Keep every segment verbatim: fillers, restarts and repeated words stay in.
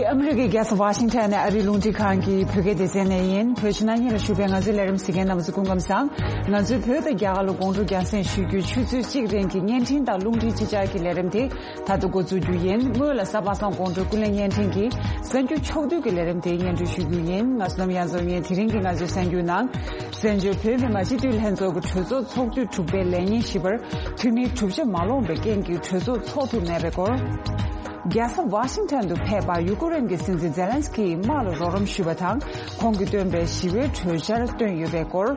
ཨ་མི་རི་ཀའི་རྒྱལ་ས་ཝ་ཤིང་ཊོན་ནས་ཨ་རིའི་རླུང་འཕྲིན་ཁང་གི་བོད་སྐད་སྡེ་ཚན་ནས་ཡིན། བོད་ཕྱི་ནང་གཉིས་ལ་བཞུགས་པའི་ང་ཚོའི་ལས་རིམ་གཟིགས་མཁན་རྣམ་པ་ཚོ་སྐུ་ཁམས་བཟང་། ང་ཚོའི་བོད་དང་རྒྱ་གར་ལ་དགོང་དྲོ་རྒྱང་སྲིང་ཞུ་རྒྱུའི་ཆུ་ཚོད་གཅིག་རིང་གི་བརྙན་འཕྲིན་དང་རླུང་འཕྲིན་ཅི་ཆར་གྱི་ལས་རིམ་དེ་ད་དུང་འགོ་འཛུགས་རྒྱུ་ཡིན། སྔོན་ལ་གཟའ་པ་སངས་དགོང་དྲོའི་ཀུན་གླེང་བརྙན་འཕྲིན་གྱི་གསར་འགྱུར་ཕྱོགས་བསྡུས་ཀྱི་ལས་རིམ་དེ་སྙན་སྒྲོན་ཞུ་རྒྱུ་ཡིན། ང་བསོད་ནམས་དབྱངས་འཛོམས་ཡིན། དེ་རིང་གི་ང་ཚོའི་གསར་འགྱུར་ནང་། བཙན་བྱོལ་བོད་མི་མང་སྤྱི་འཐུས་ལྷན་ཚོགས་ཀྱི་གྲོས་ཚོགས་ཚོགས་དུས་དྲུག་པའི་ལས་ཉིན་བཞི་པར་འཐུས་མིའི་གྲུབ་ཆ་མ་ལོངས་པའི་རྐྱེན་གྱིས་གྲོས་ཚོགས་ཚོགས་ཐུབ་མེད་པའི་སྐོར། རྒྱལ་ས་ཝ་ཤིང་ཊོན་དུ་ཕེབས་པར་ཡུ་ཀེ་རེན་གྱི་སྲིད་འཛིན་ཛེ་ལན་སི་ཀི་ཡིས་དམག་ལ་རོགས་རམ་ཞུས་པ་དང་། ཁོང་གིས་བཏོན་པའི་ཞི་བའི་གྲོས་འཆར་བཏོན་ཡོད་པའི་སྐོར།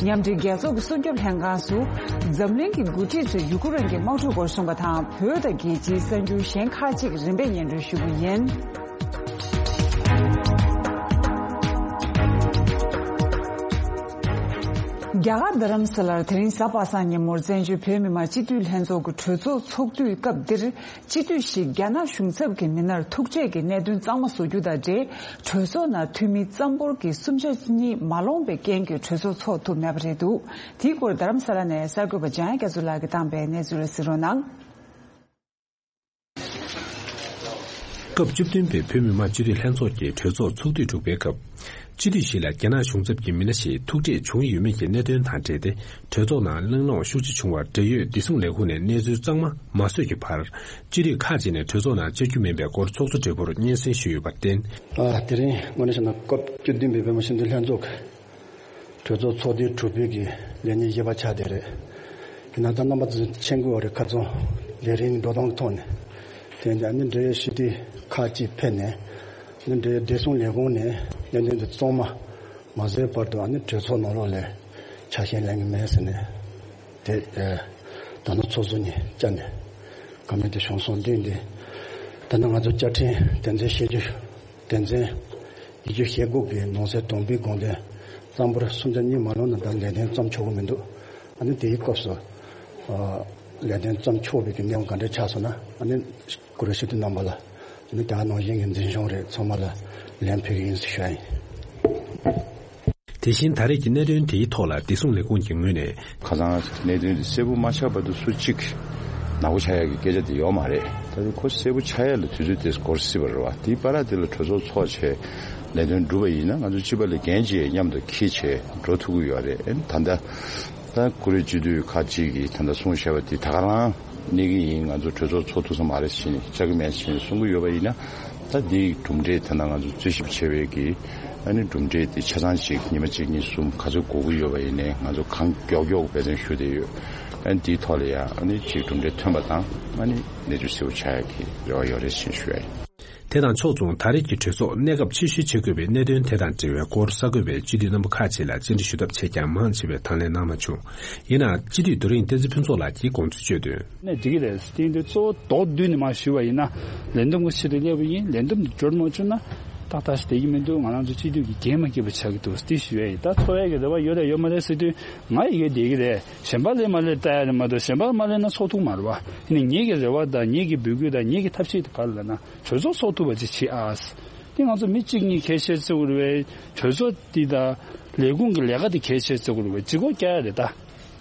མཉམ་འབྲེལ་རྒྱལ་ཚོགས་ཀྱི་སྲུང་སྐྱོབ་ལྷན་ཁང་སུ། འཛམ་གླིང་གི་འགོ་ཁྲིད་ཚོས་ཡུ་ཀེ་རེན་གྱི་དམག་འཁྲུག་སྐོར་གསུངས་པ་དང་། བོད་དང་རྒྱལ་སྤྱིའི་གསར་འགྱུར་གཞན་ཁག་ཅིག་རིམ་པས་སྙན་སྒྲོན་ཞུ་རྒྱུ་ཡིན། རྒྱ་གར་རྡ་རམ་ས་ལར་དེ་རིང་གཟའ་པ་སངས་ཉིན་མོར་བཙན་བྱོལ་བོད་མི་མང་སྤྱི་འཐུས་ལྷན་ཚོགས་ཀྱི་གྲོས་ཚོགས་ཚོགས་དུས་སྐབས་འདིར། སྤྱི་འཐུས་ཤིག་རྒྱ་ནག་གཞུང་ཚབ་ཀྱི་མི་སྣར་ཐུག་འཕྲད་ཀྱི་གནད་དོན་གཙང་མ་བཟོ་རྒྱུ་དང་འབྲེལ། གྲོས་ཚོགས་ནང་འཐུས་མི་གཙང་པོར་གྱི་གསུམ་ཆ་གཉིས་མ་ལོངས་པའི་རྐྱེན་གྱིས་གྲོས་ཚོགས་ཚོགས་ཐུབ་མེད་པ་རེད་འདུག་དེའི་སྐོར་རྡ་རམ་ས་ལ་ནས་གསར་འགོད་པ་འཇམ་དབྱངས་རྒྱ་མཚོ་ལགས་ཀྱིས་བཏང་པའི་གནས་ཚུལ་ལ་གཟིགས་རོགས་གནང་། སྐབས་བཅུ་བདུན་པའི་བོད་མི་མང་སྤྱི་འཐུས་ལྷན་ཚོགས་ཀྱི་གྲོས་ཚོགས་ཚོགས་དུས་དྲུག་པའི་སྐབས། སྤྱི་འཐུས་ཤིག་ལ་རྒྱ་ནག་གཞུང་ཚབ་ཀྱི་མི་སྣ་ཞིག་ཐུག་འཕྲད་བྱུང་ཡོད་མེད་ཀྱི་གནད་དོན་དང་འབྲེལ་ཏེ། གྲོས་ཚོགས་ནང་གླེང་སློང་ཤུགས་ཆེ་བྱུང་བར། འབྲེལ་ཡོད་བདེ་སྲུང་ལས་ཁུངས་ནས་གནས་ཚུལ་གཙང་མ་མ་བཟོས་ཀྱི་བར། སྤྱི་འཐུས་ཁག་ཅིག་ནས་གྲོས་ཚོགས་ནང་བཅར་རྒྱུ་མིན་པའི་སྐོར་ཚོགས་གཙོ་སྦྲེལ་པོར་སྙན་སེང་ཞུས་ཡོད་པར་བརྟེན། ཨ། དེ་རིང་དངོས་གནས་བྱས་ན་སྐབས་བཅུ་བདུན་པའི་བོད་མི་སྤྱི་འཐུས་ལྷན་ཚོགས་ཀྱི་གྲོས་ཚོགས་ཚོགས་དུས་དྲུག་པའི་གི་ལས་ཉིན་བཞི་པ་ཆགས་བསྡད་རེད། ཡིན་ན་ད་རྣམ་པ་ཚོ་མཁྱེན་གྱི་ཡོད་རེད། ཁ་རྩང་ལས་རིམ་འགྲོ་སྟངས་ཀྱི་ཐོག་ནས། དེ་ཡིན་ཙང་ཨ་ནི་འབྲེལ་ཡོད་སྤྱི་འཐུས་ཁག་ཅིག་ཕེབས་ནས། ཨ་ནི་འབྲེལ་ཡོད་བདེ་སྲུང་ལས་ཁུངས་ནས་གནད་དོན་དེ་གཙང་མ་མ་བཟོས་བར་དུ། ཨ་ནི་གྲོས་ཚོགས་ནང་ལོགས་ལ་ཆ་ཤས་ལེན་གྱི་མེད་ཟེར་ནས། དེ་ཨ་ད་ནི་ཚོགས་གཙོ་ནས་བཅར་ནས་བཀའ་མོལ་དེ་བྱུང་སོང་། དེ་ཡིན་དུས་ད་ནི་ང་ཚོ་བཅའ་ཁྲིམས་དོན་ཚན་ཞེ་བཅུ། དོན་ཚན་ཉི་ཤུ་ཞེ་དགུ་གི་ནང་གསེས་དང་པོའི་དགོངས་དོན་གཙང་པོར་གསུམ་ཆ་གཉིས་མ་ལོངས་ན་ད་ལས་དོན་བརྩམས་ཆོག་གི་མི་འདུག་ཨ་ནི་དེའི་སྐབས་སུ་ཨ་ལས་དོན་བརྩམས་ཆོག་པའི་གི་གནས་བབ་ག་འདྲ་ཆགས་སོང་ན། ཨ་ནི་གུ་རུ་ཞུ་དུས་རྣམ་པ་ལ། ཨ་ནི་དེ་ག་ནང་བཞིན་གྱི་འཛིན་སྐྱོང་རེད། ཚང་མ་ལ་ལན་ཕུལ་གི་ཡིན་ཟེར་ཞུ་ཡ་ཡིན། དེ་བཞིན་ད་རེས་ཀྱི་གནད་དོན་དེའི་ཐོག་ལ་བདེ་སྲུང་ལས་ཁུངས་ཀྱི་ངོས་ནས། ཁ་སང་གནད་དོན་དེ་གསལ་པོ་མ་ཆགས་བར་དུ་སུ་གཅིག་ནག་པོ་ཆགས་ཡག་གི་སྐད་ཆ་དེ་ཡོད་མ་རེད། ད་དེ་ཁོ་གསལ་པོ་ཆགས་ཡག་ལ་དུས་ཚོད་དེ་འགོར་སྲིད་པ་རེད་བ། དེའི་བར་དེ་ལ་གྲོས་ཚོགས་ཚོགས་བྱས་ལས་དོན་སྒྲུབ་པ་ཡིན་ན། ང་ཚོ་སྤྱི་པ་ལས་འགན་ཅིག་མཉམ་དུ་འཁྱེར་བྱས་འགྲོ་ཐུབ་ཀྱི་ཡོད་རེད། ཨ་ནི་ད་ལྟ་ད་གུ་རུ་སྤྱི་འཐུས་ཁག་ཅིག་གིས་ད་ལྟ་གསུངས་བཞག་པ་དེ་ད་ག་རང་གནས་ཀྱི་ཡིན། ང་ཚོ་གྲོས་ཚོགས་ཚོགས་ཐུབ་ས་མ་རེད་ཟེར་ནས། བཅར་གྱི་མེད་ཟེར་ནས་གསུང་གི་ཡོད་པ་ཡིན་ན། ད་འདིའི་གྲུབ་འབྲས་དེ་ན་ང་ཚོ་རྩོད་ཞིབ་བྱས་པའི་གི་ཨ་ནི་གྲུབ་འབྲས་དེ་ཆ་ཚང་ཅིག་ཉི་མ་གཅིག་གཉིས་གསུམ་ག་ཚོད་འགོར་གྱི་ཡོད་པ་ཡིན་ནའི། ང་ཚོ་གང་མགྱོགས་མགྱོགས་འབད་བརྩོན་ཞུ་བསྡད་ཡོད། ཨ་ནི་འདིའི་ཐོག་ལ་ཡང་ཨ་ནི་ཅིག་གྲུབ་འབྲས་ཐོན་པ་དང་། ཨ་ནི་གནས་ཚུལ་གསལ་པོ་ཆགས་ཡག་གི་རེ་བ་ཡོད་རེད་ཅེས་ཞུ་ཡ་ཡིན། དེ་དང་ཕྱོགས་མཚུངས། ད་རེས་ཀྱི་གྲོས་ཚོགས་གནས་སྐབས་ཕྱིར་བཤོལ་བྱེད་དགོས་པའི་གནད་དོན་དེ་དང་འབྲེལ་བའི་སྐོར་གསར་འགོད་པས་སྤྱི་འཐུས་རྣམ་པ་ཁག་ཅིག་ལ་བཅར་འདྲི་ཞུ་ཐབས་བྱས་ཀྱང་མང་ཆེ་བས་དང་ལེན་གནང་མ་བྱུང་། ཡིན་ནའང་སྤྱི་འཐུས་རྡོ་རིང་བསྟན་འཛིན་ཕུན་ཚོགས་ལགས་ཀྱིས་དགོངས་ཚུལ་བརྗོད་དོན། ནས་འགྲིག་གི་རེད། དེ་ཡིན་དུས་གཙོ་བོ་མདོར་བསྡུས་ནས་མར་ཞུས་པ་ཡིན་ན། ལས་འདེམས་ཀྱི་ཆེད་དུ་སླེབས་པ་ཡིན། ལས་འདེམས་འདི་འབྱོར་མ་བྱུང་ན་ཏག་ཏག་ཞིག་བསྡད་ཀྱི་མི་འདུག་ང་རང་ཚོ་སྤྱི་འཐུས་ཀྱི་འགན་མ་འཁྱེར་བ་ཆགས་ཀྱི་འདུག་དེ་ཞུ་ཡ་ཡིན། ད་འཚོ་བའི་གི་རེ་བ་ཡོད་རེད་ཡོད་མ་རེད་ཟེར་དུས། ང་ཡི་གེ་བསྡད་ཀྱི་རེད། གཞན་པ་སླེབས་མ་སླེབས་ལྟ་ཡ་རེད་མ་གཏོགས། གཞན་པ་མ་སླེབས་ན་ཚོགས་ཐུབ་མ་རེད་བ། ཡིན་ནའི་ངེད་ཀྱི་རེ་བ་དང་ངེད་ཀྱི་འབོད་སྐུལ་དང་ངེད་ཀྱི་ཐབས་ཤེས་དེ་ག་རེ་ལབ་ན། གྲོས་ཚོགས་ཚོགས་ཐུབ་པ་ཅིག་བྱེད་ཨ། དེ་ང་ཚོ་མི་གཅིག་གཉིས་གལ་ཆེར་བརྩི་དགོས་རེད་པས། གྲོས་ཚོགས་འདི་དང་ལས་ཁུངས་ཀྱི་ལས་ཀ་དེ་གལ་ཆེར་བརྩི་དགོས་རེད་པས། ལྗིད་ཁོག་རྒྱག་ཡ་རེད་ད།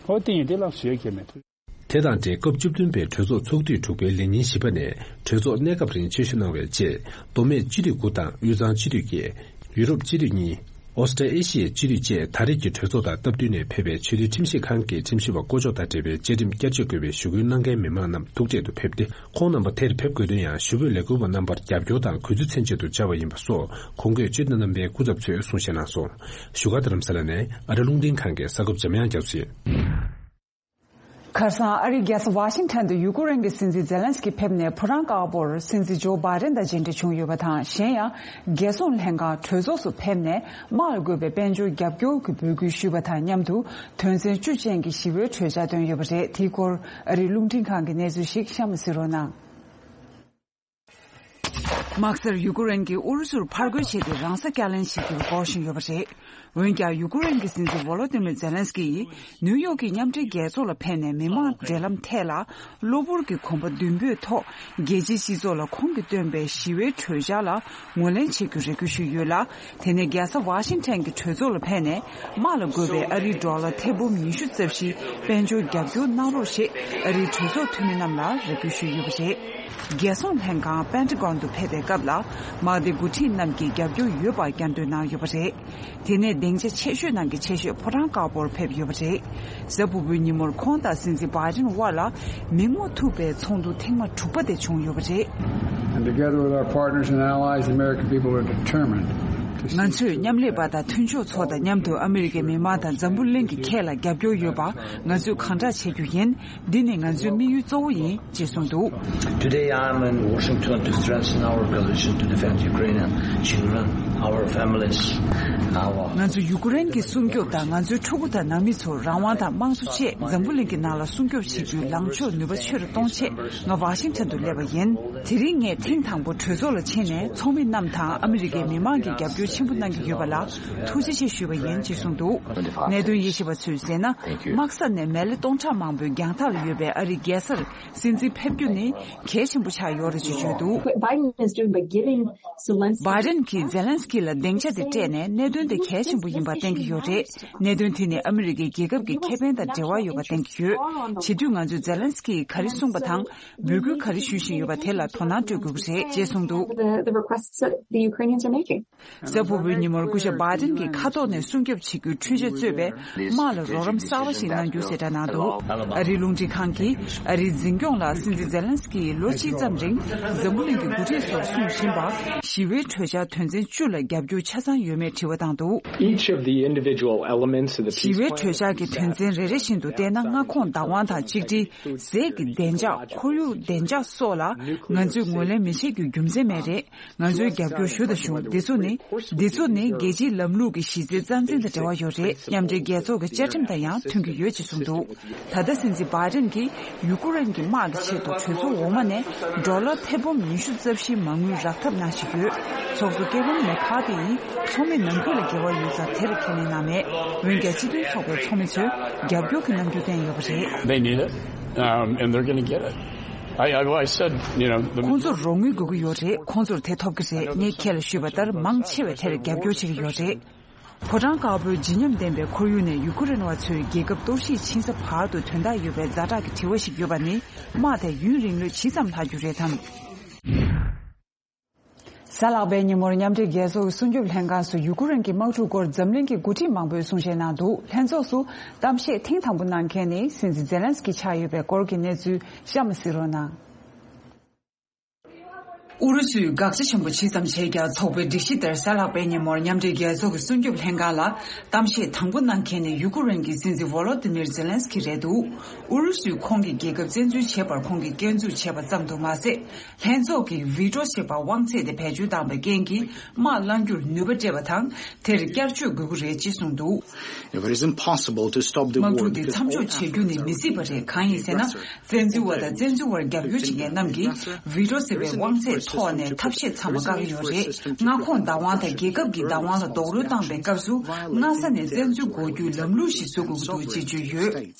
ཨོ་དེ་ཡིན་དེ་ལགས་ཞུ་ཡ་གལ་མེད། དེ་དང་འབྲེལ་སྐབས་བཅུ་བདུན་པའི་གྲོས་ཚོགས་ཚོགས་དུས་དྲུག་པའི་ལས་ཉིན་བཞི་པ་ནས་གྲོས་ཚོགས་གནས་སྐབས་རིང་ཆེད་ཞུ་གནང་བའི་རྗེས། མདོ་སྨད་སྤྱི་འཐུས་དགུ་དང་དབུས་གཙང་སྤྱི་འཐུས་བརྒྱད། ཡུ་རོབ་སྤྱི་འཐུས་གཉིས། ཨོ་སི་ཀྲི་ཨེ་ཤི་ཡའི་སྤྱི་འཐུས་བཅས་ད་རེས་ཀྱི་གྲོས་ཚོགས་དང་སྟབས་བསྟུན་ནས་ཕེབས་པའི་ཆེས་མཐོའི་ཁྲིམས་ཞིབ་ཁང་གི་ཁྲིམས་ཞིབ་པ་བསྐོ་གཞག་དང་འབྲེལ་བའི་བཅའ་ཁྲིམས་བསྐྱར་བཅོས་དགོས་པའི་ཞུ་སྐུལ་གནང་མཁན་མི་མང་རྣམས་ཐུག་འཕྲད་དུ་ཕེབས་ཏེ། ཁོང་རྣམ་པ་དེར་ཕེབས་དགོས་དོན་ཡང་ཞུ་འབོད་ལས་འགུལ་བ་རྣམ་པར་རྒྱབ་སྐྱོར་དང་གུས་བརྩི་མཚོན་ཆེད་དུ་བཅར་བ་ཡིན་པ་སོགས་གོང་འོག་སྤྱི་འཐུས་རྣམ་པའི་སྐུ་ཚབ་ཚོས་གསུང་བཤད་གནང་སོང་། བཞུགས་སྒར་རྡ་རམ་ས་ལ་ནས་ཨ་རི་རླུང་འཕྲིན་ཁང་གི་གསར་འགོད་པ་འཇམ་དབྱངས་རྒྱ་མཚོ་ཡིན། ཁ་སང་ཨ་རིའི་རྒྱལ་ས་ཝ་ཤིང་ཊོན་དུ་ཡུ་ཀེ་རེན་གྱི་སྲིད་འཛིན་ཛེ་ལན་སི་ཀི་ཕེབས་ནས། ཕོ་བྲང་དཀར་པོར་སྲིད་འཛིན་ཇོ་བྷའི་ཌེན་དང་མཇལ་འཕྲད་བྱུང་ཡོད་པ་དང་། གཞན་ཡང་། རྒྱལ་སྲུང་ལྷན་ཁང་གྲོས་ཚོགས་སུ་ཕེབས་ནས། དམག་ལ་དགོས་པའི་དཔལ་འབྱོར་རྒྱབ་སྐྱོར་གྱི་འབོད་སྐུལ་ཞུས་པ་དང་མཉམ་དུ། དོན་ཚན་བཅུ་ཅན་གྱི་ཞི་བའི་གྲོས་འཆར་བཏོན་ཡོད་པ་རེད། དེའི་སྐོར་ཨ་རིའི་རླུང་འཕྲིན་ཁང་གི་གནས་ཚུལ་ཞིག་གཤམ་ལ་གཟིགས་རོགས་གནང་། དམག་སར་ཡུ་ཀེ་རེན་གྱིས་ཨུ་རུ་སུར་ཕར་རྒོལ་བྱས་ཏེ་རང་སྲོག་བསྐྱར་ལེན་བྱེད་རྒྱུར་འབད་བཞིན་ཡོད་པ་རེད། འོན་ཀྱང་། ཡུ་ཀེ་རེན་གྱི་སྲིད་འཛིན་ཝོ་ལོ་ཏི་མིར་ཛེ་ལན་སི་ཀི་ཡིས་ནིའུ་ཡོག་གི་མཉམ་འབྲེལ་རྒྱལ་ཚོགས་ལ་ཕེབས་ནས། མི་མང་འབྲེལ་ལམ་ཐད་ལ་གློ་བུར་གྱི་གོམ་པ་མདུན་སྤོས་ཐོག་རྒྱལ་སྤྱིའི་སྤྱི་ཚོགས་ལ་ཁོང་གིས་བཏོན་པའི་ཞི་བའི་གྲོས་འཆར་ལ་ངོས་ལེན་བྱེད་རྒྱུར་རེ་སྐུལ་ཞུས་ཡོད་ལ། དེ་ནས་རྒྱལ་ས་ཝ་ཤིང་ཊོན་གྱི་གྲོས་ཚོགས་ལ་ཕེབས་ནས། དམག་ལ་དགོས་པའི་ཨ་རིའི་ཌོ་ལར་ཐེར་འབུམ་ཉི་ཤུ་རྩ་བཞིའི་དཔལ་འབྱོར་རྒྱབ་སྐྱོར་གནང་རོགས་ཞེས་ཨ་རིའི་གྲོས་ཚོགས་འཐུས་མི་རྣམས་ལ་རེ་སྐུལ་ཞུས་ཡོད་པ་རེད། རྒྱལ་སྲུང་ལྷན་ཁང་པེན་ཏ་གོན་དུ་ཕེབས་པའི་སྐབས་ལ། དམག་སྡེ་འགོ་ཁྲིད་རྣམས་ཀྱིས་རྒྱབ་སྐྱོར་ཡོད་པར་བསྐྱར་ཟློས་གནང་ཡོད་པ་རེད། དེ་ནས་སྡིངས་ཆ་ཆེ་ཤོས་ནང་གི་ཆེ་ཤོས་ཕོ་བྲང་དཀར་པོར་ཕེབས་ཡོད་པ་རེད། གཟའ་ཕུར་བུའི་ཉིན་མོར་ཁོང་དང་སྲིད་འཛིན་བྷའི་ཌེན་དབར་ལ་མིག་རྨོངས་ཐུག་པའི་ཚོགས་འདུ་ཐེངས་མ་དྲུག་པ་དེ་བྱུང་ཡོད་པ་རེད། And together with our partners and allies, the American people are determined to see ང་ཚོས་མཉམ་ལས་པ་དང་མཐུན་ཕྱོགས་ཚོ་དང་མཉམ་དུ་ཨ་མི་རི་ཀའི་མི་དམངས་དང་འཛམ་བུ་གླིང་གི་ཁྱེད་ལ་རྒྱབ་སྐྱོར་ཡོད་པ་ང་ཚོས་གང་དྲག་བྱེད་རྒྱུ་ཡིན། འདི་ནི་ང་ཚོའི་དམིགས་ཡུལ་གཙོ་བོ་ཡིན། ཅེས་གསུངས་འདུག Today I am in Washington to strengthen our coalition to defend Ukrainian children, our families, our ང་ཚོ་ཡུ་ཀེ་རེན་གྱི་སྲུང་སྐྱོབ་དང་ང་ཚོའི་ཕྲུ་གུ་དང་ནང་མི་ཚོར་རང་དབང་དང་དམངས་གཙོ་ཆེད་འཛམ་བུ་གླིང་གི་ནང་ལ་སྲུང་སྐྱོབ་བྱེད་རྒྱུའི་ལངས་ཕྱོགས་ནུས་པ་ཆེ་རུ་གཏོང་ཆེད་ང་ཝ་ཤིང་ཊོན་དུ་སླེབས་པ་ཡིན། དེ་རིང་ངས་ཐེངས་དང་པོ་གྲོས་ཚོགས་ལ་ཕྱིན་ནས་ཚོགས་མི་རྣམས་དང་ཨ་མི་རི་ཀའི་མི་མང་གི་རྒྱབ་སྐྱོར་ཆེན་པོ་གནང་གི་ཡོད་པ་ལ་ཐུགས་རྗེ་ཆེ་ཞུས་པ་ཡིན་ཅེས་གསུངས་འདུག་གནད་དོན་དབྱེ་ཞིབ་པ་ཚོས་ཟེར་ན། དམག་ས་ནས་མེ་ལེ་སྟོང་ཕྲག་མང་པོའི་རྒྱང་ཐག་ལ་ཡོད་པའི་ཨ་རིའི་རྒྱལ་སར་སྲིད་འཛིན་ཕེབས་རྒྱུ་ནི་གལ་ཆེན་པོ་ཆགས་ཡོད་རེད་ཅེས་བརྗོད་འདུག What Biden is doing by giving Zelensky བྷའི་ཌེན་གྱིས་ཛེ་ལན་སི་ཀི་ལ་སྡིངས་ཆ་དེ་སྤྲད་ནས་གནད་དོན་དེ་གལ་ཆེན་པོ་ཡིན་པ་བསྟན་གྱི་ཡོད་རེད། གནད་དོན་དེ་ནི་ཨ་མི་རི་ཀའི་རྒྱལ་ཁབ་ཀྱི་ཁེ་ཕན་དང་འབྲེལ་བ་ཡོད་པ་བསྟན་གྱི་ཡོད། བྱེད་དུས་ང་ཚོས་ཛེ་ལན་སི་ཀིས་ག་རེ་གསུངས་པ་དང་། འབོད་སྐུལ་ག་རེ་ཞུ་བཞིན་ཡོད་པ་དེ་ལ་དོ་སྣང་སྤྲོད་དགོས་ཀྱི་རེད་ཅེས་གསུངས་འདུག The, the requests that the Ukrainians are making. གཟའ་ཕུར་བུའི་ཉིན་མོར་སྐུ་ཞབས་བྷའི་ཌེན་གྱིས་མཁའ་ཐོག་ནས་སྲུང་སྐྱོབ་བྱེད་རྒྱུའི་འཕྲུལ་ཆས་གཙོས་པའི་དམག་ལ་རོགས་རམ་གསར་པ་ཞིག་གནང་རྒྱུ་གསལ་བསྒྲགས་གནང་འདུག་ཨ་རིའི་རླུང་འཕྲིན་ཁང་གིས་ཨ་རིའི་འཛིན་སྐྱོང་ལ་སྲིད་འཛིན་ཛེ་ལན་སི་ཀིས་ལོ་གཅིག་ཙམ་རིང་འཛམ་བུ་གླིང་གི་འགོ་ཁྲིད་ཚོར་གསུངས་བཞིན་པ། ཞི་བའི་གྲོས་འཆར་དོན་ཚན་བཅུ་ལ་རྒྱབ་སྐྱོར་ཆ་ཚང་ཡོད་མེད་དྲི་བ་བཏང་འདུག Each of the individual elements of the ཞི་བའི་གྲོས་འཆར་གྱི་དོན་ཚན་རེ་རེ་བཞིན་དུ་བལྟས་ན། མངའ་ཁོངས་བདག་དབང་དང་གཅིག་སྒྲིལ། ཟས་ཀྱི་བདེ་འཇགས། ཁོར་ཡུག་བདེ་འཇགས་སོགས་ལ་ང་ཚོས་ངོས་ལེན་མི་བྱེད་རྒྱུའི་རྒྱུ་མཚན་མེད་རེད། ང་ཚོས་རྒྱབ་སྐྱོར་ཞུ་དང་ཞུ། འདི་ཚོ་ནི། འདི་ཚོ་ནི་རྒྱལ་སྤྱིའི་ལམ་ལུགས་ཀྱི་གཞི་རྩའི་རྩ་འཛིན་དང་འབྲེལ་བ་ཡོད་རེད། མཉམ་འབྲེལ་རྒྱལ་ཚོགས་ཀྱི་བཅའ་ཁྲིམས་དང་ཡང་མཐུན་གྱི་ཡོད་ཅེས་གསུངས་འདུག་ད་ལྟ་སྲིད་འཛིན་བྷའི་ཌེན་གྱིས་ཡུ་ཀེ་རེན་གྱི་དམག་གི་ཆེད་དུ་གྲོས་ཚོགས་འོག་མ་ནས་ཌོ་ལར་ཐེར་འབུམ་ཉི་ཤུ་རྩ་བཞིའི་མ་དངུལ་རག་ཐབས་གནང་བཞིན་ཡོད། ཚོགས་གཙོ་ཀེ་ཝིན་མེ་ཁ་ཐི་ཡིས་ཚོགས་མི་ནང་ཁུལ་ལ་འགལ་བ་ཡོད་ཙང་དེར་ཁས་ལེན་གནང་མེད། འོན་ཀྱང་སྤྱི་མཐུན་ཚོགས་པའི་ཚོགས་མི་ཚོས་རྒྱབ་སྐྱོར་གྱི་རྣམ་འགྱུར་བསྟན་ཡོད་པ་རེད། They need it, um, and they're going to get it. I, I, I said, you know, the ཁོང་ཚོར་རོགས་དངུལ་དགོས་ཀྱི་ཡོད་རེད། ཁོང་ཚོར་དེ་ཐོབ་ཀྱི་རེད། ངས་ཁྱེད་ལ་ཞུས་པ་ལྟར་མང་ཆེ་བས་དེར་རྒྱབ་སྐྱོར་བྱེད་ཀྱི་ཡོད་རེད། ཕོ་བྲང་དཀར་པོའི་བརྗིད་ཉམས་ལྡན་པའི་ཁོར་ཡུག་ནས་ཡུ་ཀེ་རེན་བ་ཚོའི་རྒྱལ་ཁབ་གཏོར་བཤིག་ཕྱིན་ས་བར་དུ་དོན་དག་ཡོད་པའི་ཛ་དྲག་གི་དྲི་བ་ཞིག་ཡོད་པ་ནི། དམག་དེ་ཡུན་རིང་ལོས་ཇི་ཙམ་ལྷག་རྒྱུ་རེད་དམ། གཟའ་ལྷག་པའི་ཉིན་མོར་མཉམ་འབྲེལ་རྒྱལ་ཚོགས་ཀྱི་སྲུང་སྐྱོབ་ལྷན་ཁང་སུ་ཡུ་ཀེ་རེན་གྱི་དམག་འཁྲུག་སྐོར་འཛམ་གླིང་གི་འགོ་ཁྲིད་མང་པོས་གསུང་བཤད་གནང་འདུག་ལྷན་ཚོགས་སུ་གཏམ་བཤད་ཐེངས་དང་པོ་གནང་མཁན་ནི་སྲིད་འཛིན་ཛེ་ལན་སི་ཀི་ཆགས་ཡོད་པའི་སྐོར་གྱི་གནས་ཚུལ་གཤམ་ལ་གཟིགས་རོགས་གནང་། ཨུ་རུ་སུས་དགག་བྱ་ཆེན་པོ་ཇི་ཙམ་བྱས་ཀྱང་། ཚོགས་པའི་སྒྲིག་གཞི་ལྟར་གཟའ་ལྷག་པའི་ཉིན་མོར་མཉམ་འབྲེལ་རྒྱལ་ཚོགས་ཀྱི་སྲུང་སྐྱོབ་ལྷན་ཁང་ལ་གཏམ་བཤད་དང་པོ་གནང་མཁན་ནི་ཡུ་ཀེ་རེན་གྱི་སྲིད་འཛིན་ཝོ་ལོ་ཏི་མིར་ཛེ་ལན་སི་ཀི་རེད་འདུག་ཨུ་རུ་སུས་ཁོང་གི་རྒྱལ་ཁབ་བཙན་འཛུལ་བྱས་པར་ཁོང་གིས་སྐྱོན་འཛུགས་བྱས་པ་ཙམ་དུ་མ་ཟད། ལྷན་ཚོགས་ཀྱིས་བི་ཊོ་ཞེས་པ་དབང་ཚད་དེ་བེད་སྤྱོད་བཏང་བའི་རྐྱེན་གྱིས་དམག་བསླང་རྒྱུར་ནུས་པ་སྤྲད་པ་དང་། དེར་བསྐྱར་བཅོས་དགོས་ཀྱི་རེད་ཅེས་གསུངས་འདུག It is impossible to stop the དམག་འཁྲུག་འདི་མཚམས་འཇོག་བྱེད་རྒྱུ་ནི་མི་སྲིད་པ་རེད། གང་ཡིན་ཟེར་ན། བཙན་འཛུལ་བ་དང་བཙན་འཛུལ་བར་རྒྱབ་སྐྱོར་བྱེད་མཁན་རྣམས་ཀྱིས་བི་ཊོ་ཟེར་བའི་དབང་ཚད་ཐོག་ནས་ཐབས་ཤེས་ཚང་མ་བཀག་གི་ཡོད་རེད། མངའ་ཁོངས་བདག་དབང་དང་རྒྱལ་ཁབ་ཀྱི་བདག་དབང་ལ་རྡོག་རོལ་བཏང་བའི་སྐབས་སུ། སྔ་ས་ནས་བཙན་འཛུལ་འགོག་རྒྱུའི་ལམ་ལུགས་ཤིག་བཟོ་དགོས་ཀྱི་འདུག་ཅེས་བརྗོད་ཡོད།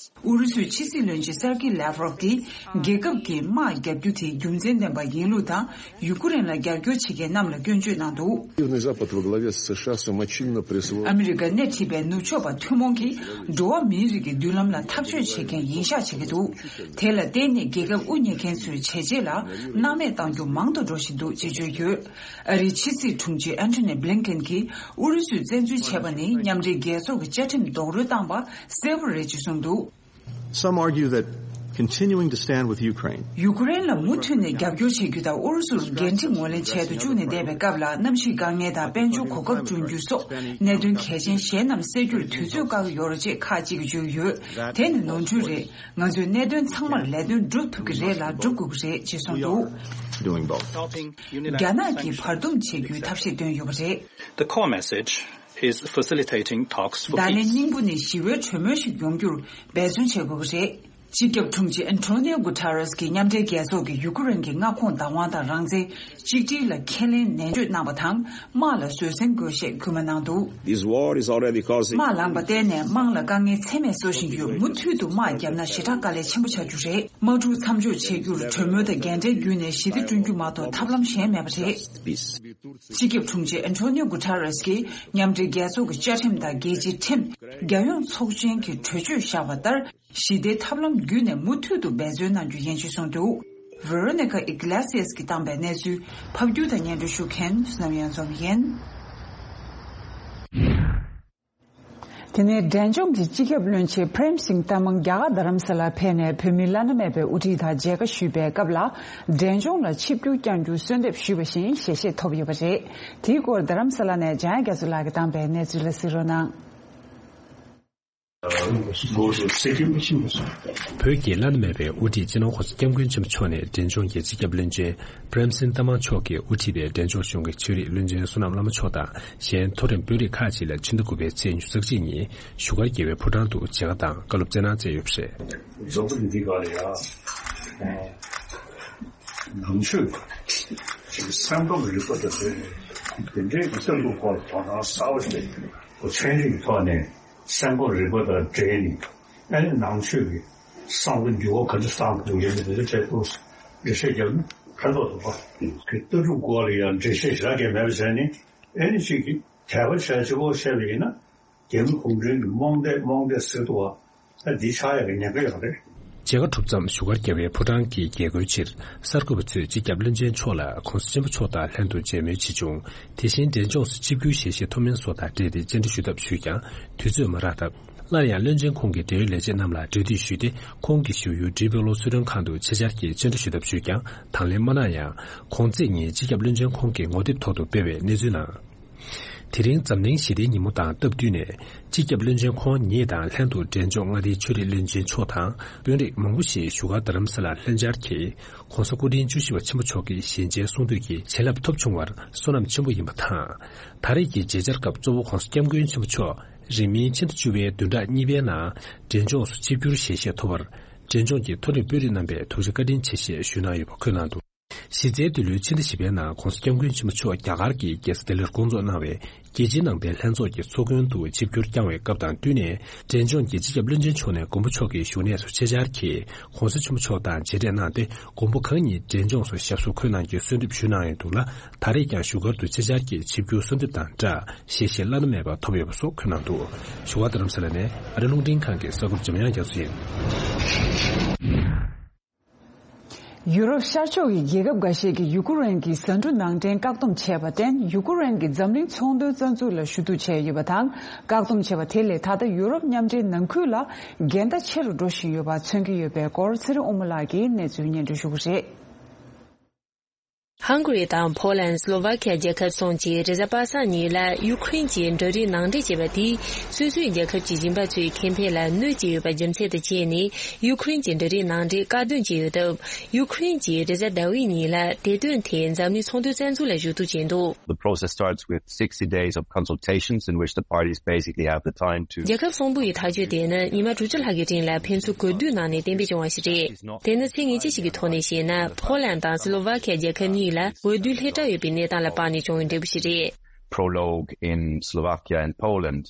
ཨུ་རུ་སུའི་ཕྱི་སྲིད་བློན་ཆེན་སར་ཀི་ལེབ་རོབ་ཀྱིས། རྒྱལ་ཁབ་ཀྱི་དམག་བརྒྱབ་རྒྱུ་དེ་རྒྱུ་མཚན་ལྡན་པ་ཡིན་ལུགས་དང་། ཡུ་ཀེ་རེན་ལ་རྒྱབ་སྐྱོར་བྱེད་མཁན་རྣམས་ལ་སྐྱོན་བརྗོད་གནང་འདུག Южный Запад во главе с США самочинно присвоил ཨ་མི་རི་ཀ་སྣེ་ཁྲིད་པའི་ནུབ་ཕྱོགས་པ་ཐུན་མོང་གིས་འགྲོ་བ་མིའི་རིགས་ཀྱི་མདུན་ལམ་ལ་ཐག་གཅོད་བྱེད་མཁན་ཡིན་ཤག་བྱེད་ཀྱི་འདུག་དེ་ལ་བརྟེན་ནས་རྒྱལ་ཁབ་དབུ་བརྙེས་མཁན་ཚོའི་བྱས་རྗེས་ལ་སྣང་མེད་གཏང་རྒྱུ་མང་དུ་འགྲོ་བཞིན་འདུག་ཅེས་བརྗོད་ཡོད། ཨ་རིའི་ཕྱི་སྲིད་དྲུང་ཆེ་ཨན་ཐོ་ནི་བྷི་ལིན་ཀེན་གྱིས་ཨུ་རུ་སུས་བཙན་འཛུལ་བྱས་པ་ནི་མཉམ་འབྲེལ་རྒྱལ་ཚོགས་ཀྱི་བཅའ་ཁྲིམས་རྡོག་རོལ་བཏང་པ་གསལ་པོ་རེད་ཅེས་གསུངས་འདུག Some argue that continuing to stand with Ukraine ཡུ་ཀེ་རེན་ལ་མུ་མཐུད་ནས་རྒྱབ་སྐྱོར་བྱེད་རྒྱུ་དང་། ཨུ་རུ་སུར་འགན་འཁྲི་ངོས་ལེན་བྱས་དང་བཅུག་ནས་བསྡད་པའི་སྐབས་ལ། གནམ་གཤིས་དཀའ་ངལ་དང་དཔལ་འབྱོར་གོ་སྐབས་བསྐྲུན་རྒྱུ་སོགས་གནད་དོན་གལ་ཆེན་གཞན་རྣམས་སེལ་རྒྱུར་དུས་ཚོད་བཀག་གི་ཡོད་རེད་ཅེས་ཁག་ཅིག་གིས་བརྗོད་ཀྱི་ཡོད། དེ་ནི་ནོར་འཁྲུལ་རེད། ང་ཚོས་གནད་དོན་ཚང་མར་ལས་དོན་སྒྲུབ་ཐུབ་ཀྱི་རེད་ལ་སྒྲུབ་དགོས་ཀྱི་རེད་ཅེས་གསུངས་འདུག Doing both. རྒྱ་ནག་གིས་བར་འདུམ་བྱེད་རྒྱུའི་ཐབས་ཤེས་བཏོན་ཡོད་པ་རེད། The core message is facilitating talks for peace. བརྡ་ལན་སྙིང་པོ་ནི་ཞི་བའི་གྲོས་མོལ་ཞིག་ཡོང་རྒྱུར་འབད་བརྩོན་བྱེད་དགོས་ཀྱི་རེད། སྤྱི་ཁྱབ་དྲུང་ཆེ་ཨན་ཐོ་ནིའོ་གུ་ཐ་རེས་ཀྱིས་མཉམ་འབྲེལ་རྒྱལ་ཚོགས་ཀྱི་ཡུ་ཀེ་རེན་གྱི་མངའ་ཁོངས་བདག་དབང་དང་རང་བཙན་གཅིག་སྒྲིལ་ལ་ཁས་ལེན་ནན་བརྗོད་གནང་བ་དང་། དམག་ལ་བཟོད་བསྲན་དགོས་ཞེས་སྐུལ་མ་གནང་འདུག This war is already causing དམག་ལངས་པ་བརྟེན་ནས་དམངས་ལ་དཀའ་ངལ་ཚད་མེད་བཟོ་བཞིན་ཡོད། མུ་མཐུད་དུ་དམག་བརྒྱབ་ན་ཞེ་དྲག་དཀའ་ལས་ཆེན་པོ་ཆགས་རྒྱུ་རེད། དམག་འཁྲུག་མཚམས་འཇོག་བྱེད་རྒྱུར་གྲོས་མོལ་དང་རྒྱལ་འབྲེལ་བརྒྱུད་ནས་ཞི་བདེ་བསྐྲུན་རྒྱུ་མ་གཏོགས་ཐབས་ལམ་གཞན་མེད་པ་རེད། སྤྱི་ཁྱབ་དྲུང་ཆེ་ཨན་ཐོ་ནིའོ་གུ་ཐ་རེས་ཀྱིས་མཉམ་འབྲེལ་རྒྱལ་ཚོགས་ཀྱི་བཅའ་ཁྲིམས་དང་རྒྱལ་སྤྱིའི་ཁྲིམས། རྒྱལ་ཡོངས་ཚོགས་ཆེན་གྱི་གྲོས་ཆོད་བཞག་པ་ལྟར། ཞི་བདེའི་ཐབས་ལམ་བརྒྱུད་ནས་མུ་མཐུད་དུ་འབད་བརྩོན་གནང་རྒྱུ་ཡིན་ཞེས་གསུངས་འདུག Veronica Iglesias གིས་བཏང་པའི་གནས་ཚུལ་ཕབ་སྒྱུར་དང་སྙན་སྒྲོན་ཞུ་མཁན་བསོད་ནམས་གཡང་འཛོམས་ཡིན། དེ་ནས་འབྲས་ལྗོངས་ཀྱི་སྤྱི་ཁྱབ་བློན་ཆེན་པྲེམ་སིང་ཏ་མང་རྒྱ་གར་རྡ་རམ་ས་ལར་ཕེབས་ནས་བོད་མི་བླ་ན་མེད་པའི་དབུ་ཁྲིད་དང་མཇལ་ཁ་ཞུས་པའི་སྐབས་ལ། འབྲས་ལྗོངས་ལ་ཆིབས་བསྒྱུར་བསྐྱང་རྒྱུ་གསོལ་འདེབས་ཞུས་པ་བཞིན་ཞལ་བཞེས་ཐོབ་ཡོད་པ་རེད། དེའི་སྐོར་རྡ་རམ་ས་ལ་ནས་འཇམ་དབྱངས་རྒྱ་མཚོ་ལགས་ཀྱིས་བཏང་པའི་གནས་ཚུལ་ལ་གཟིགས་རོགས་གནང་། བོད་ཀྱི་བླ་ན་མེད་པའི་དབུ་ཁྲིད་སྤྱི་ནོར་༸གོང་ས་༸སྐྱབས་མགོན་ཆེན་པོ་མཆོག་ནས་འབྲས་ལྗོངས་ཀྱི་སྤྱི་ཁྱབ་བློན་ཆེན་པྲེམ་སིང་ཏ་མང་མཆོག་གིས་དབུ་ཁྲིད་པའི་འབྲས་ལྗོངས་གཞུང་གི་ཆོས་རིག་བློན་ཆེན་བསོད་ནམས་བླ་མ་མཆོག་དང་གཞན་མཐོ་རིམ་དཔོན་རིགས་ཁག་ཅིག་ལ་ཕྱི་ཟླ་དགུ་པའི་ཚེས་ཉི་ཤུ་རྩ་གཅིག་ཉིན་བཞུགས་སྒར་རྒྱལ་བའི་ཕོ་བྲང་དུ་མཇལ་ཁ་དང་བཀའ་སློབ་སྩལ་གནང་མཛད་ཡོད་པ་རེད། རྫོགས་པ་འདི་ག་ལ་ཡ། ནང་ཆོས་ཀྱི་སེམས་ཁམས་རིག་པ་དང་འབྲེལ་ནས་དེ་འདྲའི་གི་སྟོན་ཐུབ་སྐོར་དོ་སྣང་གསར་པ་ཞིག་ཚན་རིག་ཐོག་ནས། སེམས་ཁམས་རིག་པ་དང་འབྲེལ་ནས་ཨ་ནི་ནང་ཆོས་ཀྱི་བསམ་བློ་འགྱུར་བ་ག་ཚོད་བཏང་དགོས་ཡོད་མེད་དེ་ཚོ་ཐད་དུ་འགྲེལ་བཤད་རྒྱབ་ན་ཕན་ཐོགས་འདུག་པ། གི་ལྟ་གྲུབ་སྐོར་ལ་ཡང་འགྲེལ་བཤད་ཞེ་དྲག་བརྒྱབ་མེད་པ་བྱས་ནས་ཨ་ནི་གཅིག་གིས་དད་པ་བྱས་གཅིག་པོ་བཤད་པ་ཡིན་ན་རྒྱ་མི་གུང་ཁྲན་གྱི་རྨོངས་དད་རྨོངས་དད་ཟེར་འདུག་པ། ཨ་འདི་ཆགས་ཡག་གི་ཉེན་ཁ་ཡོད་རེད། མཇལ་ཁ་གྲུབ་མཚམས་བཞུགས་སྒར་རྒྱལ་བའི་ཕོ་བྲང་གི་རྒྱལ་སྒོའི་ཕྱིར་གསར་འགོད་པ་ཚོས་སྤྱི་ཁྱབ་བློན་ཆེན་མཆོག་ལ་༸གོང་ས་ཆེན་པོ་མཆོག་དང་ལྷན་དུ་མཇལ་མོལ་བྱེད་བྱུང་། དེ་བཞིན་འབྲས་ལྗོངས་སུ་ཆིབས་བསྒྱུར་ཞལ་བཞེས་ཐོབ་མིན་སོགས་དང་འབྲེལ་ཏེ་བཅར་འདྲི་ཞུ་ཐབས་ཞུས་ཀྱང་དུས་ཚོད་མ་རག་སྟབས། སླར་ཡང་བློན་ཆེན་ཁོང་གི་འབྲེལ་ཡོད་ལས་བྱེད་རྣམས་ལ་གྲོས་བསྡུར་ཞུས་ཏེ་ཁོང་གིས་བཞུགས་ཡུལ་ཌི་པི་ལོ་གསོལ་མགྲོན་ཁང་དུ་ཆེད་བཅར་གྱིས་བཅར་འདྲི་ཞུ་ཐབས་ཞུས་ཀྱང་དང་ལེན་མ་གནང་ཡང་གོང་ཚེས་ཉིན་སྤྱི་ཁྱབ་བློན་ཆེན་ཁོང་གིས་ངོ་དེབ་ཐོག་ཏུ་སྤེལ་བའི་གནས་ཚུལ་ནང་། དེ་རིང་འཛམ་གླིང་ཞི་བདེའི་ཉིན་མོ་དང་སྟབས་བསྟུན་ནས་སྤྱི་ཁྱབ་བློན་ཆེན་ཁོང་ཉིད་དང་ལྷན་དུ་འབྲས་ལྗོངས་མངའ་སྡེའི་ཆོས་རིག་བློན་ཆེན་མཆོག་དང་དཔོན་རིགས་མང་པོ་ཞིག་བཞུགས་སྒར་རྡ་རམ་ས་ལར་ལྷན་བཅར་གྱིས་༸གོང་ས་སྐུ་ཕྲེང་བཅུ་བཞི་པ་ཆེན་པོ་མཆོག་གི་ཞལ་མཇལ་གསུང་བསྡུས་ཀྱི་བྱིན་རླབས་ཐོབ་བྱུང་བར་བསོད་ནམས་ཆེན་པོ་ཡིན་པ་དང་། ད་རེས་ཀྱི་མཇལ་བཅར་སྐབས་གཙོ་བོ་༸གོང་ས་༸སྐྱབས་མགོན་ཆེན་པོ་མཆོག་རིང་མིན་ཕྱི་ཟླ་བཅུ་པའི་བདུན་ཕྲག་གཉིས་པའི་ནང་འབྲས་ལྗོངས་སུ་ཆིབས་བསྒྱུར་ཞལ་བཞེས་ཐོབ་པར་འབྲས་ལྗོངས་ཀྱི་མཐོ་རིམ་དཔོན་རིགས་རྣམ་པས་ཐུགས་རྗེ་བཀའ་དྲིན་ཆེ་ཞེས་ཞུས་གནང་ཡོད་པ་འཁོད་གནང་འདུག་གཞི་རྩའི་འདི་ལོའི་ཕྱི་ཟླ་བཞི་པའི་ནང་༸གོང་ས་༸སྐྱབས་མགོན་ཆེན་པོ་མཆོག་རྒྱ་གར་གྱི་རྒྱལ་ས་ལྡི་ལིར་སྐོང་ཚོགས་གནང་བའི་རྒྱལ་སྤྱིའི་ནང་བསྟན་ལྷན་ཚོགས་ཀྱི་ཚོགས་མགོན་དུ་ཆིབས་བསྒྱུར་བསྐྱངས་བའི་སྐབས་དང་བསྟུན་ནས་འབྲས་ལྗོངས་ཀྱི་སྤྱི་ཁྱབ་བློན་ཆེན་མཆོག་ནས་མགོན་པོ་མཆོག་གི་བཞུགས་གནས་སུ་ཆེད་བཅར་གྱིས་༸གོང་ས་ཆེན་པོ་མཆོག་དང་མཇལ་འཕྲད་གནང་སྟེ་མགོན་པོ་གང་ཉིད་འབྲས་ལྗོངས་སུ་ཞབས་སོར་འཁོད་གནང་རྒྱུའི་གསོལ་འདེབས་ཞུས་གནང་ཡོད་འདུག་ལ། ད་རེས་ཀྱང་བཞུགས་སྒར་དུ་ཆེད་བཅར་གྱིས་ཆིབས་བསྒྱུར་གསོལ་འདེབས་དང་སྦྲགས་ཞལ་བཞེས་བླ་ན་མེད་པ་ཐོབ་ཡོད་པ་སོགས་འཁོད་གནང་འདུག་བཞུགས་སྒར་རྡ་རམ་ས་ལ་ནས་ཨ་རི་རླུང་འཕྲིན་ཁང་གི་གསར་འགོད་པ་འཇམ་དབྱངས་རྒྱ་མཚོ་ཡིན། ཡུ་རོབ་ཤར་ཕྱོགས་ཀྱི་རྒྱལ་ཁབ་འགའ་ཤས་ཀྱིས་ཡུ་ཀེ་རེན་གྱི་ཟ་འབྲུ་ནང་འདྲེན་བཀག་སྡོམ་བྱས་པར་བརྟེན། ཡུ་ཀེ་རེན་གྱིས་འཛམ་གླིང་ཚོང་དོན་རྩ་འཛུགས་ལ་ཞུ་གཏུག་བྱས་ཡོད་པ་དང་། བཀག་སྡོམ་བྱས་པ་དེ་ལས་ད་ལྟ་ཡུ་རོབ་མཉམ་འབྲེལ་ནང་ཁུལ་ལ་འགལ་ཟླ་ཆེ་རུ་འགྲོ་བཞིན་ཡོད་པ་མཚོན་གྱི་ཡོད་པའི་སྐོར་ཚེ་རིང་དབུ་མ་ལགས་ཀྱིས་གནས་ཚུལ་སྙན་སྒྲོན་ཞུ་གི་རེད། ཧང་གྷ་རི་དང་ཕོ་ལན། སི་ལོ་ཝ་ཁི་ཡ་རྒྱལ་ཁབ་གསུམ་གྱིས་རེས་གཟའ་པ་སངས་ཉིན་ལ་ཡུ་ཁུ་རེན་གྱི་འབྲུ་རིགས་ནང་འདྲེན་བྱས་པ་དེས་སོ་སོའི་རྒྱལ་ཁབ་ཀྱི་ཞིང་པ་ཚོའི་ཁེ་ཕན་ལ་གནོད་ཀྱི་ཡོད་པ་རྒྱུ་མཚན་དུ་བྱས་ནས། ཡུ་ཁུ་རེན་གྱི་འབྲུ་རིགས་ནང་འདྲེན་བཀག་སྡོམ་བྱས་ཡོད་སྟབས། ཡུ་ཁུ་རེན་གྱིས་རེས་གཟའ་ཟླ་བའི་ཉིན་ལ་དེ་དོན་ཐད་འཛམ་གླིང་ཚོང་དོན་རྩ་འཛུགས་ལ་ཞུ་གཏུག་བྱས་འདུག The process starts with sixty days of consultations in which the parties basically have the time to རྒྱལ་ཁབ་གསུམ་པོ་ཡི་ཐག་གཅོད་དེ་ནི་ཉི་མ་དྲུག་ཅུ་ལྷག་གི་རིང་ལ་ཕན་ཚུན་གོ་བསྡུར་གནང་ནས་གཏན་འབེབས་བྱུང་བ་ཞིག་རེད། དེ་ནི་ཚིག་ངེས་ཅན་ཞིག་གི་ཐོག་ནས་བཤད་ན། ཕོ་ལན་དང་སི་ལོ་ཝ་ཁི་ཡ་རྒྱལ་ཁབ་གཉིས་ལ་འོས་བསྡུ་སླེབས་གྲབས་ཡོད་པའི་གནས་སྟངས་ལ་དཔགས་ནས་བྱུང་བའི་འབྲས་བུ་ཞིག་རེད། Prologue in Slovakia and Poland.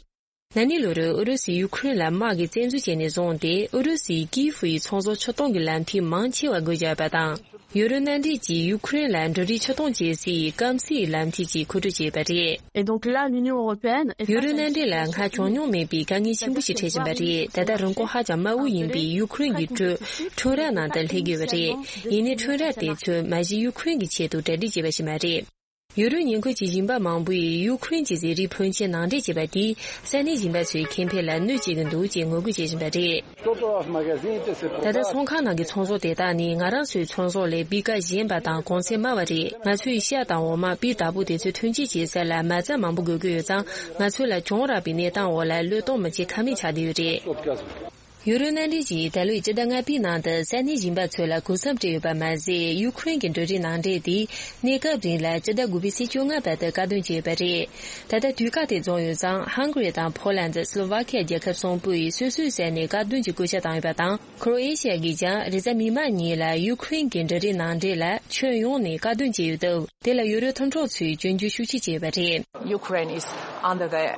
ན་ནིང་ལོ་རུ་ཨུ་རུ་སུས་ཡུ་ཁུ་རེན་ལ་དམག་གི་བཙན་འཛུལ་བྱས་ནས་བཟུང་སྟེ། ཨུ་རུ་སུས་ཀིའི་ཧྥུ་ཡི་ཚོང་ཟོག་ཕྱིར་གཏོང་གི་ལམ་ཐིག་མང་ཆེ་བ་བགོ་བཞག་ཡོད་པ་དང་། ཡུ་རོབ་མནའ་འབྲེལ་གྱིས་ཡུ་ཁུ་རེན་ལ་འབྲུ་རིགས་ཕྱིར་གཏོང་བྱེད་སའི་སྐམ་སའི་ལམ་ཐིག་ཅིག་མཁོ་སྤྲོད་བྱས་པ་རེད། Et donc là, l'Union européenne est ཡུ་རོབ་མནའ་འབྲེལ་ལ་སྔར་བྱུང་མྱོང་མེད་པའི་དཀའ་ངལ་ཆེན་པོ་ཞིག་འཕྲད་བཞིན་པ་རེད། ད་ལྟ་རིན་གོང་ཧ་ཅང་དམའ་བོ་ཡིན་པའི་ཡུ་ཁུ་རེན་གྱི་སྤྲོ་ཁྲོམ་ར་ནང་དུ་སླེབས་ཀྱི་ཡོད་པ་རེད། ཡིན་ནའི་ཁྲོམ་ར་དེ་ཚོས་མ་གཞི་ཡུ་ཁུ་རེན་གྱི་ཆེད་དུ་གྲ་སྒྲིག་བྱས་པ་ཞིག་མ་རེད། ཡུ་རོབ་ཉེ་འཁོར་གྱི་ཞིང་པ་མང་པོས་ཡུ་ཁུ་རེན་གྱི་ཟས་རིགས་ཕོན་ཆེན་ནང་འདྲེན་བྱས་པ་དེས་ས་གནས་ཞིང་པ་ཚོའི་ཁེ་ཕན་ལ་གནོད་བྱེད་ཀྱི་འདུག་ཅེས་ངོ་རྒོལ་བྱེད་བཞིན་པ་རེད། ད་ལྟ་ཚོང་ཁང་ནང་གི་ཚོང་ཟོག་དེ་དག་ནི་ང་རང་ཚོའི་ཚོང་ཟོག་ལས་སྤུས་ཀ་ཞན་པ་དང་གོང་ཚད་དམའ་བ་རེད། ང་ཚོས་ཤ་དང་འོ་མ། སྤུས་དག་པོ་དེ་ཚོ་ཐོན་སྐྱེད་བྱེད་ས་ལ་མ་རྩ་མང་པོ་དགོས་ཀྱི་ཡོད་ཙང་། ང་ཚོ་ལ་གྱོང་རག་པའི་གནས་སྟངས་འོག་ལ་བློས་གཏོང་མི་བྱེད་ཀ་མེད་ཆགས་བསྡད་ཡོད་རེད། ཡུ་རོབ་མནའ་འབྲེལ་གྱིས་ད་ལོའི་སྤྱི་ཟླ་ལྔ་པའི་ནང་དུ་ས་གནས་ཞིང་པ་ཚོ་ལ་གུན་གསབ་སྤྲད་ཡོད་པ་མ་ཟད། ཡུ་ཁུ་རེན་གྱི་འབྲུ་རིགས་ནང་འདྲེན་དེ་གནས་སྐབས་རིང་ལ་སྤྱི་ཟླ་དགུ་པའི་ཚེས་བཅོ་ལྔ་བར་དུ་བཀག་སྡོམ་བྱས་ཡོད་པ་རེད། ད་ལྟ་དུས་བཀག་དེ་རྫོགས་ཡོད་ཙང་། ཧང་གྷ་རི་དང་ཕོ་ལན། སི་ལོ་ཝ་ཁི་ཡ་རྒྱལ་ཁབ་གསུམ་པོ་ཡིས་སོ་སོའི་ས་ནས་བཀག་སྡོམ་གྱི་བཀོད་ཁྱབ་བཏང་ཡོད་པ་དང་། ཁོ་རོ་ཨེ་ཤི་ཡ་གིས་ཀྱང་རེས་གཟའ་མིག་དམར་ཉིན་ལ་ཡུ་ཁུ་རེན་གྱི་འབྲུ་རིགས་ནང་འདྲེན་ལ་ཁྱོན་ཡོངས་ནས་བཀག་སྡོམ་བྱས་ཡོད་སྟབས། དེ་ལ་ཡུ་རོབ་མཐུན་གྲོགས་ཚོས་སྐྱོན་བརྗོད་ཤུགས་ཆེ་བྱས་ཡོད་པ་རེད། Ukraine is under the,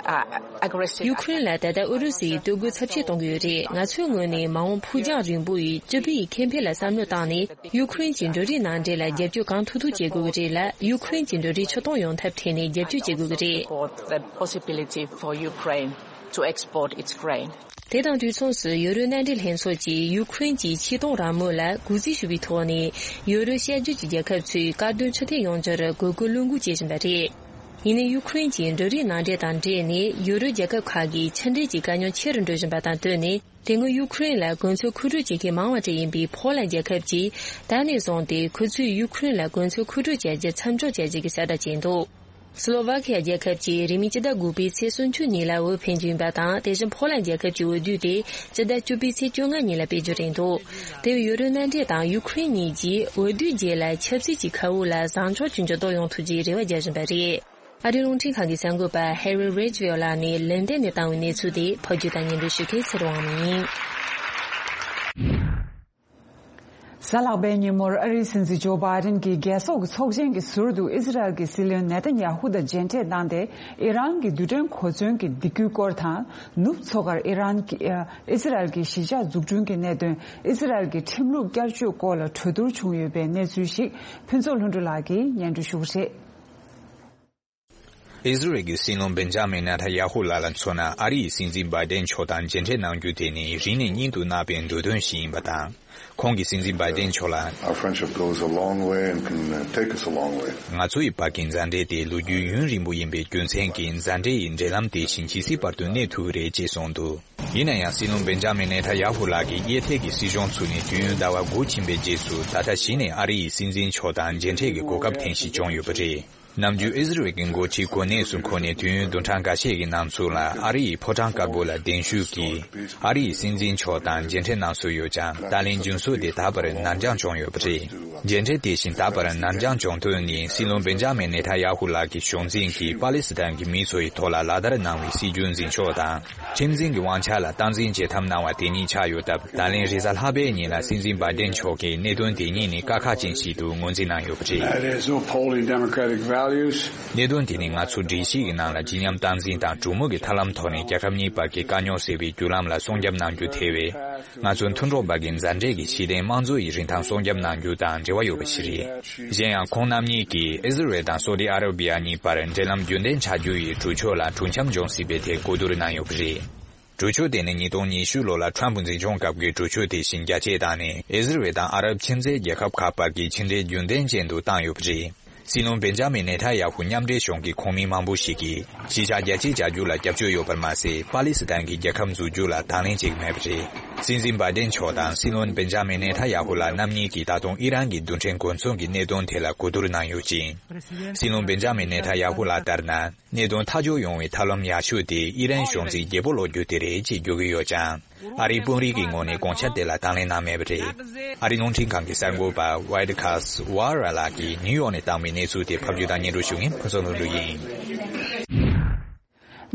uh, aggressive ཡུ་ཁུ་རེན་ལ་ད་ལྟ་ཨུ་རུ་སུའི་སྟོབས་རྒོལ་ཚབས་ཆེ་གཏོང་གི་ཡོད་རེད། ང་ཚོའི་ངོས་ནས་མ་འོངས་ཕུགས་རྒྱང་རིང་པོ་ཡི་སྤྱི་པའི་ཁེ་ཕན་ལ་བསམ་བློ་བཏང་ནས། ཡུ་ཁུ་རེན་གྱི་འབྲུ་རིགས་ནང་འདྲེན་ལ་རྒྱབ་སྐྱོར་གང་ཐུབ་ཐུབ་བྱེད་དགོས་ཀྱི་རེད་ལ། ཡུ་ཁུ་རེན་གྱི་འབྲུ་རིགས་ཕྱིར་གཏོང་ཡོང་ཐབས་ཐད་ནས་རྒྱབ་སྐྱོར་བྱེད་དགོས་ཀྱི་རེད། Support the possibility for Ukraine to export its grain. དེ་དང་དུས་མཚུངས་སུ་ཡུ་རོབ་མནའ་འབྲེལ་ལྷན་ཚོགས་ཀྱིས་ཡུ་ཁུ་རེན་གྱི་ཆེས་མཐོང་རང་མོས་ལ་གུས་བརྩི་ཞུ་བའི་ཐོག་ནས་ཡུ་རོབ་བཤད་སྒྲོས་ཀྱི་རྒྱལ་ཁབ་ཚོས་དཀར་མདུན་འཕྲོད་བསྟེན་ཡོང་རྒྱུར་དགོས་མཁོ་བློས་འགུག་བྱེད་བཞིན་པ་རེད། ཡིན་ནའི་ཡུ་ཁུ་རེན་གྱི་འབྲུ་རིགས་ནང་འདྲེན་དང་འབྲེལ་ནས་ཡུ་རོབ་རྒྱལ་ཁབ་ཁག་གིས་ཕྱི་འབྲེལ་གྱི་དཀའ་རྙོག་ཆེ་རུ་འགྲོ་བཞིན་པ་དང་བསྟུན་ནས། དེ་སྔོན་ཡུ་ཁུ་རེན་ལ་གོ་མཚོན་མཁོ་སྤྲོད་བྱེད་མཁན་མང་བ་ཅིག་ཡིན་པའི་ཕོ་ལན་རྒྱལ་ཁབ་ཀྱིས་ད་ནས་བཟུང་སྟེ་ཁོ་ཚོས་ཡུ་ཁུ་རེན་ལ་གོ་མཚོན་མཁོ་སྤྲོད་བྱ་རྒྱུ་མཚམས་འཇོག་བྱ་རྒྱུ་གི་གསལ་བསྒྲགས་བྱས་འདུག་སི་ལོ་ཝ་ཁི་ཡ་རྒྱལ་ཁབ་ཀྱིས་རིང་མིན་སྤྱི་ཟླ་དགུ་པའི་ཚེས་སུམ་ཅུ་ཉིན་ལ་འོས་འཕེན་རྒྱུ་ཡིན་པ་དང་། དེ་བཞིན་ཕོ་ལན་རྒྱལ་ཁབ་ཀྱི་འོས་བསྡུ་དེ་སྤྱི་ཟླ་བཅུ་པའི་ཚེས་བཅོ་ལྔ་ཉིན་ལ་སྤེལ་རྒྱུ་རེད་འདུག་དེ་བས་ཡུ་རོབ་མནའ་འབྲེལ་དང་ཡུ་ཁུ་རེན་གཉིས་ཀྱིས་འོས་བསྡུའི་རྗེས་ལ་ཆབ་སྲིད་ཀྱི་ཁ་དབུགས་ལ་བཟང་ཕྱོགས་ཀྱི་འགྱུར་ལྡོག་ཡོང་ཐུབ་རྒྱུའི་རེ་བ་རྒྱག་བཞིན་པ་རེད། ཨ་རིའི་རླུང་འཕྲིན་ཁང་གི་གསར་འགོད་པ་Harry Ridgwell ལགས་ནས་ལན་ཏན་ནས་བཏང་བའི་གནས་ཚུལ་དེ་ཕབ་སྒྱུར་དང་སྙན་སྒྲོན་ཞུ་མཁན་ཚེ་རིང་དབང་མོ་ཡིན། གཟའ་ལྷག་པའི་ཉིན་མོར་ཨ་རིའི་སྲིད་འཛིན་ཇོ་བྷའི་ཌེན་གྱིས་རྒྱལ་ཚོགས་ཀྱི་ཚོགས་ཆེན་གྱི་ཟུར་དུ་ཨི་ཟི་རལ་གྱི་སྲིད་བློན་ནེ་ཐན་ཡ་ཧུ་དང་མཇལ་འཕྲད་གནང་སྟེ། ཨི་རན་གྱི་རྡུལ་ཕྲན་གོ་མཚོན་གྱི་སྡིགས་སྐུལ་སྐོར་དང་། ནུབ་མཚོ་ཁར་ཨི་རན་གྱི་ཨི་ཟི་རལ་གྱི་གཞིས་ཆགས་འཛུགས་སྐྲུན་གྱི་གནད་དོན། ཨི་ཟི་རལ་གྱི་ཁྲིམས་ལུགས་བསྐྱར་བཅོས་སྐོར་ལ་གྲོས་བསྡུར་བྱུང་ཡོད་པའི་གནས་ཚུལ་ཞིག་ཕུན་ཚོགས་ལྷུན་གྲུབ་ལགས་ཀྱིས་སྙན་སྒྲོན་ཞུ་གི་རེད། ཨི་ཟི་རལ་གྱི་སྲིད་བློན་བེན་ཇ་མིན་ནེ་ཐན་ཡ་ཧུ་ལགས་ལ་མཚོན་ན། ཨ་རིའི་སྲིད་འཛིན་བྷའི་ཌེན་མཆོག་དང་མཇལ་འཕྲད་གནང་རྒྱུ་དེ་ནི་རིང་ནས་སྙིང་དུ་བརྣག་པའི་འདོད་དོན་ཞིག་ཡིན་པ་དང་། ཁོང་གིས་སྲིད་འཛིན་བྷའི་ཌེན་མཆོག་ལ། Our friendship goes a long way and can, uh, take us a long way. ང་ཚོ་ཡི་བར་གྱི་མཛའ་འབྲེལ་དེ་ལོ་རྒྱུས་ཡུན་རིང་པོ་ཡིན་པའི་རྒྱུ་མཚན་གྱིས། མཛའ་འབྲེལ་ཡི་འབྲེལ་ལམ་དེ་བཞིན་ཇི་སྲིད་བར་དུ་གནས་ཐུབ་ཀྱི་རེད་ཅེས་གསུངས་འདུག་ཡིན་ན་ཡང་། སྲིད་བློན་བེན་ཇ་མིན་ནེ་ཐན་ཡ་ཧུ་ལགས་ཀྱིས་གཡས་ཐད་ཀྱི་སྲིད་གཞུང་ཚུགས་ནས་དུས་ཡུན་ཟླ་བ་དགུ་ཕྱིན་པའི་རྗེས་སུ། ད་ལྟ་གཞི་ནས་ཨ་རི་ཡི་སྲིད་འཛིན་མཆོག་དང་མཇལ་འཕྲད་ཀྱི་གོ་སྐབས་ཐེངས་ཤིག་བྱུང་ཡོད་པ་རེད། ནམ་རྒྱུན་ཨི་ཟི་རལ་གྱི་འགོ་ཁྲིད་གོ་གནས་སུ་འཁོད་ནས་དུས་ཡུན་བདུན་ཕྲག་འགའ་ཤས་ཀྱི་ནང་ཚུད་ལ། ཨ་རི་ཡི་ཕོ་བྲང་དཀར་པོ་ལ་གདན་ཞུས་ཀྱིས་ཨ་རི་ཡི་སྲིད་འཛིན་མཆོག་དང་མཇལ་འཕྲད་གནང་སྲོལ་ཡོད་ཀྱང་། ད་ལན་རྒྱུན་སྲོལ་དེ་ད་བར་ནར་འགྱངས་བྱུང་ཡོད་པ་རེད། མཇལ་འཕྲད་དེ་བཞིན་ད་བར་ནར་འགྱངས་བྱུང་དོན་ནི། སྲིད་བློན་བེན་ཇ་མིན་ནེ་ཐན་ཡ་ཧུ་ལགས་ཀྱི་གཞུང་འཛིན་གྱིས་པ་ལི་སི་ཐན་གྱི་མི་ཚོ་ཡི་ཐོག་ལ་ལག་བསྟར་གནང་བའི་སྲིད་ཇུས་འཛིན་ཕྱོགས་དང་། ཁྲིམས་འཛིན་གྱི་དབང་ཆ་ལ་སྟངས་འཛིན་བྱེད་ཐབས་གནང་བ་དེ་གཉིས་ཆགས་ཡོད་སྟབས། ད་ལན་རེས་གཟའ་ལྷག་པའི་ཉིན་ལ་སྲིད་འཛིན་བྷའི་ཌེན་མཆོག་གིས་གནད་དོན་དེ་གཉིས་ནི་དཀའ་ཁག་ཅན་ཞིག་ཏུ་ངོས་འཛིན་གནང་ཡོད་པ་རེད། That is upholding democratic values. གནད་དོན་དེ་ནི་ང་ཚོ་སྒྲིག་གཞི་ཡི་ནང་ལ་སྤྱི་མཉམ་སྟངས་འཛིན་དང་གྲོས་མོལ་གྱི་ཐབས་ལམ་ཐོག་ནས་རྒྱལ་ཁབ་གཉིས་བར་གྱི་དཀའ་རྙོག་སེལ་བའི་བརྒྱུད་ལམ་ལ་སྲུང་སྐྱོབ་གནང་རྒྱུ་ཐེ་བའི། ང་ཚོ་མཐུན་གྲོགས་བར་གྱི་མཛའ་འབྲེལ་གྱི་གཞི་རྟེན་དམངས་གཙོ་ཡི་རིན་ཐང་སྲུང་སྐྱོབ་གནང་རྒྱུ་དང་འབྲེལ་བ་ཡོད་པ་ཞིག་རེད། གཞན་ཡང་ཁོང་རྣམ་གཉིས་ཀྱིས་ཨི་ཟི་རལ་དང་སོ་ཏི་ཨ་ར་བི་ཡ་གཉིས་བར་འབྲེལ་ལམ་རྒྱུན་ལྡན་ཆགས་རྒྱུ་ཡི་གྲོས་ཆོད་ལ་གྲོས་འཆམ་འབྱུང་སྲིད་པའི་ཐད་གོ་བསྡུར་གནང་ཡོད་པ་རེད། གྲོས་ཆོད་དེ་ནི་ཉིས་སྟོང་ཉི་ཤུ་ལོ་ལ་ཁྲམ་ཕུ་འཛིན་སྐྱོང་སྐབས་ཀྱི་གྲོས་ཆོད་དེ་བཞིན་རྒྱ་སྐྱེད་བཏང་ནས། ཨི་ཟི་རལ་དང་ཨ་རབ་ཁྱིམ་མཚེས་རྒྱལ་ཁབ་ཁག་བར་གྱི་ཕྱི་འབྲེལ་རྒྱུན་ལྡན་ཅན་དུ་བཏང་ཡོད་པ་རེད། སྲིད་བློན་བེན་ཇ་མིན་ནེ་ཐན་ཡ་ཧུ་མཉམ་འབྲེལ་གཞུང་གི་ཁོངས་མི་མང་པོ་ཞིག་གིས་གཞིས་ཆགས་རྒྱ་སྐྱེད་བྱ་རྒྱུ་ལ་རྒྱབ་སྐྱོར་ཡོད་པར་མ་ཟད། པ་ལི་སི་ཐན་གྱི་རྒྱལ་ཁབ་འཛུགས་རྒྱུ་ལ་དང་ལེན་བྱེད་ཀྱི་མེད་པ་རེད། སྲིད་འཛིན་བྷའི་ཌེན་མཆོག་དང་སྲིད་བློན་བེན་ཇ་མིན་ནེ་ཐན་ཡ་ཧུ་ལགས་རྣམ་གཉིས་ཀྱིས་ད་དུང་ཨི་རན་གྱི་རྡུལ་ཕྲན་གོ་མཚོན་གྱི་གནད་དོན་ཐད་ལ་གོ་བསྡུར་གནང་ཡོད་ཅིང་། སྲིད་བློན་བེན་ཇ་མིན་ནེ་ཐན་ཡ་ཧུ་ལགས་ལྟར་ན། གནད་དོན་ཐག་གཅོད་ཡོང་བའི་ཐབས་ལམ་ཡག་ཤོས་དེ་ཨི་རན་གཞུང་འཛིན་བརྗེ་པོ་སློག་རྒྱུ་དེ་རེད་ཅེས་བརྗོད་ཀྱི་ཡོད་ཀྱང་། ཨ་རིའི་དཔོན་རིགས་ཀྱི་ངོས་ནས་དགོངས་འཆར་དེ་ལ་དང་ལེན་གནང་མེད་པ་རེད། ཨ་རིའི་རླུང་འཕྲིན་ཁང་གི་གསར་འགོད་པ་Wildcast Wara ལགས་ཀྱིས་ནིའུ་ཡོག་ནས་བཏང་བའི་གནས་ཚུལ་དེ་ཕབ་སྒྱུར་དང་སྙན་སྒྲོན་ཞུ་མཁན་ཕུན་ཚོགས་ལྷུན་གྲུབ་ཡིན།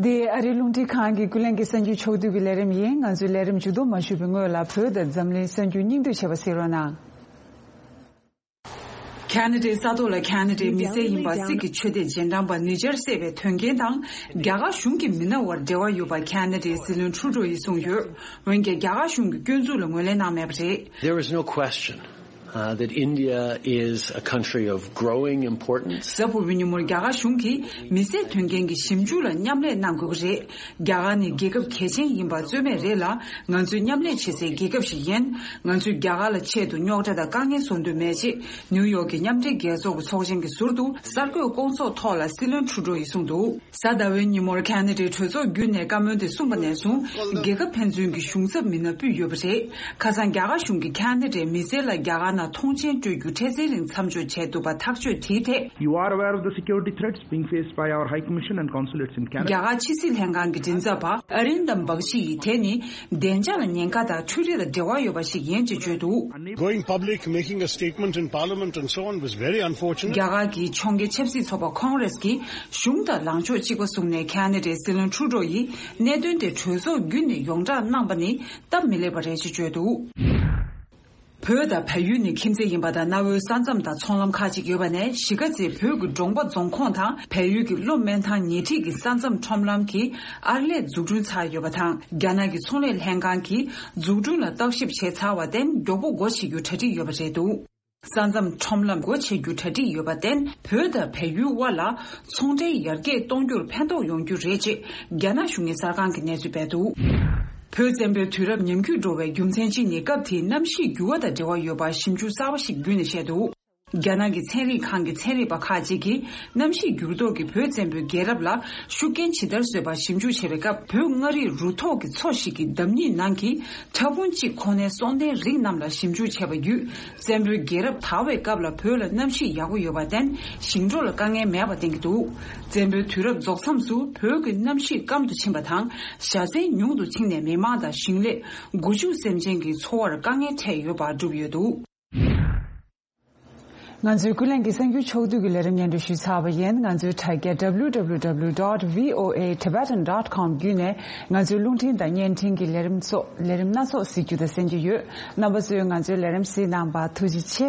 འདི་ཨ་རིའི་རླུང་འཕྲིན་ཁང་གི་ཀུན་གླེང་གི་གསར་འགྱུར་ཕྱོགས་བསྡུས་ཀྱི་ལས་རིམ་ཡིན། ང་ཚོའི་ལས་རིམ་མཇུག་བསྡོམས་མ་ཞུས་པའི་སྔོན་ལ་བོད་དང་འཛམ་གླིང་གསར་འགྱུར་སྙིང་བསྡུས་བྱས་པ་གཟིགས་རོགས་གནང་། ཁ་ན་ཌའི་ས་ཐོག་ལ་ཁ་ན་ཌའི་མི་སེར་ཡིན་པ་སིག་གི་ཆོས་དད་རྗེས་འབྲང་པ་ཉིས་བརྒྱར་བསད་པའི་དོན་རྐྱེན་དང་། རྒྱ་གར་གཞུང་གི་མི་སྣ་བར་འབྲེལ་བ་ཡོད་པ་ཁ་ན་ཌའི་སྲིད་བློན་ཁྲུ་ཌོ་ཡིས་གསུངས་ཡོད། འོན་ཀྱང་རྒྱ་གར་གཞུང་གི་སྐྱོན་འཛུགས་ལ་ངོས་ལེན་གནང་མེད་པ་རེད། There is no question, uh, that India is a country of growing importance. གཟའ་ཕུར་བུའི་ཉིན་མོར་རྒྱ་གར་གཞུང་གིས་མི་སེར་དོན་རྐྱེན་གྱི་ཞིབ་འཇུག་ལ་མཉམ་ལས་གནང་དགོས་ཀྱི་རེད། རྒྱ་གར་ནི་རྒྱལ་ཁབ་གལ་ཆེན་ཡིན་པ་རྩོད་མེད་རེད་ལ། ང་ཚོས་མཉམ་ལས་བྱེད་སའི་རྒྱལ་ཁབ་ཞིག་ཡིན། ང་ཚོས་རྒྱ་གར་ལ་ཆེད་དུ་རྙོག་དྲ་དང་དཀའ་ངལ་བཟོ་འདོད་མེད་ཅེས་ནིའུ་ཡོག་གི་མཉམ་འབྲེལ་རྒྱལ་ཚོགས་ཀྱི་ཚོགས་ཆེན་གྱི་ཟུར་དུ་གསར་འགོད་སྐོང་ཚོགས་ཐོག་ལ་སྲིད་བློན་ཁྲུ་ཌོ་ཡིས་གསུངས་འདུག་གཟའ་ཟླ་བའི་ཉིན་མོར་ཁ་ན་ཌའི་གྲོས་ཚོགས་བརྒྱུད་ནས་བཀའ་མོལ་དེ་གསུངས་པ་ནས་བཟུང་། རྒྱལ་ཁབ་ཕན་ཚུན་གྱི་གཞུང་ཚབ་མི་སྣ་ཕུད་ཡོད་པ་རེད། ཁ་སང་རྒྱ་གར་གཞུང་གིས་ཁ་ན་ཌའི་མི་སེར་ལ་རྒྱ་གར་ནང་ཐོངས་མཆན་སྤྲོད་རྒྱུ་འཕྲལ་སེལ་རིང་མཚམས་འཇོག་བྱས་འདུག་པ་ཐག་གཅོད་དེའི་ཐད། You are aware of the security threats being faced by our High Commission and consulates in Canada. རྒྱ་གར་ཕྱི་སྲིད་ལྷན་ཁང་གི་མགྲིན་ཚབ་པ་ཨ་རིན་དམ་བག་ཤི་ཡིས་དེ་ནི་བདེ་འཇགས་ལ་ཉེན་ཁ་དང་འཕྲུལ་རིག་དང་འབྲེལ་བ་ཡོད་པ་ཞིག་ཡིན་ཅེས་བརྗོད་འདུག Going public, making a statement in Parliament and so on was very unfortunate. རྒྱ་གར་གྱི་ཕྱོགས་འགལ་ཆབ་སྲིད་ཚོགས་པ་ཁོང་རེས་ཀྱིས་གཞུང་དང་ལངས་ཕྱོགས་གཅིག་པ་བཟུང་ནས་ཁ་ན་ཌའི་སྲིད་བློན་ཁྲུ་ཌོ་ཡིས་གནད་དོན་དེ་གྲོས་ཚོགས་བརྒྱུད་ནས་ཡོངས་བསྒྲགས་གནང་པ་ནི་སྟབས་མི་ལེགས་པ་རེད་ཅེས་བརྗོད་འདུག་བོད་དང་བལ་ཡུལ་ནི་ཁྱིམ་མཚེས་ཡིན་པ་དང་། གནའ་བོའི་ས་མཚམས་དང་ཚོང་ལམ་ཁག་ཅིག་ཡོད་པ་ནས། གཞིས་ཀ་རྩེའི་བོད་ཀྱི་འབྲོང་པ་རྫོང་ཁོངས་དང་བལ་ཡུལ་གྱི་གློ་སྨན་ཐང་ཉེ་འཁྲིས་ཀྱི་ས་མཚམས་ཁྲོམ་ལམ་གྱི་ཨར་ལས་འཛུགས་སྐྲུན་ཚར་ཡོད་པ་དང་། རྒྱ་ནག་གི་ཚོང་ལས་ལྷན་ཁང་གིས་འཛུགས་སྐྲུན་ལ་བརྟག་ཞིབ་བྱས་ཚར་བར་བརྟེན། མགྱོགས་པོ་སྒོ་ཕྱེ་རྒྱུ་གྲ་སྒྲིག་ཡོད་པ་རེད་འདུག་ས་མཚམས་ཁྲོམ་ལམ་སྒོ་ཕྱེ་རྒྱུ་གྲ་སྒྲིག་ཡོད་པར་བརྟེན། བོད་དང་བལ་ཡུལ་དབར་ལ་ཚོང་འབྲེལ་ཡར་རྒྱས་གཏོང་རྒྱུར་ཕན་ཐོགས་ཡོང་རྒྱུ་རེད་ཅེས་རྒྱ་ནག་གཞུང་གི་གསར་ཁང་གིས་གནས་ཚུལ་སྤེལ་འདུག་བོད་བཙན་པོའི་དུས་རབས་ཉམས་རྒུད་འགྲོ་བའི་རྒྱུ་མཚན་གཅིག་ནི་སྐབས་དེའི་གནམ་གཤིས་འགྱུར་བ་དང་འབྲེལ་བ་ཡོད་པ་ཞིབ་འཇུག་གསར་པ་ཞིག་བརྒྱུད་ནས་བཤད་འདུག་རྒྱ་ནག་གི་ཚན་རིག་ཁང་གི་ཚན་རིག་པ་ཁག་ཅིག་གིས་གནམ་གཤིས་འགྱུར་ལྡོག་གིས་བོད་བཙན་པོའི་རྒྱལ་རབས་ལ་ཤུགས་རྐྱེན་ཇི་ལྟར་བཟོས་པ་ཞིབ་འཇུག་བྱས་པའི་སྐབས། བོད་མངའ་རིས་རུ་ཐོག་གི་མཚོ་ཞིག་གི་འདབས་རྙིང་ནང་གི་ཕྲ་ཕུང་གཅིག་ཁོ་ནའི་སྲོག་ལྡན་རིགས་རྣམས་ལ་ཞིབ་འཇུག་བྱས་པ་བརྒྱུད། བཙན་པོའི་རྒྱལ་རབས་དར་བའི་སྐབས་ལ་བོད་ལ་གནམ་གཤིས་ཡག་པོ་ཡོད་པར་བརྟེན། ཞིང་འབྲོག་ལ་དཀའ་ངལ་མེད་པ་བསྟན་གྱི་འདུག་བཙན་པོའི་དུས་རབས་རྫོགས་མཚམས་སུ་བོད་ཀྱི་གནམ་གཤིས་སྐམ་དུ་ཕྱིན་པ་དང་། བཞའ་ཚན་ཉུང་དུ་ཕྱིན་ནས་མི་མང་དང་ཞིང་ལས། སྒོ་ཕྱུགས་སེམས་ཅན་གྱི་འཚོ་བར་དཀའ་ངལ་འཕྲད་ཡོད་པ་བསྒྲུབས་ཡོད་འདུག་ང་ཚོའི་ཀུན་གླེང་གི་གསར་འགྱུར་ཕྱོགས་བསྡུས་ཀྱི་ལས་རིམ་སྙན་སྒྲོན་ཞུས་ཚར་བ་ཡིན། ང་ཚོའི་དྲ་རྒྱ་W W W dot V O A Tibetan dot com བརྒྱུད་ནས་ང་ཚོའི་རླུང་འཕྲིན་དང་བརྙན་འཕྲིན་གྱི་ལས་རིམ་སོགས་ལས་རིམ་སྣ་ཚོགས་གཟིགས་རྒྱུ་དང་གསན་རྒྱུ་ཡོད། རྣམ་པ་ཚོས་ང་ཚོའི་ལས་རིམ་གཟིགས་གནང་བར་ཐུགས་རྗེ་ཆེ།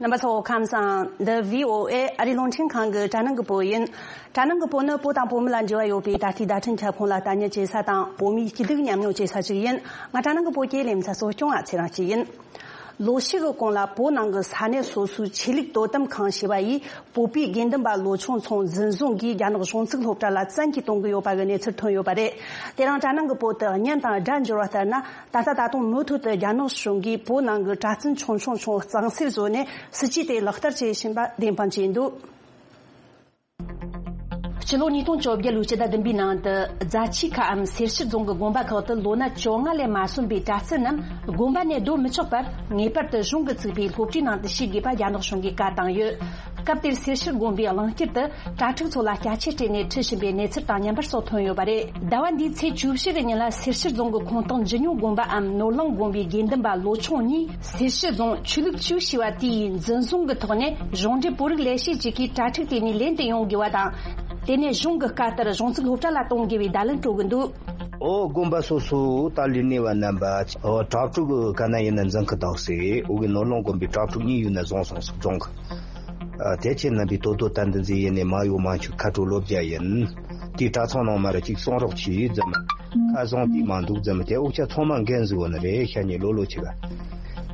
རྣམ་པ་ཚོ་ཁམས་བཟང་། འདི་V O A ཨ་རིའི་རླུང་འཕྲིན་ཁང་གི་དྲ་སྣང་གི་པོ་ཡིན། དྲ་སྣང་གི་པོ་ནི་བོད་དང་བོད་མི་ལ་འབྲེལ་བ་ཡོད་པའི་ད་ལྟའི་བརྡ་འཕྲིན་ཁྱབ་ཁོངས་ལ་ལྟ་ཉན་བྱེད་ས་དང་བོད་མིའི་སྐྱིད་སྡུག་མཉམ་མྱོང་བྱེད་ས་ཞིག་ཡིན། ང་དྲ་སྣང་གི་པོ་གི་ལེ་ཚན་གཙོ་སྐྱོང་བ་ཚེ་རིང་སྐྱིད་ཡིན། ལོ་ཤས་ཀྱི་གོང་ལ་བོད་ནང་གི་ས་གནས་སོ་སོའི་ཆོས་ལུགས་དོ་དམ་ཁང་ཞེས་པ་ཡིས་བོད་པའི་དགེ་འདུན་པ་ལོ་ཆུང་ཚོ་འཛིན་བཟུང་གིས་རྒྱ་ནག་གཞུང་ཚབ་སློབ་གྲྭ་ལ་བཙན་གྱིས་གཏོང་གི་ཡོད་པ་གི་གནས་ཚུལ་ཐོན་ཡོད་པ་རེད། དེ་རིང་དྲ་སྣང་གི་པོ་དེ་བརྙན་དང་སྒྲ་འབྱོར་བ་ལྟར་ན། ད་ལྟ་ད་དུང་མུ་མཐུད་དུ་རྒྱ་ནག་གཞུང་གིས་བོད་ནང་གི་གྲྭ་བཙུན་ཆུང་ཆུང་ཆུང་གཙང་སེལ་བཟོས་ནས་སྲིད་ཇུས་དེ་ལག་བསྟར་བྱེད་བཞིན་པ་བདེན་དཔང་བྱས་འདུག་སྤྱི་ལོ་ཉིས་སྟོང་བཅོ་བརྒྱད་ལོའི་སྤྱི་ཟླ་བདུན་པའི་ནང་དུ་རྫ་ཆུ་ཁའམ་སེར་ཤུལ་རྫོང་གི་དགོན་པ་ཁག་ཏུ་ལོ་ན་བཅོ་ལྔ་ལས་མ་སོན་པའི་གྲྭ་བཙུན་རྣམས་དགོན་པ་ནས་སྡོད་མི་ཆོག་པར་ངེས་པར་དུ་གཞུང་གིས་བཙུགས་པའི་སློབ་གྲྭའི་ནང་དུ་ཞུགས་དགོས་པ་རྒྱ་ནག་གཞུང་གིས་བཀའ་བཏང་ཡོད། སྐབས་དེར་སེར་ཤུལ་དགོན་པའི་གླིང་དཀྱིལ་དུ་གྲྭ་ཕྲུག་ཚོ་ལ་སྐྱ་ཆས་སྤྲས་ནས་ཁྲིད་བཞིན་པའི་གནས་ཚུལ་དང་མཉམ་པར་སོགས་ཐོན་ཡོད་པ་རེད། ཟླ་བ་འདིའི་ཚེས་བཅུ་བཞི་གི་ཉིན་ལ་སེར་ཤུལ་རྫོང་གི་ཁོངས་གཏོགས་འཇི་ཉུང་དགོན་པའམ་ནོར་གླིང་དགོན་པའི་དགེ་འདུན་པ་ལོ་ཆུང་གཉིས་སེར་ཤུལ་རྫོང་ཆོས་ལུགས་ཅུའུ་ཞེས་པ་དེའི་འཛིན་བཟུང་གི་ཐོག་ནས་གཞུང་འབྲེལ་བོད་རིགས་ལས་བྱེད་ཅིག་གིས་གྲྭ་ཕྲུག་དེ་གཉིས་ལེན་དུ་ཡོང་དགོས་པ་དང་། དེ་ནས་གཞུང་གི་བཀའ་ལྟར་གཞུང་ཚབ་སློབ་གྲྭ་ལ་གཏོང་དགོས་པའི་བརྡ་ལན་སྤྲོད་ཀྱི་འདུག་ཨོ་དགོན་པ་སོ་སོ་ད་ལས་གནས་པ་རྣམ་པ་ཨོ་གྲྭ་ཕྲུག་ག་ན་ཡིན་ན་འཛིན་གི་འདུག་ཟེར། འོ་གི་ནོར་གླིང་དགོན་པའི་གྲྭ་ཕྲུག་གཉིས་ཡོད་ན་བཟུང་སོང་ཟེར་རྫོང་གི། ཨ་དེ་ཁྱེད་རྣམ་པས་དོ་དོ་ད་འདི་འཛིན་ཡེ་ནས་མ་ཡོ་མ་ཆུ་ཁ་དྲོ་ལོ་བརྒྱ་ཡིན། དེའི་གྲྭ་ཚང་ནང་མ་ར་གཅིག་གསུང་རོགས་གྱིས་ཙམ། ཁ་བཟང་དེ་མ་འདུག་ཙམ་དེ་འུ་ཅག་ཚང་མ་འགན་ཟིག་བོ་ནི་རེད་ཤ་ཉེ་ལོ་ལོ་ཆེ་ག་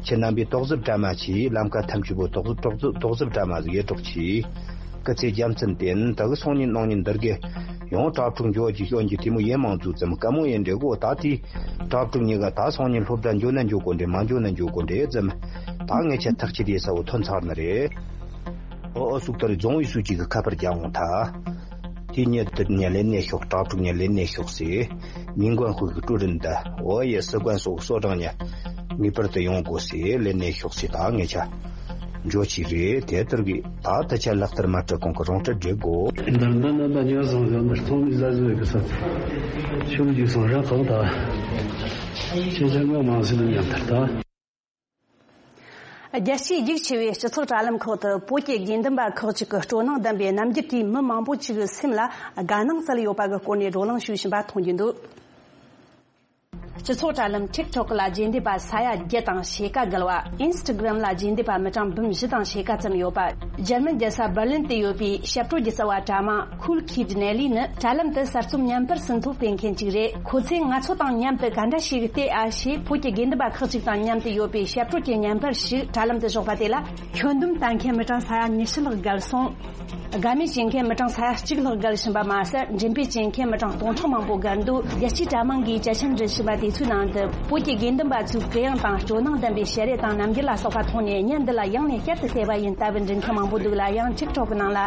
ཁྱེད་རྣམ་པས་དོགས་ཟབ་བཀྲ་མ་ཆེ་ལམ་ཁ་ཐམས་ཅད་པོ་དོགས་ཟབ་དོགས་ཟབ་དོགས་ཟབ་བཀྲ་མ་ཟིག་ཡེ་གྲོགས་ཆེ། སྐུ་ཚེ་རྒྱལ་མཚན་བརྟན་ད་གི་སང་ཉིན་གནངས་ཉིན་འདིར་གི་ཡང་གྲྭ་ཕྲུག་འཇོག་གི་སྐྱོན་གྱི་དེ་མོ་ཡེ་མང་ཚུགས་ཙམ་དཀའ་མོ་ཡེ་འདྲེ་གོ་ད་དེ་གྲྭ་ཕྲུག་གཉིས་ཀ་ད་སང་ཉིན་སློབ་གྲྭ་འཇོག་ན་འཇོག་གོ་འདྲེ་མ་འཇོག་ན་འཇོག་གོ་འདྲེ་ཙམ། ད་ངས་ཆ་ཐག་ཆེ་དེ་ས་བོ་ཐོན་ཚར་ནི་རེད། ཨོ་ཨོ་སུག་ཏར་རྫོང་ཡི་སུ་གཅིག་གི་ཁ་པར་རྒྱག་འོང་ཐ། དེ་ཉིད་དུ་ཉ་ལེན་ནས་ཤོག་གྲྭ་ཕྲུག་ཉ་ལེན་ནས་ཤོག་ཟེར། མིང་གོན་ཧུ་གི་ཀྲུ་རིན་ད་ཨོ་ཡེ་སི་གོན་སོག་སོ་གྲང་ཉ་ངེས་པར་དུ་ཡོང་དགོས་ཟེར་ལེན་ནས་ཤོག་ཟེར། ད་ངེད་ཆ་འཇོ་ཆི་རེད་དེ་ལྟར་གི་ད་ད་ཆ་ལག་བསྟར་མ་སྤྲད་གོང་གི་རོང་སྤྲད་འགྲིག་གོ། འདར་འདར་ན་ད་ཉ་བཟང་ཟང་འདར་ཚང་མི་ཟ་ཟོ་གི་ས་ཆུ་རྒྱུ་སང་ར་གང་ད་ཆེ་ཆ་ང་མང་སི་ལ་ཉམས་ཐར་ད། རྒྱལ་སྤྱིའི་རྒྱུགས་ཆེ་བའི་སྤྱི་ཚོགས་དྲ་ལམ་ཁག་ཏུ་བོད་ཀྱི་དགེ་འདུན་པ་ཁག་ཅིག་གི་སྤྲོ་སྣང་ལྡན་པའི་རྣམ་འགྱུར་གྱིས་མི་མང་པོ་ཅིག་གི་སེམས་ལ་དགའ་སྣང་སྩལ་ཡོད་པ་གི་སྐོར་ནས་བགྲོ་གླེང་ཞུས་བཞིན་པ་མཐོང་རྒྱུ་འདུག་སྤྱི་ཚོགས་དྲ་ལམ་ཊིག་ཊོག་ལ་རྗེས་འདེད་པ་ས་ཡ་བརྒྱད་དང་ཕྱེད་ཀ་བརྒལ་བ། ཨིན་སི་ཊ་གྷ་རམ་ལ་རྗེས་འདེད་པ་མི་གྲངས་འབུམ་བཞི་དང་ཕྱེད་ཀ་ཙམ་ཡོད་པ། འཇར་མན་རྒྱལ་ས་འབར་ལིན་དུ་ཡོད་པའི་ཞབས་བྲོ་སྒྱུ་རྩལ་བ་དྲ་མ་Cool Kid Nelly ནི་དྲ་ལམ་དུ་གསར་རྩོམ་བརྙན་པར་ཟིན་ཐོ་སྤེལ་མཁན་ཅིག་རེད། ཁོ་ཚོས་ང་ཚོ་དང་མཉམ་དུ་ག་འདྲ་ཞིག་བལྟས་ཨ་ཞེས་བོད་ཀྱི་དགེ་འདུན་པ་ཁག་ཅིག་དང་མཉམ་དུ་ཡོད་པའི་ཞབས་བྲོ་གྱི་བརྙན་པར་ཞིག་དྲ་ལམ་དུ་བཞག་པ་དེ་ལ་ཁྱོན་བསྡོམས་ལྟ་མཁན་མི་གྲངས་ས་ཡ་ཉི་ཤུ་ལྷག་བརྒལ་སོང་། དགའ་མོས་བྱེད་མཁན་མི་གྲངས་ས་ཡ་གཅིག་ལྷག་བརྒལ་བཞིན་པ་མ་ཟད། མགྲིན་པའི་བཅད་མཁན་མི་གྲངས་སྟོང་ཕྲག་མང་པོ་བརྒལ་འདུག་རྒྱལ་སྤྱིའི་དྲ་དམངས་ཀྱིས་གྱ་ཆེན་འགྲན་བཞིན་པ་དེ་ཚོའི་ནང་དུ་བོད་ཀྱི་དགེ་འདུན་པ་ཚོའི་གུ་ཡངས་དང་སྤྲོ་སྣང་ལྡན་པའི་ཞལ་རས་དང་རྣམ་འགྱུར་ལ་སོགས་པ་མཐོང་ནས་བརྙན་འདི་ལ་ཡང་ནས་བསྐྱར་དུ་བལྟས་པ་ཡིན་ལྟ་བུ་འབྲི་མཁན་མང་པོ་འདུག་ལ། ཡང་ཊིག་ཊོག་གི་ནང་ལ་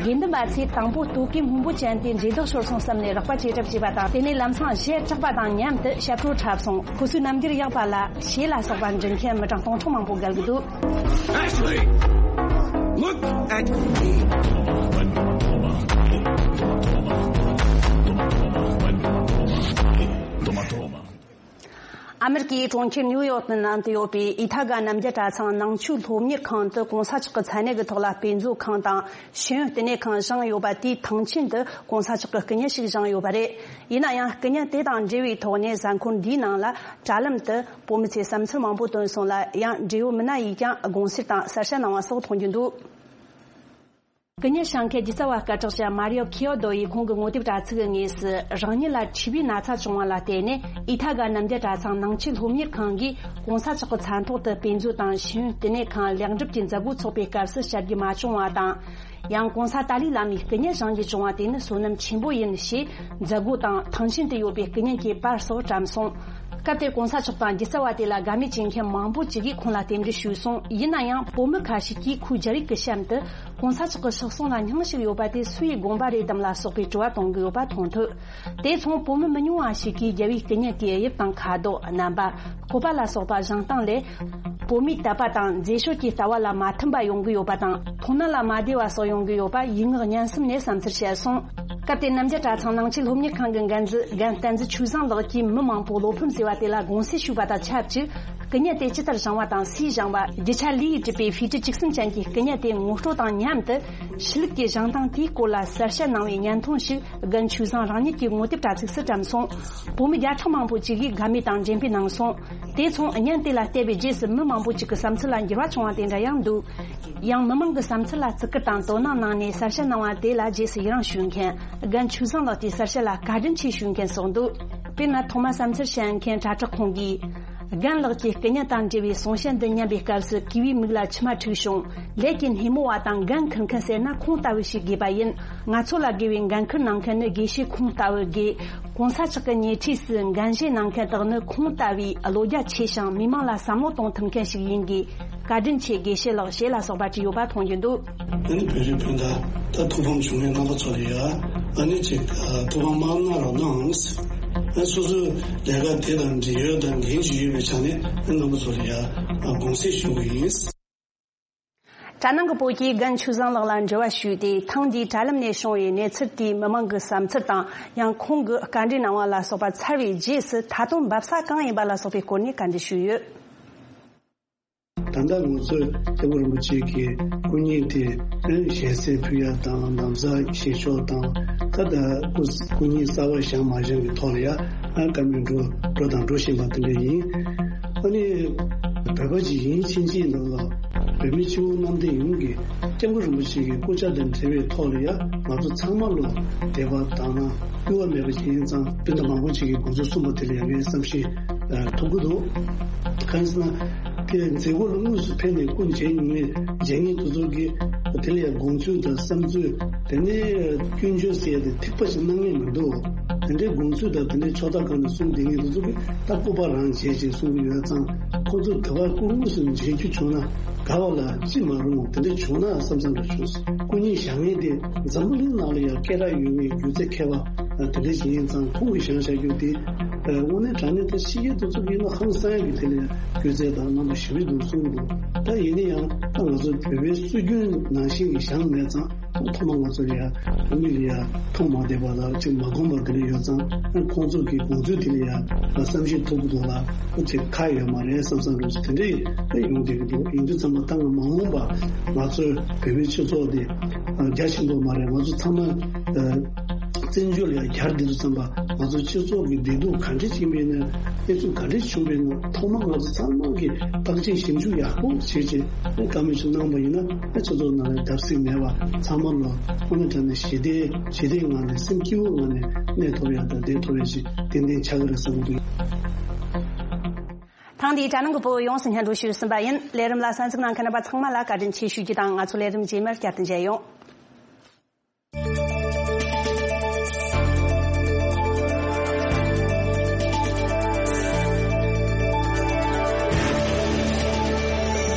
དགེ་འདུན་པ་ཚོས་དང་པོ་སྟོད་གོས་སྔོན་པོ་ཅན་དེ་འདྲེ་ལྡོག་ཤོར་སོང་བསམ་ནས་རོགས་པ་ཅེས་གྲབས་བྱས་པ་དང་། དེ་ནས་ལམ་སང་གཞས་གྲགས་པ་དང་མཉམ་དུ་ཞབས་བྲོ་འཁྲབ་སོང་། ཁོ་ཚོའི་རྣམ་འགྱུར་ཡག་པ་ལ་ཞེས་ལ་སོགས་པ་འབྲི་མཁན་མི་གྲངས་སྟོང་ཕྲག་མང་པོ་བརྒལ་གྱི་འདུག Ashley, look at me. ཨ་མེ་རི་ཀའི་གྲོང་ཁྱེར་ནིའུ་ཡོག་ནང་དུ་ཡོད་པའི་ཨི་ཐ་ག་རྣམ་རྒྱལ་གྲྭ་ཚང་ནང་ཆོས་སློབ་གཉེར་ཁང་དུ་གོང་ས་མཆོག་གི་མཚན་གནས་ཀྱི་ཐོག་ལ་དཔེ་མཛོད་ཁང་དང་ཤེས་ཡོན་བསྟི་གནས་ཁང་བཞེངས་ཡོད་པ་དེའི་ཐང་ཆེན་དུ་གོང་ས་མཆོག་གི་སྐུ་བརྙན་ཞིག་བཞེངས་ཡོད་པ་རེད། ཡིན་ན་ཡང་སྐུ་བརྙན་དེ་དང་འབྲེལ་བའི་ཐོག་ནས་གཟའ་འཁོར་འདིའི་ནང་ལ་དྲ་ལམ་དུ་བོད་མི་ཚོས་བསམ་ཚུལ་མང་པོ་བཏོན་སོང་ལ། ཡང་འབྲེལ་ཡོད་མི་སྣ་ཡིས་ཀྱང་དགོངས་སེལ་དང་གསལ་བཤད་གནང་བ་སོགས་མཐོང་རྒྱུ་འདུག་སྐུ་ཉིད་ཤང་ཁའི་སྒྱུ་རྩལ་བ་སྐད་གྲགས་ཅན་མཱ་རི་ཡོ་ཁི་ཡོ་དོ་ཡིས་ཁོང་གི་ངོ་དེབ་དྲ་ཚིགས་ཀྱི་ངོས་སུ། རང་ཉིད་ལ་མཁྲིས་པའི་ན་ཚ་བྱུང་བ་ལ་བརྟེན་ནས་ཨི་ཐ་ག་རྣམ་རྒྱལ་གྲྭ་ཚང་ནང་ཆོས་སློབ་གཉེར་ཁང་གིས་གོང་ས་མཆོག་གི་མཚན་ཐོག་ཏུ་དཔེ་མཛོད་དང་ཤེས་ཡོན་བསྟི་གནས་ཁང་ལེགས་འགྲུབ་ཀྱི་མཛད་སྒོ་འཚོགས་པའི་སྐབས་སུ་བཅར་རྒྱུ་མ་བྱུང་བ་དང་། ཡང་གོང་ས་ཏཱ་ལའི་བླ་མའི་སྐུ་ཉིད་བཞེངས་རྒྱུ་བྱུང་བ་དེ་ནི་བསོད་ནམས་ཆེན་པོ་ཡིན་ཞེས་མཛད་སྒོ་དང་ཐང་ཆེན་དུ་ཡོད་པའི་སྐུ་ཉིད་ཀྱི་པར་སོགས་བཀྲམ་སོང་། སྐབས་དེར་གོང་ས་མཆོག་དང་སྒྱུ་རྩལ་བ་དེ་ལ་དགའ་མོས་བྱེད་མཁན་མང་པོ་ཅིག་གིས་ཁོང་ལ་རྟེན་འབྲེལ་ཞུས་སོང་། ཡིན་ན་ཡང་བོད་མི་ཁ་ཤས་ཀྱིས་ཁོའི་རྒྱ་རིགས་ཀྱི་གཤམ་དུ་གོང་ས་མཆོག་གི་གཤེགས་གསོལ་ལ་སྙུང་གཞི་ཡོད་པ་དེ་སུ་ཡི་དགོངས་པ་རེད་དམ་ལ་སོགས་པའི་དྲི་བ་གཏོང་གི་ཡོད་པ་མཐོང་ཐུབ། དེ་མཚུངས་བོད་མི་མི་ཉུང་བ་ཞིག་གིས་རྒྱལ་བའི་སྐུ་ཉིད་ཀྱི་དབྱིབས་དང་ཁ་དོག་རྣམ་པ། སྤོབས་པ་ལ་སོགས་པ་བཞེངས་སྟངས་ལས། བོད་མིའི་དད་པ་དང་མཛེས་དཔྱོད་ཀྱི་ལྟ་བ་ལ་མ་མཐུན་པ་ཡོང་གི་ཡོད་པ་དང་། མཐོང་སྣང་ལ་མ་བདེ་བ་སོགས་ཡོང་གི་ཡོད་པ་ཡིད་མངགས་སྙན་སེམས་ནས་བསམ་ཚུལ་བཤད་སོང་། སྐབས་དེར་རྣམ་རྒྱལ་གྲྭ་ཚང་ནང་ཆོས་སློབ་གཉེར་ཁང་གི་འགན་འཛིན་རྒན་བསྟན་འཛིན་ཆོས་བཟང་ལགས་ཀྱིས་མི་མང་པོས་བློ་ཕམ་ཟེར་བ་དེ་ལ་དགོངས་སེལ་ཞུས་པ་དང་ཆབས་ཅིག་སྐུ་ཉིད་དེ་ཇི་ལྟར་བཞེངས་བ་དང་སུས་བཞེངས་བ། རྒྱུ་ཆ་ལི་ཡིས་གྲུབ་པའི་ཧྥི་ཀྲི་བཅུ་གསུམ་ཅན་གྱི་སྐུ་ཉིད་དེ་ངོ་སྤྲོད་དང་མཉམ་དུ། ཤེས་ལུགས་ཀྱི་བཞེངས་སྟངས་དེའི་སྐོར་ལ་གསལ་བཤད་གནང་བའི་བརྙན་ཐུང་ཞིག་རྒན་ཆོས་བཟང་རང་ཉིད་ཀྱི་ངོ་དེབ་དྲ་ཚིགས་སུ་བཀྲམ་སོང་། བོད་མི་བརྒྱ་ཕྲག་མང་པོ་ཅིག་གིས་དགའ་མོས་དང་འགྲེམས་སྤེལ་གནང་སོང་། དེ་མཚུངས་བརྙན་དེ་ལ་བལྟས་པའི་རྗེས་སུ་མི་མང་པོ་ཅིག་གི་བསམ་ཚུལ་ལ་འགྱུར་བ་བྱུང་བ་དེ་འདྲ་ཡང་འདུག་ཡང་མི་མང་གི་བསམ་ཚུལ་ལ་བརྩི་བཀུར་དང་དོ་སྣང་གནང་ནས་གསལ་བཤད་གནང་བ་དེ་ལ་རྗེས་སུ་ཡི་རང་ཞུ་མཁན། རྒན་ཆོས་བཟང་ལགས་ཀྱི་གསལ་བཤད་ལ་བཀའ་དྲིན་ཆེ་ཞུ་མཁན་སོགས་འདུག་དཔེར་ན་ཐོག་མར་བསམ་ཚུལ་བཤད་མཁན་དྲ་གྲོགས་ཁོང་གིས། རྒན་ལགས་ཀྱི་སྐུ་ཉིད་དང་འབྲེལ་བའི་གསུང་བཤད་འདི་ཉན་པའི་སྐབས་སུ་གུས་པའི་མིག་ལ་མཆི་མ་འཁྲིགས་བྱུང་། ལས་ཀྱི་སྣེ་མོ་བ་དང་འགན་འཁུར་མཁན་ཟེར་ན་ཁོང་ལྟ་བུ་ཞིག་དགོས་པ་ཡིན། ང་ཚོ་ལ་དགོས་པའི་འགན་འཁུར་གནང་མཁན་ནི་དགེ་བཤེས་ཁོང་ལྟ་བུ་དགོས། གོང་ས་མཆོག་གི་ཉེ་འཁྲིས་སུ་འགན་བཞེས་གནང་མཁན་དག་ནི་ཁོང་ལྟ་བུའི་བློ་རྒྱ་ཆེ་ཞིང་མི་མང་ལ་བསམ་བློ་གཏོང་ཐུབ་མཁན་ཞིག་ཡིན་དགོས། བཀའ་དྲིན་ཆེ་དགེ་བཤེས་ལགས་ཞེས་ལ་སོགས་པ་བྲིས་ཡོད་པ་མཐོང་རྒྱུ་འདུག་ཨ་ནི་བོད་རིགས་སྤུན་ཟླ་ད་ཐུགས་ཕམ་བྱུང་བའི་རྣམ་པ་ཚོ་ལ་ཡ། ཨ་ནི་ཅིག་ཨ་ཐུགས་ཕམ་མ་གནང་རོགས་གནང་། ཨ་སོ་སོའི་ལས་ཀ་དེ་དང་འབྲེལ་ཡོད་དང་འགན་ཅིག་ཡོད་པའི་ཆ་ནས་ཨ་རྣམ་པ་ཚོ་ལ་ཡ་ཨ་དགོངས་སེལ་ཞུ་གི་ཡིན། དྲ་ནང་གི་བོད་ཀྱིས་རྒན་ཆོས་བཟང་ལགས་ལ་འབྲེལ་བ་ཞུས་ཏེ་ཐེངས་འདིའི་དྲ་ལམ་ནས་བྱུང་བའི་གནས་ཚུལ་དེའི་མི་མང་གི་བསམ་ཚུལ་དང་ཡང་ཁོང་གིས་བཀའ་འདྲི་གནང་བ་ལ་སོགས་པ་ཚར་བའི་རྗེས་སུ་ད་དུང་འབབ་ས་གང་ཡིན་པ་ལ་སོགས་པའི་སྐོར་ནས་བཀའ་འདྲི་ཞུས་ཡོད། ད་ལྟ་ང་ཚོས་སྐྱབས་མགོན་རིན་པོ་ཆེ་གི་སྐུ་བརྙན་དེ་ཞལ་གསེར་ཕུལ་ཡ་དང་ན་བཟའ་བཞེས་ཕྱོགས་དང་ད་ལྟ་སྐུ་སྐུ་བརྙན་གསར་པ་བཞེངས་མ་བཞེངས་ཀྱི་ཐོག་ལ་ཡ་ཨ་བཀའ་མོལ་འགྲོ་འགྲོ་དང་འགྲོ་བཞིན་པ་དེ་འདྲ་ཡིན། ཨ་ནི་བོད་པ་ཅིག་ཡིན་ཕྱིན་ཆད་ནང་ལ་བོད་མི་སྤྱི་བོ་གནམ་བསྟན་ཡོངས་ཀྱི་སྐྱབས་མགོན་རིན་པོ་ཆེ་གི་སྐུ་ཕྱྭ་དང་འབྲེལ་བའི་ཐོག་ལ་ཡ་ང་ཚོ་ཚང་མ་ལ་དད་པ་དང་ན་གཡོ་བ་མེད་པ་ཅིག་ཡིན་ཙང་སྤུན་ཟླ་མང་པོ་ཅིག་གིས་དགོངས་ཚུལ་གསུངས་པ་དེ་ལ་ཡ་ངས་བསམ་ཤེས་ཐུབ་ཀྱི་འདུག་གང་ཡིན་ཟེར་ན། དེ་མཛད་སྒོ་ལ་དངོས་སུ་ཕེབས་ནས་སྐུ་མཇལ་མྱོང་མཁན་མཇལ་མཁན་དེ་ཚོ་གིས་དེ་ལ་ཡང་དགོངས་ཚུལ་དང་བསམ་ཚུལ་དེ་ནས་སྐྱོན་བརྗོད་ཟེར་ཡ་དེ་ཐིགས་པ་ཞིག་གནང་མཁན་མི་འདུག་དེ་འདྲའི་དགོངས་ཚུལ་དང་དེ་འདྲའི་ཕྱོགས་མཐའ་ཁག་ནས་གསུངས་བསྡད་མཁན་དེ་ཚོ་གིས་ད་སྐུ་པར་རང་མཇལ་ཅེས་གསུང་གི་ཡོད་ཙང་ཁོ་ཚོ་དེ་བར་སྐུ་དངོས་སུ་མཇལ་རྒྱུ་བྱུང་ན་དགའ་བ་ལ་ཅི་མ་རུང་དེ་འདྲ་བྱུང་ན་བསམ་བསམ་འདྲ་བྱུང་སོང་། སྐུ་བརྙན་བཞེངས་མཁན་དེ་འཛམ་བུ་གླིང་ནང་ལ་ཡང་སྐད་གྲགས་ཡོད་པའི་སྒྱུ་རྩལ་མཁས་པ་དེ་འདྲ་ཞིག་ཡིན་ཙང་ཁོང་གིས་བཞེངས་བཞག་རྒྱུ་དེ་དངོས་གནས་དྲང་གནས་ད་ཕྱི་རྒྱལ་དེ་ཚོ་གིས་ཡིན་ན་ཧང་སང་ཡག་གི་དེ་ལ་ཡང་སྒྱུ་རྩལ་དང་རྣམ་པ་ཞིབ་པོ་འདུག་གསུངས་འདུག་ད་ཡིན་ན་ཡང་ད་ང་ཚོ་བོད་པའི་སྲོལ་རྒྱུན་ནང་བཞིན་གྱི་བཞེངས་མེད་ཙང་ཐོག་མ་ང་ཚོ་ལ་ཡང་མི་ལ་ཡང་མཐོང་མ་བསྡད་པ་དང་ཅིག་མ་གོམས་པ་དེ་འདྲ་ཡོད་ཙང་ཁོང་ཚོ་གི་དགོངས་ཚུལ་དེ་ལ་ཡང་བསམ་ཤེས་ཐུབ་ཀྱི་འདུག་ལ་ཅིག་ཁག་ཡོད་མ་རེད་བསམ་བསམ་འདྲ་ཅིག་དེ་འདྲ་ཡོང་བསྡད་ཀྱི་འདུག་ཡིན་དུས་ཙམ་པ་ད་ང་མ་འོངས་པ་ང་ཚོའི་བོད་པའི་སྤྱི་ཚོགས་དེ་རྒྱ་ཆེན་པོ་མ་རེད། ང་ཚོ་ཚང་མ་བཙན་བྱོལ་ལ་ཡང་གྱར་བསྡད་དུས་ཙམ་པ་ང་ཚོ་སྤྱི་ཚོགས་ཀྱི་བདེ་སྡུག་ག་འདྲ་ཕྱིན་པ་ཡིན་ན་གནས་ཚུལ་ག་འདྲ་བྱུང་བ་ཡིན་ན་ཐོག་མ་ང་ཚོ་ཚང་མ་གིས་བརྟག་དཔྱད་ཞིབ་འཇུག་ཡག་པོ་བྱས་རྗེས་བཀའ་མོལ་ཞིག་གནང་པ་ཡིན་ན་སྤྱི་ཚོགས་ནང་ལ་བརྡབ་གསིག་མེད་པ་ཚང་མ་ལ་དངོས་གནས་དྲང་གནས་ཞི་བདེ་ཞི་བདེའི་ངང་ནས་སེམས་སྐྱིད་པོའི་ངང་ནས་གནས་ཐུབ་ཡག་དང་བསྡད་ཐུབ་ཡག་ཞིག་ཏན་ཏན་ཆགས་ཀྱི་རེད་བསམ་གྱི་འདུག་ཐེངས་འདིའི་དྲ་ནང་གི་བོད་ཡོངས་སུ་སྙན་སྒྲོན་ཞུས་ཟིན་པ་ཡིན། ལས་རིམ་ལ་གསན་གཟིགས་གནང་མཁན་རྣམ་པ་ཚང་མ་ལ་བཀའ་དྲིན་ཆེ་ཞུ་རྒྱུ་དང་། ང་ཚོ་ལས་རིམ་རྗེས་མར་བསྐྱར་དུ་མཇལ་ཡོང་།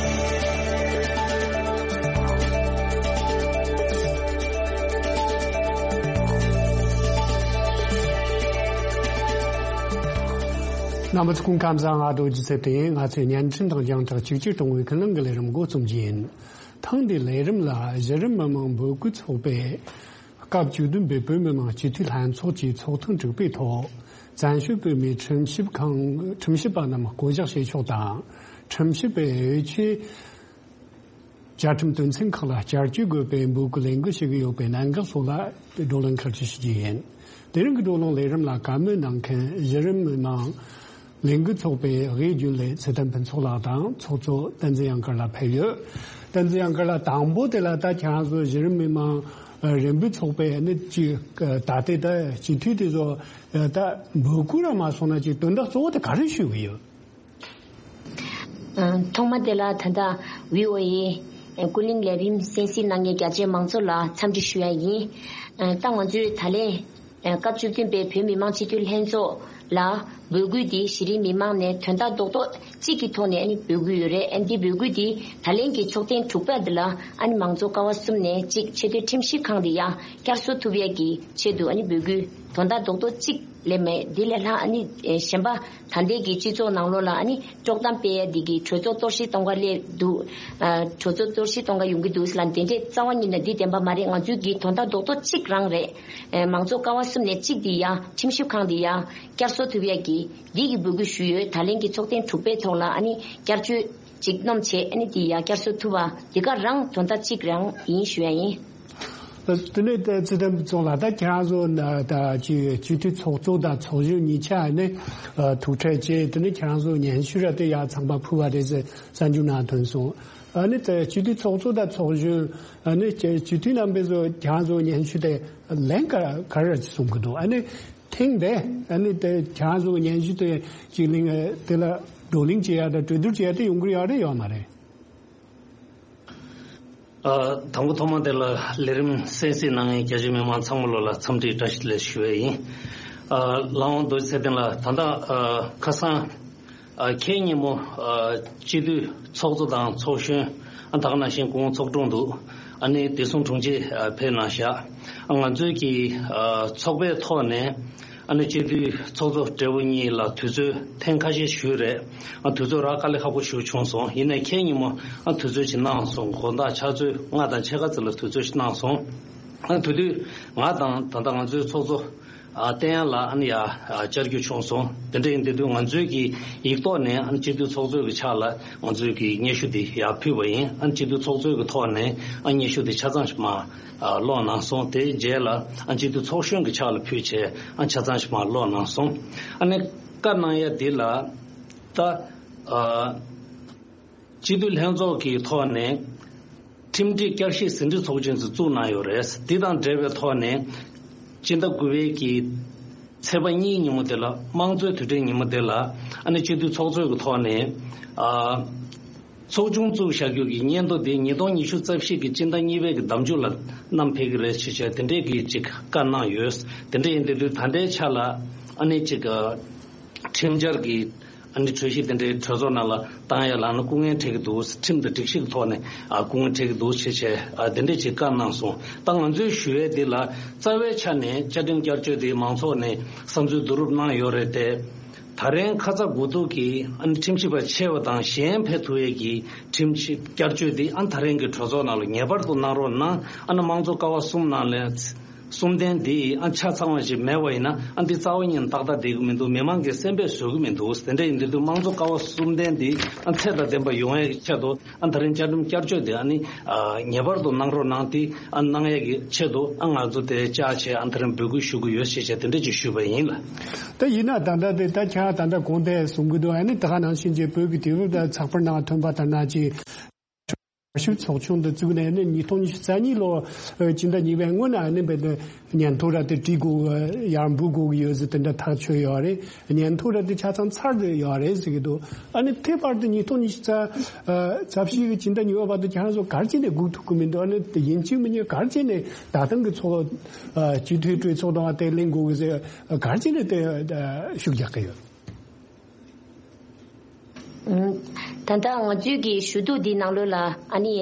རྣམ་པ་ཚོ་སྐུ་ཁམས་བཟང་། ང་རྡོ་རྗེ་ཚེ་བརྟན་ཡིན། ང་ཚོས་བརྙན་འཕྲིན་དང་རྒྱང་ཐག་གཅིག་གྱུར་གཏོང་བའི་ཀུན་གླེང་གི་ལས་རིམ་འགོ་རྩོམ་རྒྱུ་ཡིན། ཐེངས་འདིའི་ལས་རིམ་ལ་གཞི་རིམ་མི་མང་འབོད་སྐུལ་ཚོགས་པས་སྐབས་བཅུ་བདུན་པའི་བོད་མི་མང་སྤྱི་འཐུས་ལྷན་ཚོགས་ཀྱི་ཚོགས་ཐེངས་དྲུག་པའི་ཐོག་བཙན་བྱོལ་བོད་མིའི་ཁྲིམས་ཞིབ་ཁང་ཁྲིམས་ཞིབ་པ་རྣམས་བསྐོ་གཞག་བྱེད་ཕྱོགས་དང་། ཁྲིམས་ཞིབ་པའི་འོས་ཆོས་བཅའ་ཁྲིམས་དོན་ཚན་ཁག་ལ་བསྐྱར་བཅོས་དགོས་པའི་འབོད་སྐུལ་ལས་འགུལ་ཞུ་གི་ཡོད་པའི་གནད་འགག་སོགས་ལ་བགྲོ་གླེང་ཁག་ཅིག་ཞུ་རྒྱུ་ཡིན། དེ་རིང་གི་བགྲོ་གླེང་ལས་རིམ་ལ་བཀའ་མོལ་གནང་མཁན་གཞི་རིམ་མི་མང་ ལས་འགུལ་ཚོགས་པའི་དབུས་རྒྱུན་ལས་ཚེ་བརྟན་ཕུན་ཚོགས་ལགས་དང་ཚོགས་གཙོ་བསྟན་འཛིན་གཡང་དཀར་ལགས་ཕེབས་ཡོད། བསྟན་འཛིན་གཡང་དཀར་ལགས། དང་པོ་དེ་ལ་ད་ཁྱེད་རང་ཚོ་གཞི་རིམ་མི་མང་རིམ་སྤོར་ཚོགས་པའི་ནི་ཅིག་ད་ལྟའི་ད་སྤྱི་འཐུས་དེ་ཚོ་ད་འབོད་སྐུལ་ར་མ་སོང་ན་ཅིག་དོན་དག་གཙོ་བོ་དེ་ག་རེ་ཞུ་གི་ཡོད། ཨ། ཐོག་མ་དེ་ལ་ད་ལྟ་བྷི་ཨོ་ཨེ་ཀུན་གླེང་ལས་རིམ་གསན་གཟིགས་གནང་མཁན་རྒྱ་ཆེའི་མང་ཚོགས་ལ་འཚམས་འདྲི་ཞུ་ཡ་ཡིན། ཨ། ད་ང་ཚོས་ད་ལན་ཨ་སྐབས་བཅུ་བདུན་པའི་བོད་མི་མང་སྤྱི་འཐུས་ལྷན་ཚོགས་ལ་འབོད་སྐུལ་འདི་གཞི་རིམ་མི་མང་ནས་དོན་དག་རྡོག་རྡོག་གཅིག་གི་ཐོག་ནས་ཨ་ནི་འབོད་སྐུལ་ཡོད་རེད། ཨ་ནི་འདི་འབོད་སྐུལ་འདི་ད་ལན་གྱི་ཚོགས་ཐེངས་དྲུག་པ་འདི་ལ་ཨ་ནི་མང་གཙོ་ཀ་བ་གསུམ་ནས་གཅིག་ཆེས་མཐོའི་ཁྲིམས་ཞིབ་ཁང་འདི་ཡང་བསྐྱར་གསོ་ཐུབ་ཡས་ཀྱི་ཆེད་དུ་ཨ་ནི་འབོད་སྐུལ་དོན་དག་རྡོག་རྡོག་གཅིག་ལས་མེད། འདི་ལས་ལྷག་ཨ་ནི་ཨེ་གཞན་པ་ད་ལྟའི་གི་སྤྱི་ཚོགས་ནང་ལོགས་ལ་ཨ་ནི་དཀྲོག་གཏམ་སྤེལ་ཡ་འདི་གི་གྲོས་ཚོགས་གཏོར་བཤིག་གཏོང་ག་སླེབས་འདུག་ཨ། གྲོས་ཚོགས་གཏོར་བཤིག་གཏོང་ག་ཡོང་གི་འདུག་ཟེར་ལ་དེ་འདྲས་རྩ་བ་ཉིད་ནས་འདི་བདེན་པ་མ་རེད། ང་ཚོའི་གི་དོན་དག་རྡོག་རྡོག་གཅིག་རང་རེད། ཨེ་མང་གཙོ་ཀ་བ་གསུམ་ནས་གཅིག་འདི་ཡ་ཁྲིམས་ཞིབ་ཁང་འདི་ཡ་བསྐྱར་གསོ་ཐུབ་ཡ་གི་འདི་གི་འབོད་སྐུལ་ཞུས་ཡོད། ད་ལན་གི་ཚོགས་ཐེངས་དྲུག་པའི་ཐོག་ལ་ཨ་ནི་བསྐྱར་བཅོས་ཅིག་སྣོམ་བྱས་ཨ་ནི་འདི་ཡ་བསྐྱར་གསོ་ཐུབ་པ་འདི་ག་རང་དོན་དག་གཅིག་རང་ཡིན་ཞུ་ཡ་ཡིན། དེ་ནས་ཚེ་བརྟན་ཚོགས་ལ་ད་ཁྱེད་རང་ཚོ་ད་ཅི་སྤྱི་འཐུས་ཚོགས་གཙོ་དང་ཚོགས་གཞོན་གཉིས་ཆ་ནས་ཐུག་འཕྲད་བྱས། དེ་ནས་ཁྱེད་རང་ཚོ་སྙན་ཞུ་ར་དེ་ཡར་ཚང་མ་ཕུལ་བ་རེད་ཟེར་གསར་འགྱུར་ནང་ཐོན་སོང་། ཨ་ནི་དེ་སྤྱི་འཐུས་ཚོགས་གཙོ་དང་ཚོགས་གཞོན་ཨ་ནི་སྤྱི་འཐུས་རྣམ་པས་ཚོ་ཁྱེད་རང་ཚོ་སྙན་ཞུ་དེ་ལན་ག་ག་རེ་གསུང་གི་འདུག་ཨ་ནི་ཐེངས་འདི་ཨ་ནི་དེ་ཁྱེད་རང་ཚོ་སྙན་ཞུ་དེ་ཅིག་གླེང་དེ་ལ་བགྲོ་གླེང་བྱེད་ཡ་དང་གྲོས་བསྡུར་བྱེད་ཡ་དེ་ཡོང་གི་ཡོད་རེད་ཡོད་མ་རེད། ཨ། དང་པོ་ཐོག་མ་དེ་ལ་ལས་རིམ་གསན་གཟིགས་གནང་མཁན་རྒྱ་ཆེའི་མི་མང་ཚང་མ་ལོ་ལ་འཚམས་འདྲི་བཀྲ་ཤིས་བདེ་ལེགས་ཞུ་བ་ཡིན། ཨ། ལགས་འོང་རྡོ་རྗེ་ཚེ་བརྟན་ལགས། ད་ལྟ་ཨ་ཁ་སང་ཨ་ཁེ་ཉིན་མོ་ཨ་སྤྱི་འཐུས་ཚོགས་གཙོ་དང་ཚོགས་གཞོན་ཨ་ད་ག་ནང་བཞིན་སྐུ་ངོ་ཚོགས་དྲུང་འདུག་ཨ་ནི་བདེ་སྲུང་དྲུང་ཆེ་ཨ་ཕེབས་གནང་བཞག་ཨ་ང་ཚོའི་གི་ཨ་ཚོགས་པའི་ཐོག་ནས་ཨ་ནི་སྤྱི་འཐུས་ཚོགས་གཙོ་སྦྲེལ་པོ་གཉིས་ལ་དུས་ཚོད་ཐེངས་ཁ་ཤས་ཞུས་རེད། ཨ་དུས་ཚོད་རག་དཀའ་ལས་ཁག་པོ་ཞིག་བྱུང་སོང་། ཡིན་ནའི་ཁེ་ཉིན་མོ་ཨ་དུས་ཚོད་ཅིག་གནང་སོང་། དགོང་དག་ཕྱག་ཚོད་ལྔ་དང་ཕྱེད་ཀ་ཙམ་ལ་དུས་ཚོད་ཅིག་གནང་སོང་། ཨ་དེ་དུས་ང་དང་ད་ལྟ་ང་ཚོའི་ཚོགས་གཙོ་ཨ་བསྟན་ཡར་ལགས་ཨ་ནི་ཡར་ཨ་བཅར་རྒྱུ་བྱུང་སོང་། དེ་འདྲ་ཡིན་དེ་དུས་ང་ཚོའི་གི་ཡིག་ཐོག་ནས་ཨ་ནི་སྤྱི་འཐུས་ཚོགས་གཙོའི་གི་ཕྱག་ལ་ང་ཚོའི་གི་སྙན་ཞུ་དེ་ཡར་ཕུལ་བ་ཡིན། ཨ་ནི་སྤྱི་འཐུས་ཚོགས་གཙོའི་གི་ཐོག་ནས་ཨ་སྙན་ཞུ་དེ་ཆ་ཚང་ཞིག་མར་ཨ་ཀློག་གནང་སོང་། དེའི་རྗེས་ལ་ཨ་སྤྱི་འཐུས་ཚོགས་གཞོན་གྱི་ཕྱག་ལ་ཕུལ་བྱས་ཨ་ཆ་ཚང་ཞིག་མར་ཀློག་གནང་སོང་། ཨ་ནི་བཀའ་གནང་ཡ་འདི་ལ་ད་ཨ་སྤྱི་འཐུས་ལྷན་ཚོགས་ཀྱི་ཐོག་ནས་ཁྲིམས་སྒྲིག་བསྐྱར་ཞིབ་ཟིན་བྲིས་ཚོགས་ཆུང་ཞིག་བཙུགས་གནང་ཡོད་རེད། འདི་དང་འབྲེལ་བའི་ཐོག་ནས་སྤྱི་ཟླ་དགུ་པའི་གི་ཚེས་པ་གཉིས་ཉིན་མོ་དེ་ལ་དམངས་གཙོའི་དུས་དྲན་ཉིན་མོ་དེ་ལ་ཨ་ནི་སྤྱི་འཐུས་ཚོགས་གཙོའི་གི་ཐོག་ནས་ཨ། ཚོགས་ཆུང་བཙུགས་བཞག་རྒྱུ་གི་སྙན་ཐོ་དེ་ཉིས་སྟོང་ཉི་ཤུ་རྩ་བཞི་གི་སྤྱི་ཟླ་གཉིས་པའི་གི་ཟླ་མཇུག་ལ་བསྣམས་ཕེབས་ཀྱི་རེད་ཅེས་བྱས་དེ་འདྲས་ཀྱི་ཅིག་བཀའ་གནང་ཡོད། དེ་འདྲས་ཡིན་དེ་དུས་ད་ལྟའི་ཆ་ལ་ཨ་ནི་ཅིག་ཁྲིམས་འཆར་གྱི་ཨ་ནི་གྲོས་གཞི་དེ་འདྲའི་གྲོས་ཚོགས་ནང་ལ་བཏང་ཡ་ལ་ཨ་ནི་སྐུ་ངལ་འཕྲད་ཀྱི་འདུག་ཁྲིམས་དང་སྒྲིག་གཞི་གི་ཐོག་ནས་ཨ་སྐུ་ངལ་འཕྲད་ཀྱི་འདུག་ཅེས་བྱས་ཨ་དེ་འདྲས་ཅིག་བཀའ་གནང་སོང་། ད་ང་ཚོའི་ཞུ་ཡས་འདི་ལ་རྩ་བའི་ཆ་ནས་བཅའ་ཁྲིམས་བསྐྱར་བཅོས་དེ་མང་ཚོགས་ནས་བསམ་ཚུལ་བསྡུ་རུབ་གནང་ཡོད་རེད་དེ། ད་རེས་ཁ་ཚ་དགོས་གཏུགས་ཀྱིས་ཨ་ནི་ཁྲིམས་ཞིབ་པ་ཆེ་བ་དང་གཞན་ཕེབས་ཐུབ་ཡས་ཀྱི་ཁྲིམས་ཞིབ་བསྐྱར་བཅོས་འདི་ཨ་ནི་ད་རེས་ཀྱི་གྲོས་ཚོགས་ནང་ལ་ངེས་པར་དུ་གནང་རོགས་གནང་། ཨ་ནི་དམངས་གཙོ་ཀ་བ་གསུམ་ནང་ལས་གསུམ་ལྡན་འདི་ཨ་ཆ་ཚང་བ་ཞིག་མེད་པ་ཡིན་ན་ཨ་འདི་རྩ་བ་ཉིད་ནས་ཏག་ཏག་བསྡད་ཀྱི་མི་འདུག་མི་མང་གི་སེམས་པས་བཟོད་ཀྱི་མི་འདུག་དེ་འདྲ་ཡིན་དུས་དམངས་གཙོ་ཀ་བ་གསུམ་ལྡན་འདི་ཨ་ཚད་དང་ལྡན་པ་ཡོང་ཡས་ཀྱི་ཆེད་དུ། ཨ་ད་རིང་བཅའ་ཁྲིམས་བསྐྱར་བཅོས་དེ་ཨ་ནི་ཨ་ངེས་པར་དུ་གནང་རོགས་གནང་། དེ་ཨ་གནང་ཡས་ཀྱི་ཆེད་དུ་ཨ་ང་ཚོ་དེ་བཅར་བྱས་ཨ་ད་རིང་འབོད་སྐུལ་ཞུ་གི་ཡོད་ཞེས་བྱས་དེ་འདྲ་ཅིག་ཞུས་པ་ཡིན་ལ། ད་ཡིན་ན་ད་ལྟ་དེ་ད་ཁྱེད་ད་ལྟ་གོང་དེ་གསུང་གི་འདུག་ཨ་ནི་ད་ག་ནང་བཞིན་གྱི་བོད་ཀྱི་དུས་བབ་དང་ཚགས་པར་ནང་ཐོན་པ་ལྟར་ན་ཅིག་བསྐྱར་ཞིབ་ཚོགས་ཆུང་དུ་བཙུགས་ནས་ནི་ཉིས་སྟོང་ཉི་ཤུ་རྩ་གཉིས་ལོ་སྤྱི་ཟླ་གཉིས་པའི་སྔོན་ན་ཨ་ནི་བས་ཏེ་སྙན་ཐོ་ར་དེ་བྲིས་དགོས་ཡར་འབུལ་དགོས་ཀྱི་ཡོད་ཟེར་དེ་འདྲ་ཐག་ཆོད་ཡོད་རེད། སྙན་ཐོ་ར་དེ་ཆ་ཚང་ཚར་དེ་ཡོད་རེད་ཟེར་གྱི་འདུག་ཨ་ནི་དེ་བར་དུ་ཉིས་སྟོང་ཉི་ཤུ་རྩ་རྩ་བཞི་གི་སྤྱི་ཟླ་གཉིས་པ་བར་དུ་ཁྱེད་རང་ཚོ་ག་རེ་བྱས་ནས་སྒུག་ཐུབ་ཀྱི་མི་འདུག་ཨ་ནི་དེ་ཡིན་གཅིག་མིན་གཅིག་ག་རེ་བྱས་ནས་ད་ཐེངས་ཀྱི་ཚོགས་སྤྱི་འཐུས་གྲོས་ཚོགས་དང་དེ་གླེང་དགོས་ཀྱི་ཟེར་ག་རེ་བྱས་ནས་དེ་ཤུགས་རྒྱག་གི་ཡོད། ད་ལྟ་ང་ཚོའི་གི་ཞུ་གཏུག་འདི་ནང་ལོགས་ལ་ཨ་ནི་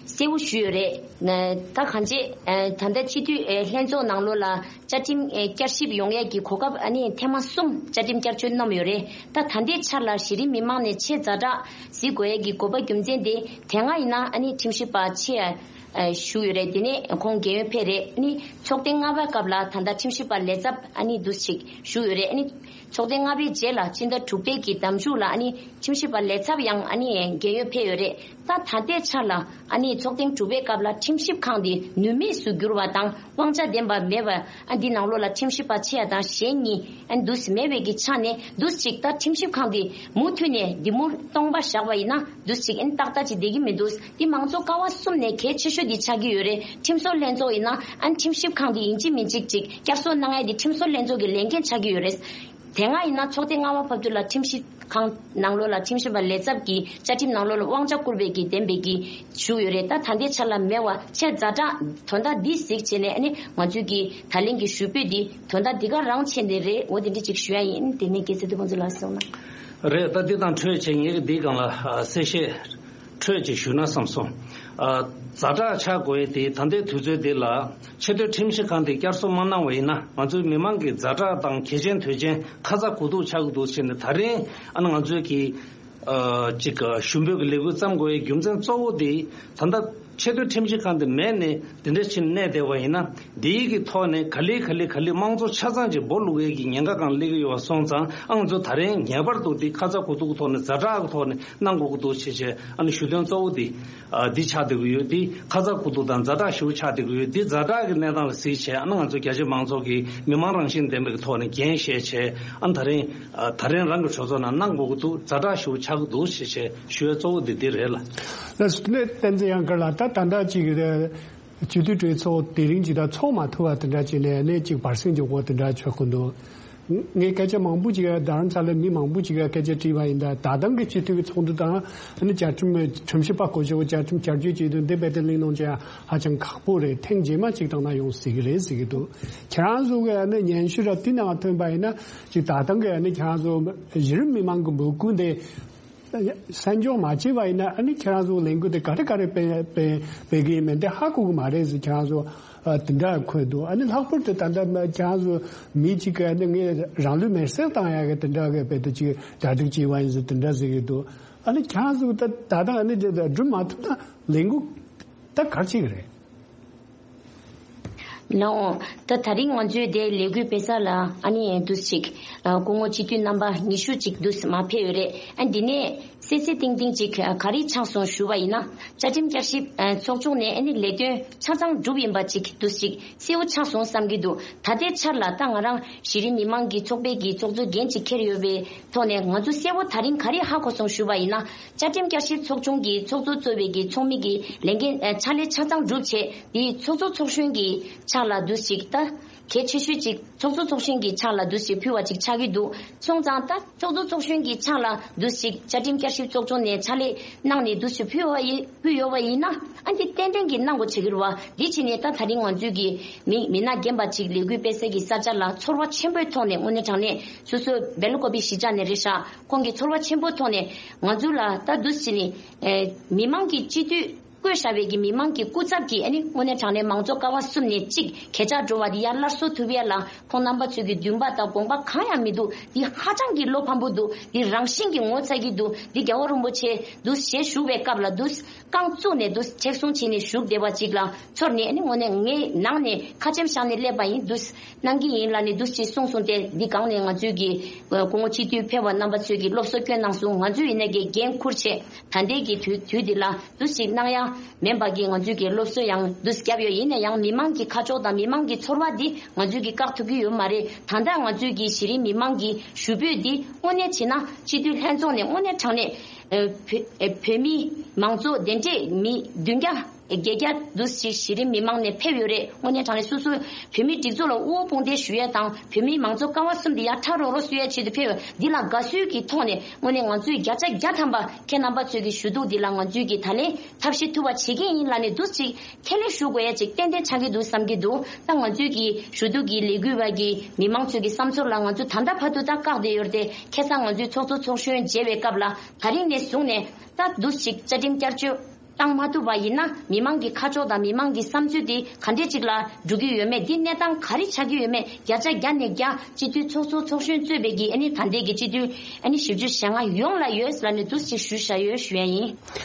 གསལ་པོ་ཞུས་ཡོད་རེད། ད་གང་ཅི་ད་ལྟ་སྤྱི་འཐུས་ལྷན་ཚོགས་ནང་ལོགས་ལ་བཅའ་ཁྲིམས་བསྐྱར་ཞིབ་ཡོང་ཡས་ཀྱི་གོ་སྐབས་ཨ་ནི་ཐེངས་མ་གསུམ་བཅའ་ཁྲིམས་བསྐྱར་བཅོས་གནང་ཡོད་རེད། ད་ད་ལྟའི་ཆར་ལ་གཞི་རིམ་མི་མང་ནས་ཆེས་ཛ་དྲག་གཟིགས་དགོས་ཡས་ཀྱི་དགོས་པ་རྒྱུ་མཚན་དེ་དེ་སྔ་ཡིན་ན་ཨ་ནི་ཁྲིམས་ཞིབ་པ་ཆེ་ཞུ་ཡོད་རེད། དེ་ནས་ཁོང་རྒས་ཡོལ་ཕེབས་རེད། ཨ་ནི་ཚོགས་ཐེངས་ལྔ་པའི་སྐབས་ལ་ད་ལྟ་ཁྲིམས་ཞིབ་པ་ལས་ཚབ་ཨ་ནི་འདུག་ཅིག་ཞུ་ཡོད་རེད། ཨ་ནི། ཚོགས་ཐེངས་ལྔ་པའི་རྗེས་ལ་ཕྱི་ཟླ་དྲུག་པའི་གི་ཟླ་མཇུག་ལ་ཨ་ནི་ཁྲིམས་ཞིབ་པ་ལས་ཚབ་ཡང་ཨ་ནི་རྒས་ཡོལ་ཕེབས་ཡོད་རེད། ད་ད་ལྟའི་ཆར་ལ་ཨ་ནི་ཚོགས་ཐེངས་དྲུག་པའི་སྐབས་ལ་ཁྲིམས་ཞིབ་ཁང་འདི་ནུས་མེད་སུ་གྱུར་བ་དང་དབང་ཆ་ལྡན་པ་མེད་པ། ཨ་འདི་ནང་ལོགས་ལ་ཁྲིམས་ཞིབ་པ་ཆེ་ཡ་དང་གཞན་གཉིས་ཨ་འདུས་མེད་པའི་གི་ཆ་ནས་འདུས་གཅིག་ད་ཁྲིམས་ཞིབ་ཁང་འདི་མུ་མཐུད་ནས་འདི་མུར་སྟོང་པ་བཞག་པ་ཡིན་ན་འདུས་གཅིག་ཨ་ནི་ཏག་ཏག་ཅིག་བསྡད་ཀྱི་མི་འདུག་འདི་མང་གཙོ་ཀ་བ་གསུམ་ནས་གལ་ཆེ་ཤོས་འདི་ཆགས་ཀྱི་ཡོད་རེད། ཁྲིམས་བཟོ་ལྷན་ཚོགས་ཡིན་ན་ཨ་ནི་ཁྲིམས་ཞིབ་ཁང་འདི་ཡིན་གཅིག་མིན་གཅིག་ཅིག་བསྐྱར་གསོ་གནང་ཡ་འདི་ཁྲིམས་བཟོ་ལྷན་ཚོགས་ཀྱི་ལས་འགན་ཆགས་ཀྱི་ཡོད་རེད། དེ་སྔ་ཡིན་ན་ཚོགས་ཐེངས་ལྔ་པ་བར་དུ་ལ་ཁྲིམས་ཞིབ་ཁང་ནང་ལོགས་ལ་ཁྲིམས་ཞིབ་པ་ལས་ཚབ་ཀྱི་བཅའ་ཁྲིམས་ནང་ལོགས་ལ་དབང་ཆ་བསྐུར་བའི་གི་ལྡན་པའི་གི་བཞུགས་ཡོད་རེད། ད་ད་ལྟའི་ཆ་ལ་མེད་པ་ཆེས་ཛ་དྲག་དོན་དག་འདི་གཟིགས་བྱས་ནས་ཨ་ནི་ང་ཚོའི་གི་ད་ལན་གྱི་ཞུ་འབོད་འདི་དོན་དག་འདི་ག་རང་ཆེ་འདི་རེད། འོ་དེ་འདྲ་ཅིག་ཞུ་ཡ་ཡིན། དེ་ནས་དགེ་ཚེ་དུ་ཕུན་ཚོགས་ལགས་གསུངས་ན། རེད། ད་འདི་དང་འཕྲོས་བྱས་ངེད་ཀྱི་འདིའི་སྒང་ལ་ཨ་གསལ་བཤད་འཕྲོས་ཅིག་ཞུ་ན་བསམ་སོང་། ཨ་ཛ་དྲག་ཆགས་དགོས་ཡས་དེ་ད་ལྟའི་དུས་ཚོད་འདི་ལ་ཆེས་མཐོའི་ཁྲིམས་ཞིབ་ཁང་དེ་བསྐྱར་གསོ་མ་གནང་བ་ཡིན་ན་ང་ཚོའི་མི་མང་གི་ཛ་དྲག་དང་གལ་ཆེན་དོན་ཆེན་ཁ་ཚ་དགོས་གཏུགས་ཆགས་ཀྱི་འདུག་ཟེར་ནས་ད་རིང་ཨ་ནི་ང་ཚོའི་གི་ཨ་ཅིག་ཞུ་འབོད་ཀྱི་ལས་འགུལ་བརྩམས་དགོས་ཡས་རྒྱུ་མཚན་གཙོ་བོ་དེ་ད་ལྟ་ཆེས་མཐོའི་ཁྲིམས་ཞིབ་ཁང་དེ་མེད་ནས་དེ་འདྲ་ཕྱིན་གནས་བསྡད་པ་ཡིན་ན། འདིའི་གི་ཐོག་ནས་ག་ལེ་ག་ལེ་ག་ལེ་དམངས་གཙོ་ཆ་ཚང་ཅིག་སྦོ་ལུག་ཡས་ཀྱི་ཉེན་ཁ་གང་སླེབས་ཀྱི་ཡོད་པ་སོང་ཙང་ཨ་ང་ཚོ་ད་རིང་ངེས་པར་དུ་འདི་ཁ་ཚ་དགོས་གཏུགས་ཐོག་ནས་ཛ་དྲག་གི་ཐོག་ནས་གནང་དགོས་ཀྱི་འདུག་ཞེས་བྱས་ཨ་ནི་ཞུ་དོན་གཙོ་བོ་འདི་ཨ་འདི་ཆགས་བསྡད་ཀྱི་ཡོད། འདི་ཁ་ཚ་དགོས་གཏུགས་དང་ཛ་དྲག་ཞེ་པོ་ཆགས་བསྡད་ཀྱི་ཡོད། འདི་ཛ་དྲག་གི་གནས་སྟངས་ལ་གཟིགས་བྱས་ཨ་ནི་ང་ཚོ་རྒྱ་ཆེ་མང་ཚོགས་ཀྱིས་མི་མང་རང་བཞིན་ལྡན་པའི་ཐོག་ནས་འགན་བཞེས་བྱས་ཨ་ནི་ད་རིང་ཨ་ད་རིང་རང་གི་གྲོས་ཚོགས་ནང་གནང་དགོས་ཀྱི་འདུག་ཛ་དྲག་ཞེ་པོ་ཆགས་ཀྱི་འདུག་ཞེས་བྱས་ཞུ་ཡ་གཙོ་བོ་འདི་འདི་རེད་ལ། ལགས་སོ། བསྟན་འཛིན་ཡང་དགའ་ལགས། ད་ད་ལྟ་ཅིག་སྤྱི་འཐུས་གྲོས་ཚོགས་དེ་རིང་ཅིག་ད་ཚོགས་མ་ཐུབ་པ་དེ་འདྲ་བྱས་ནས་གནས་གཅིག་བར་གསེང་གི་འོག་དེ་འདྲ་ཆགས་ཀྱི་འདུག་ངས་སྐད་ཆ་མང་པོ་ཅིག་རྡ་རམ་ས་ལའི་མི་མང་པོ་ཅིག་སྐད་ཆ་དྲིས་པ་ཡིན། ད་ད་ལྟ་གི་སྤྱི་འཐུས་ཀྱི་ཚོགས་འདུ་དང་ཨ་ནི་བཅའ་ཁྲིམས་ཁྲིམས་ཞིབ་པ་སྐོར་ཞིག་བཅའ་ཁྲིམས་བསྐྱར་བཅོས་བྱེད་དུས་འདི་རྦད་དེ་གླེང་སློང་བྱེད་ཡ་ཧ་ཅང་ཁག་པོ་རེད། ཐེངས་རྗེས་མ་ཅིག་བཏང་ན་ཡོང་སྲིད་ཀྱི་རེད་ཟེར་གྱི་འདུག་ཁྱེད་རང་ཚོ་གི་ཨ་ནི་སྙན་ཞུ་ར་དེ་ནང་ཐོན་པ་ཡིན་ན་ཅིག་ད་ལྟ་གི་ཨ་ནི་ཁྱེད་རང་ཚོ་གཞི་རིམ་མི་མང་གི་འབོད་སྐུལ་འདི་གསན་སྦྱོང་མ་བྱས་པ་ཡིན་ན་ཨ་ནི་ཁྱེད་རང་ཚོ་ལས་འགུལ་དེ་ག་རེ་ག་རེ་སྤེལ་སྤེལ་སྤེལ་གི་ཡིན་མིན་དེ་ཧ་གོ་གི་མ་རེད་ཟེར། ཁྱེད་རང་ཚོ་ཨ་དེ་འདྲ་འཁོད་འདུག་ཨ་ནི་ལྷག་པར་དུ་ད་ལྟ་ཁྱེད་རང་ཚོ་མི་གཅིག་གིས་ཨ་ནི་ངས་རང་ལུས་མེར་སྲེག་བཏང་ཡག་གི་དེ་འདྲ་གི་དཔེ་དེ་ཅིག་གྲ་སྒྲིག་བྱས་པ་ཡིན་ཟེར་དེ་འདྲ་ཟེར་གི་འདུག་ཨ་ནི་ཁྱེད་རང་ཚོ་ད་ད་ལྟ་ཨ་ནི་དེ་སྒྲུབ་མ་ཐུབ་ན་ལས་འགུལ་ད་ག་རེ་བྱེད་གི་རེད། ནའོ། ད་ད་རིང་ང་ཚོའི་དེ་ལས་འགུལ་སྤེལ་ས་ལ་ཨ་ནི་འདུག་ཅིག་སྐུ་ངོ་སྤྱི་འཐུས་རྣམ་པ་ཉི་ཤུ་ཅིག་འདུག་མར་ཕེབས་ཡོད་རེད། ཨ་འདི་ནས་གསལ་གསལ་ཏིང་ཏིང་ཅིག་ག་རེ་ཆགས་སོང་ཞུ་བ་ཡིན་ན། བཅའ་ཁྲིམས་བསྐྱར་ཞིབ་ཚོགས་ཆུང་ནས་ཨ་ནི་ལས་དོན་ཆ་ཚང་གྲུབ་ཡིན་པ་ཅིག་འདུག་ཅིག་གསལ་པོ་ཆགས་སོང་བསམ་གྱི་འདུག་ད་ལྟའི་ཆར་ལ་ད་ང་རང་གཞི་རིམ་མི་མང་གི་ཚོགས་པའི་གི་ཚོགས་གཙོ་འགན་ཅིག་འཁྱེར་ཡོད་པའི་ཐོག་ནས་ང་ཚོ་གསལ་པོ་ད་རིང་ག་རེ་ཧ་གོ་སོང་ཞུ་བ་ཡིན་ན། བཅའ་ཁྲིམས་བསྐྱར་ཞིབ་ཚོགས་ཆུང་གི་ཚོགས་གཙོ་གཙོས་པའི་གི་ཚོགས་མི་གི་ལས་འགན་ཕྱག་ལས་ཆ་ཚང་གྲུབ་བྱས། དེ་ཚོགས་གཙོ་ཚོགས་གཞོན་གྱི་ཕྱག་ལ་འདུག་ཅིག་ད་གལ་ཆེ་ཤོས་ཅིག་ཚོགས་གཙོ་ཚོགས་གཞོན་གྱི་ཕྱག་ལ་འདུག་ཅིག་ཕུལ་བ་ཅིག་ཆགས་ཀྱི་འདུག་སོང་ཙང་ད་ཚོགས་གཙོ་ཚོགས་གཞོན་གྱི་ཕྱག་ལ་འདུག་ཅིག་བཅའ་ཁྲིམས་བསྐྱར་ཞིབ་ཚོགས་ཆུང་ནས་ཕྱག་ལས་གནང་ནས་འདུག་ཅིག་ཕུལ་བ་ཡིན་ཕུལ་ཡོད་པ་ཡིན་ན་ཨ་འདི་ཏན་ཏན་གྱི་གནང་དགོས་བྱེད་ཀྱི་རེད་བ། འདི་བྱས་ནས་ད་ད་རིང་ང་ཚོའི་གི་མི་མི་སྣ་རྒན་པ་ཅིག་ལས་འགུལ་སྤེལ་སའི་གི་ས་ཆ་ལ་ཚོར་བ་ཆེན་པོའི་ཐོག་ནས་དངོས་གནས་དྲང་གནས་སོ་སོའི་སྦེལ་ཀོབ་གཞིས་ཆགས་ནས་རེད་ཤག་ཁོང་གི་ཚོར་བ་ཆེན་པོའི་ཐོག་ནས་ང་ཚོ་ལ་ད་འདུག་བྱས་ནས་མི་མང་གི་སྤྱི་འཐུས། བསྐོས་བཞག་པའི་གི་མི་མང་གི་སྐུ་ཚབ་ཀྱིས་ཨ་ནི་དངོས་གནས་དྲང་གནས་མང་གཙོ་ཀ་བ་གསུམ་ནས་གཅིག་གས་ཆག་འགྲོ་བ་འདི་ཡར་སླར་གསོ་ཐུབ་ཡ་ལ་ཁོང་རྣམ་པ་ཚོས་ཀྱི་འདུན་པ་དང་དགོངས་པ་གང་ཡང་མི་འདུག་འདི་ཧ་ཅང་གི་བློ་ཕམ་པོ་འདུག་འདི་རང་བཞིན་གྱི་ངོ་ཚ་གི་འདུག་འདི་རྒྱལ་བ་རིན་པོ་ཆེ་འདུག་ཞེས་བཞུགས་པའི་སྐབས་ལ་འདུག་རྐང་བཙུགས་ནས་འདུག་ཆེག་གསུང་བྱས་ནས་བཞུགས་བསྡད་པ་ཅིག་ལ་ཚོར་ནས་ཨ་ནི་དངོས་གནས་ངའི་ནང་ནས་ཁ་ཆེམས་བཞག་ནས་སླེབས་པ་ཡིན། འདུག་གནང་གི་ཡིན་ལབ་ནས་འདུག་ཅེས་གསུངས་སོང་སྟེ་འདི་སྒང་ནས་ང་ཚོས་ཀྱི་སྐུ་ངོ་སྤྱི་འཐུས་ཕེབས་པ་རྣམ་པ་ཚོས་ཀྱི་སློབ་གསོ་བསྐྱོན་གནང་སོང་། ང་ཚོས་ཡིན་ན་གི་འགན་འཁུར་ཆེད་ད་ལྟའི་གི་དུས་དུས་འདི་ལ། འདུ་ཞིག་གནང་ཡ་མིན་པ་གི་ང་ཚོས་ཀྱི་སློབ་གསོ་ཡང་འདུ་བརྒྱབ་ཡོད། ཡིན་ན་ཡང་མི་མང་གི་ཁ་ཕྱོགས་དང་མི་མང་གི་ཚོར་བ་འདི་ང་ཚོས་ཀྱི་བཀག་ཐུབ་ཀྱི་ཡོད་མ་རེད། ད་ལྟ་ང་ཚོས་ཀྱི་གཞི་རིམ་མི་མང་གི་ཞུ་འབོད་འདི་དངོས་གནས་བྱས་ན་སྤྱི་འཐུས་ལྷན་ཚོགས་ནས་དངོས་གནས་དྲང་གནས་ཨ་བོད་ཨ་བོད་མི་མང་ཚོགས་དེ་འདྲས་མི་བདུན་བརྒྱ་བརྒྱད་བརྒྱ་འདུ་ཞིག་གཞི་རིམ་མི་མང་ནས་ཕེབས་ཡོད་རེད། དངོས་གནས་དྲང་གནས་སོ་སོའི་བོད་མིའི་སྒྲིག་འཛུགས་ལ་དབུ་བོ་དཔུང་འདེགས་ཞུ་ཡ་དང་བོད་མིའི་མང་གཙོ་ཀ་བ་གསུམ་འདི་ཡར་ཁྲ་རོག་རོག་གསོ་ཡ་ཆེད་དུ་ཕེབས་ཡོད། འདི་ལ་དགའ་བསུའི་གི་ཐོག་ནས་དངོས་གནས་ང་ཚོས་བརྒྱ་ཆ་བརྒྱ་ཐམ་པ་ཁྱེད་རྣམ་པ་ཚོས་ཀྱི་ཞུ་གཏུག་འདི་ལ་ང་ཚོས་ཀྱི་ད་ལན་ཐབས་ཤེས་ཐུབ་པ་བྱེད་ཀྱི་ཡིན་ལབ་ནས་འདུག་ཅིག་ཁས་ལེན་ཞུ་དགོས་ཡ་ཅིག་ཏན་ཏན་ཆགས་ཀྱི་འདུག་བསམ་གྱི་འདུག་ད་ང་ཚོས་ཀྱི་ཞུ་གཏུག་གི་ལས་འགུལ་བ་གི་མི་མང་ཚོས་ཀྱི་བསམ་ཚུལ་ལ་ང་ཚོ་ད་ལྟ་བར་དུ་ད་བཀག་བསྡད་ཡོད་རེད་དེ། ཁ་སང་ང་ཚོའི་ཚོགས་གཙོ་ཚོགས་གཞོན་མཇལ་བའི་སྐབས་ལ་ད་རིང་ནས་བཟུང་ནས་ད་འདུག་ཅིག་བཅའ་ཁྲིམས་བསྐྱར་བཅོས་བཏང་མ་ཐུབ་པ་ཡིན་ན་མི་མང་གི་ཁ་ཕྱོགས་དང་མི་མང་གི་བསམ་ཚུལ་དེ་ག་འདྲས་ཅིག་ལ་འགྲོ་གི་ཡོད་མེད། འདི་གནས་སྟངས་ག་རེ་ཆགས་ཀྱི་ཡོད་མེད་བརྒྱ་ཆ་བརྒྱ་ནས་བརྒྱ་སྤྱི་འཐུས་ཚོགས་གཙོ་ཚོགས་གཞོན་གཙོས་པའི་གི་ཨ་ནི་ད་ལྟའི་གི་སྤྱི་འཐུས་ཨ་ནི་བཞི་བཅུ་ཞེ་ལྔ་ཡོངས་ལ་ཡོད་ལབ་ནས་འདུག་ཅིག་ཞུ་བཞག་ཡོད་ཞུ་ཡ་ཡིན།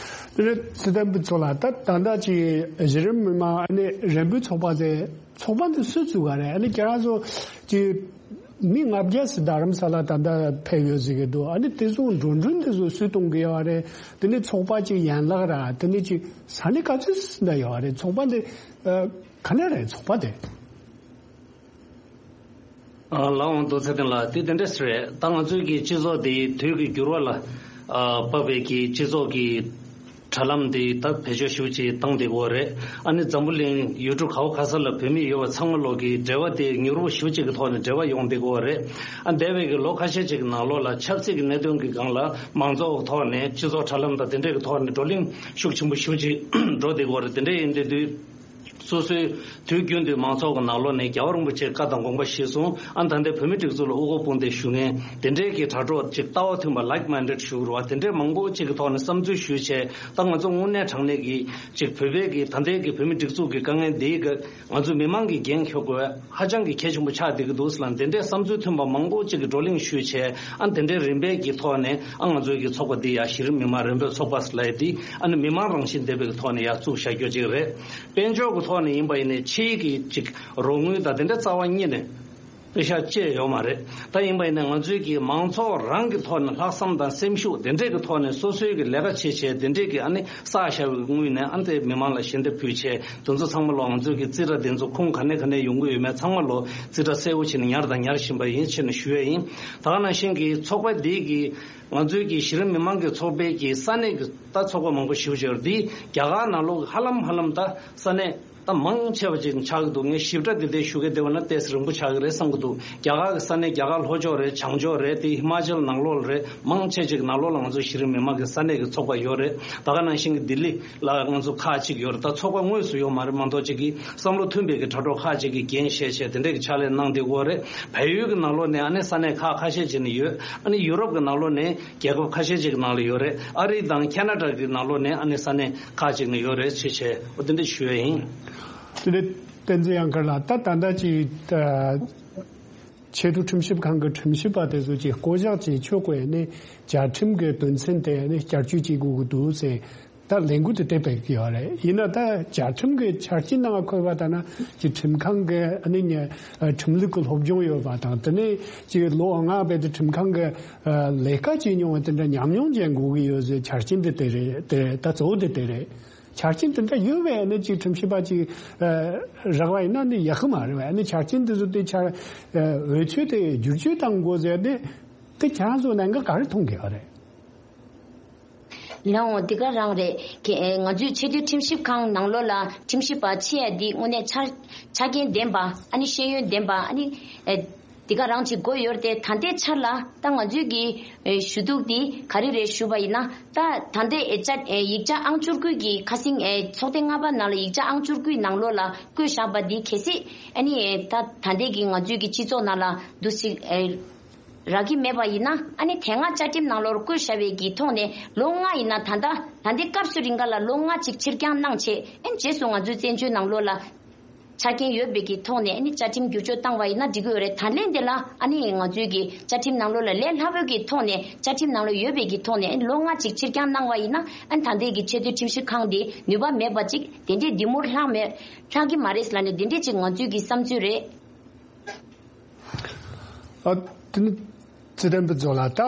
དེ་ནས་ཚེ་བརྟན་ཕུན་ཚོགས་ལགས། ད་ད་ལྟ་ཅིག་གཞི་རིམ་མི་མང་ཨ་ནི་རན་པོའི་ཚོགས་པ་ཟེར་ཚོགས་པ་འདི་སུས་བཙུགས་པ་རེད། ཨ་ནི་ཁྱེད་རང་ཚོ་ཅིག་ མི་ལྔ་བརྒྱ་ཙམ་རྡ་རམ་ས་ལ་ད་ལྟ་ཕེབས་ཡོད་ཟེར་གི་འདུག་ཨ་ནི་དེ་ཚོ་འགྲོ་གྲོན་དེ་ཚོ་སུས་གཏོང་གི་ཡོད་རེད། དེ་ནི་ཚོགས་པ་གཅིག་ཡན་ལག་ར་དེ་ནི་གཅིག་ས་གནས་ག་ཚོད་ཙམ་ད་ཡོད་རེད། ཚོགས་པ་འདི་ཨ་ག་ནས་རེད་ཚོགས་པ་དེ། ཨ་ལགས་འོང་། རྡོ་རྗེ་ཚེ་བརྟན་ལགས། དེ་དེ་འདྲས་རེད། ད་ང་ཚོའི་གི་སྤྱི་ཚོགས་དེ་དུས་ཀྱི་འགྱུར་བ་ལ་ཨ་བབས་པའི་གི་སྤྱི་ཚོགས་ཀྱི་དྲ་ལམ་དེ་ད་བེད་སྤྱོད་ཞེ་པོ་ཅིག་བཏང་བསྡད་ཀྱི་ཡོད་རེད། ཨ་ནི་འཛམ་བུ་གླིང་ཡུལ་གྲུ་ག་བ་ག་ས་ལ་བོད་མི་ཡོད་པ་ཚང་མ་ལོག་གི་འབྲེལ་བ་དེ་མྱུར་པོ་ཞེ་པོ་ཅིག་གི་ཐོག་ནས་འབྲེལ་བ་ཡོང་བསྡད་ཀྱི་ཡོད་རེད། ཨ་འདས་པའི་གི་ལོ་ཁ་ཤས་ཅིག་གི་ནང་ལོགས་ལ་ཆབ་སྲིད་ཀྱི་གནད་དོན་གྱི་སྒང་ལ་མང་ཚོགས་ཐོག་ནས་སྤྱི་ཚོགས་དྲ་ལམ་དང་དེ་འདྲས་ཀྱི་ཐོག་ནས་བགྲོ་གླེང་ཤུགས་ཆེན་པོ་ཞེ་པོ་ཅིག་འགྲོ་བསྡད་ཀྱི་ཡོད་རེད། དེ་འདྲས་ཡིན་དུས་དུས། སོ་སོའི་དུས་རྒྱུན་དུ་མང་ཚོགས་ཀྱི་ནང་ལོགས་ནས་རྒྱལ་བ་རིན་པོ་ཆེའི་བཀའ་དང་དགོངས་པ་གཞིར་བཟུང་ཨ་ད་ལྟའི་བོད་མི་སྒྲིག་འཛུགས་ལ་དབུ་སྐོར་དཔུང་སྡེ་ཞུ་མཁན་དེ་འདྲའི་གི་དྲ་གྲོགས་ཅིག་ལྟ་བ་མཐུན་པ་like minded ཞུ་རུ་བ་དེ་འདྲའི་མང་པོ་ཅིག་གི་ཐོག་ནས་བསམ་ཚུལ་ཞུས་བྱས། ད་ང་ཚོ་དངོས་གནས་དྲང་གནས་ཀྱི་ཅིག་བོད་པའི་གི་ད་ལྟའི་གི་བོད་མི་སྒྲིག་འཛུགས་ཀྱི་དཀའ་ངལ་འདིའི་གི་ང་ཚོ་མི་མང་གི་འགན་འཁྱེར་དགོས་ཧ་ཅང་གི་གལ་ཆེན་པོ་ཆགས་བསྡད་ཀྱི་འདུག་ཟེར་ལ། དེ་འདྲའི་བསམ་ཚུལ་མཐུན་པ་མང་པོ་ཅིག་གི་བགྲོ་གླེང་ཞུས་བྱས། ཨ་དེ་འདྲའི་རིམ་པས་ཀྱི་ཐོག་ནས་ཨ་ང་ཚོའི་གི་ཚོགས་པ་འདི་ཡ་གཞི་རིམ་མི་མང་རིམ་པས་ཚོགས་པ་ཟེར་ལབ་ཡ་འདི་ཨ་ནི་མི་མང་རང་བཞིན་ལྡན་པའི་གི་ཐོག་ནས་ཡ་བཙུགས་བཞག་རྒྱུ་ཅིག་རེད། དཔལ་འབྱོར་གྱི་ཐོག་ནས་ཡིན་པ་ཡིན་ནའི་ཕྱིའི་གི་ཅིག་རོགས་དངུལ་དང་དེ་འདྲ་རྩ་བ་ཉིད་ནས་པེ་ཤག་བཅད་ཡོད་མ་རེད། ད་ཡིན་པ་ཡིན་ནའི་ང་ཚོའི་གི་མང་ཚོགས་རང་གི་ཐོག་ནས་ལྷག་བསམ་དང་སེམས་ཤུགས་དེ་འདྲས་ཀྱི་ཐོག་ནས་སོ་སོའི་གི་ལས་ཀ་བྱེད་བྱས་དེ་འདྲས་གི་ཨ་ནི་བསགས་བཞག་པའི་དངུལ་ནས་ཨ་ནི་དེ་མི་མང་ལ་ཞལ་འདེབས་ཕུལ་བྱས། དེ་ཚོ་ཚང་མ་ལོ་ང་ཚོའི་གི་རྩིས་ཁྲ་དེ་ཚོ་ཁུངས་ག་ནས་ག་ནས་ཡོང་གི་ཡོད་མེད་ཚང་མ་ལོ་རྩིས་ཁྲ་གསལ་པོ་བྱས་ནས་ཉར་དང་ཉར་བཞིན་པ་ཡིན་ཕྱིར་ནས་ཞུ་ཡས་ཡིན། ད་ག་ནང་བཞིན་གི་ཚོགས་པ་འདིའི་གི་ང་ཚོའི་གི་གཞི་རིམ་མི་མང་གི་ཚོགས་པའི་གི་ས་གནས་གི་ད་ཚོགས་པ་མང་པོ་ཞེ་པོ་ཅིག་ཡོད་རེད། འདི་རྒྱ་གར་ནང་ལོགས་ཧ་ལམ་ཧ་ལམ་ད་ས་གནས་ད་མང་ཆེ་བ་ཅིག་ཆགས་ཀྱི་འདུག་ངས་ཞིབ་ཕྲ་དེ་འདྲའི་ཞུ་གི་བསྡད་པ་ན་ཏོག་ཙམ་རིང་པོ་ཆགས་ཀྱི་རེད་བསམ་གྱི་འདུག་རྒྱ་གར་གི་ས་གནས་རྒྱ་གར་ལྷོ་ཕྱོགས་རེད། བྱང་ཕྱོགས་རེད། དེ་ཧི་མ་ཅལ་ནང་ལོགས་ལ་རེད། མང་ཆེ་ཅིག་ནང་ལོགས་ལ་ང་ཚོ་གཞི་རིམ་མི་མང་གི་ས་གནས་ཀྱི་ཚོགས་པ་ཡོད་རེད། ད་ག་ནང་བཞིན་གྱི་ལྡི་ལི་ལ་ང་ཚོ་ཁག་ཅིག་ཡོད་རེད། ད་ཚོགས་པ་དངོས་སུ་ཡོད་མ་རེད་མ་གཏོགས་ཅིག་གི་བསམ་བློ་མཐུན་པའི་གི་དྲ་གྲོགས་ཁག་ཅིག་གིས་འགན་བཞེས་བྱས་དེ་འདྲའི་གི་ཕྱག་ལས་གནང་བསྡད་ཡོད་རེད། བལ་ཡུལ་གྱི་ནང་ལོགས་ནས་ཨ་ནི་ས་གནས་ཁག་ཁ་ཤས་ཅིག་ནས་ཡོད། ཨ་ནི་ཡུ་རོབ་ཀྱི་ནང་ལོགས་ནས་རྒྱལ་ཁབ་ཁ་ཤས་ཅིག་གི་ནང་ལ་ཡོད་རེད། ཨ་རི་དང་ཁ་ན་ཌ་གི་ནང་ལོགས་ནས་ཨ་ནི་ས་གནས་ཁག་ཅིག་ནས་ཡོད་རེད་ཅེས་བྱས་འོ་དེ་འདྲ་ཞུ་ཡ་ཡིན། དེ་ནས་བསྟན་འཛིན་དབྱངས་དཀར་ལགས། ད་ད་ལྟ་ཅིག་ཆེས་མཐོའི་ཁྲིམས་ཞིབ་ཁང་གི་ཁྲིམས་ཞིབ་པ་དེ་ཚོ་ཅིག་བསྐོ་གཞག་བྱེད་ཆོག་གི་ནས་བཅའ་ཁྲིམས་ཀྱི་དོན་ཚན་དེ་ནི་བསྐྱར་བཅོས་བྱེད་དགོས་ཀྱི་འདུག་ཟེར། ད་ལས་འགུལ་དེ་དེ་སྤེལ་གྱི་ཡོད་རེད། ཡིན་ན་ད་བཅའ་ཁྲིམས་ཀྱི་ཆ་རྐྱེན་ནང་འཁོད་པ་ལྟར་ན་ཅིག་ཁྲིམས་ཁང་གི་ཨ་ནི་ཉེ་ཁྲིམས་ལུགས་ཀྱི་སློབ་སྦྱོང་ཡོད་པ་དང་དེ་ནས་ཅིག་ལོ་ལྔ་བར་དུ་ཁྲིམས་ཁང་གི་ལས་ཀ་བྱེད་མྱོང་བ་དེ་འདྲ་ཉམས་མྱོང་ཅན་དགོས་ཀྱི་ཡོད་ཟེར། ཆ་རྐྱེན་དེ་དེ་རེད། དེ་ད་གཙོ་བོ་དེ་དེ་རེད། ཆ་རྐྱེན་དེ་འདྲ་ཡོད་པས་ཨ་ནི་ཅིག་ཁྲིམས་ཞིབ་པ་ཅིག་རག་པ་ཡིན་ན་ནི་ཡག་གི་མ་རེད་བས། ཨ་ནི་ཆ་རྐྱེན་དེ་ཚོ་དེ་ཆ་འོས་ཆོས་དེ་བསྒྱུར་བཅོས་གཏང་དགོས་ཟེར་ཏེ་དེ་ཁྱེད་རང་ཚོ་གནད་འགག་ག་རེ་མཐོང་གི་ཡོད་རེད། ལགས་འོང་། འདི་ག་རང་རེད། ཁྱེད་ང་ཚོའི་ཆེས་མཐོའི་ཁྲིམས་ཞིབ་ཁང་ནང་ལོགས་ལ་ཁྲིམས་ཞིབ་པ་ཆེ་ཡ་འདི་དངོས་གནས་ཆ་ཆ་རྐྱེན་ལྡན་པ་ཨ་ནི་ཤེས་ཡོན་ལྡན་པ་ཨ་ནི་འདི་ག་རང་ཅིག་དགོས་ཡོད་རེད་དེ། ད་ལྟའི་ཆར་ལ་ད་ང་ཚོའི་གི་ཞུ་གཏུག་འདི་ག་རེ་རེད་ཞུ་བ་ཡིན་ན། ད་ད་ལྟའི་ཡིག་ཆ་ཨང་བཅུ་དགུ་གི་ཁ་སང་ཚོགས་ཐེངས་ལྔ་པ་ནང་ལ་ཡིག་ཆ་ཨང་བཅུ་དགུའི་ནང་ལོགས་ལ་བཀོད་བཞག་པ་འདི་གལ་སྲིད་ཨ་ནི་ད་ད་ལྟའི་གི་ང་ཚོའི་གི་སྤྱི་ཚོགས་ནང་ལ་འདུ་ཞིག་རག་གི་མེད་པ་ཡིན་ན། ཨ་ནི་དེ་སྔ་བཅའ་ཁྲིམས་ནང་ལོགས་བཀོད་བཞག་པའི་གི་ཐོག་ནས་ལོ་ལྔ་ཡིན་ན་ད་ལྟ་ད་ལྟའི་སྐབས་སུ་རིང་ག་ལ་ལོ་ལྔ་ཅིག་ཕྱིར་འགྱངས་གནང་བྱས། ཨ་ནི་རྗེས་སུ་ང་ཚོའི་བཙན་བྱོལ་ནང་ལོགས་ལ་ཆ་རྐྱེན་ཡོད་པའི་གི་ཐོག་ནས་ཨ་ནི་བཅའ་ཁྲིམས་བསྒྱུར་བཅོས་བཏང་བ་ཡིན་ན་འགྲིག་གི་ཡོད་རེད། ད་ལན་དེ་ལ་ཨ་ནི་ང་ཚོའི་གི་བཅའ་ཁྲིམས་ནང་ལོགས་ལ་ལས་སླ་པོའི་གི་ཐོག་ནས་བཅའ་ཁྲིམས་ནང་ལོགས་ཡོད་པའི་གི་ཐོག་ནས་ཨ་ནི་ལོ་ལྔ་ཅིག་ཕྱིར་འགྱངས་གནང་བ་ཡིན་ན། ཨ་ནི་ད་ལྟའི་གི་ཆེས་མཐོའི་ཁྲིམས་ཞིབ་ཁང་དེ་ནུས་པ་མེད་པ་ཅིག་དེ་འདྲའི་འདི་མུར་ལྷག་མེད་ལྷག་གི་མ་རེད་ལབ་ནས་དེ་འདྲའི་ཅིག་ང་ཚོའི་གི་བསམ་ཚུལ་རེད། ཨ། དེ་ནི་ཚེ་བརྟན་ཕུན་ཚོགས་ལགས། ད་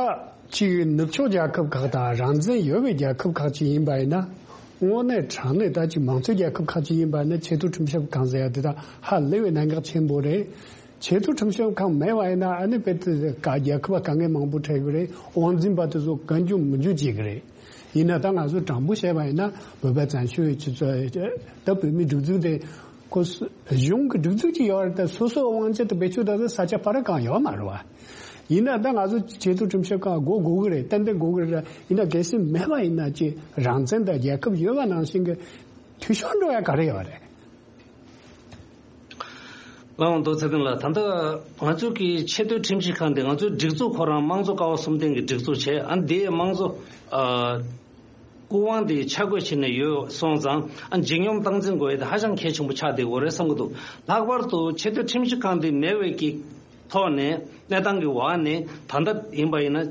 ཅིག་ནུབ་ཕྱོགས་རྒྱལ་ཁབ་ཁག་དང་རང་བཙན་ཡོད་པའི་རྒྱལ་ཁབ་ཁག་ཅིག་ཡིན་པ་ཡིན་ན། དངོས་གནས་དྲང་གནས་ད་ཅིག་མང་གཙོའི་རྒྱལ་ཁབ་ཁག་ཅིག་ཡིན་པ་ཡིན་ན་ཆེས་མཐོའི་ཁྲིམས་ཞིབ་ཁང་ཟེར་ཡ་དེ་དག་ཧ་ལས་པའི་གནད་འགག་ཆེན་པོ་རེད། ཆེས་མཐོའི་ཁྲིམས་ཞིབ་ཁང་མེད་པ་ཡིན་ན་ཨ་ནི་དཔེ་དེ་ག་རྒྱལ་ཁབ་ལ་དཀའ་ངལ་མང་པོ་འཕྲད་ཀྱི་རེད། དབང་འཛིན་པ་དེ་ཚོ་བཀའ་འགྱུར་མི་འགྱུར་བྱེད་ཀྱི་རེད། ཡིན་ན་ད་ང་ཚོ་དྲང་པོ་བཤད་པ་ཡིན་ན་བོད་པ་བཙན་བྱོལ་བའི་སྤྱི་ཚོགས་ད་བོད་མི་སྒྲིག་འཛུགས་དེ་ཁོ་གཞུང་གི་སྒྲིག་འཛུགས་ཅིག་ཡོད་རེད། ད་སོ་སོའི་དབང་ཆ་དེ་བེད་སྤྱོད་བཏང་ས་ས་ཆ་ཕ་ར་གང་ཡོད་མ་རེད་བ། ཡིན་ན་ད་ང་ཚོ་ཆེས་མཐོའི་ཁྲིམས་ཞིབ་ཁང་དགོས་དགོས་ཀྱི་རེད། ཏན་ཏན་དགོས་ཀྱི་རེད། ཡིན་ན་གལ་སྲིད་མེད་པ་ཡིན་ན་ཅིག་རང་བཙན་དང་རྒྱལ་ཁབ་ཡོད་པ་ནང་བཞིན་གྱི་འཐུས་ཤོར་འགྲོ་ཡ་ག་རེ་ཡོད་རེད། ལགས་འོང་། རྡོ་རྗེ་ཚེ་བརྟན་ལགས། ད་ལྟ་ང་ཚོ་གི་ཆེས་མཐོའི་ཁྲིམས་ཞིབ་ཁང་དེ་ང་ཚོའི་སྒྲིག་འཛུགས་ཁོ་རང་དམངས་གཙོ་ཀ་བ་གསུམ་ལྡན་གྱི་སྒྲིག་འཛུགས་བྱས། ཨ་འདིའི་དམངས་གཙོ་ཨ་སྐུ་དབང་དེ་ཆ་བགོས་བྱས་ནས་ཡོད་སོང་ཙང་། ཨ་ལྗིད་སྙོམས་སྟངས་འཛིན་དགོས་ཡ་དེ་ཧ་ཅང་གལ་ཆེན་པོ་ཆགས་བསྡད་ཡོད་རེད་བསམ་གྱི་འདུག་ལྷག་པར་དུ་ཆེས་མཐོའི་ཁྲིམས་ཞིབ་ཁང་དེ་མེད་པའི་གི་ཐོག་ནས་གནས་སྟངས་ཀྱི་འོག་ནས་ད་ལྟ་ཡིན་པ་ཡིན་ན།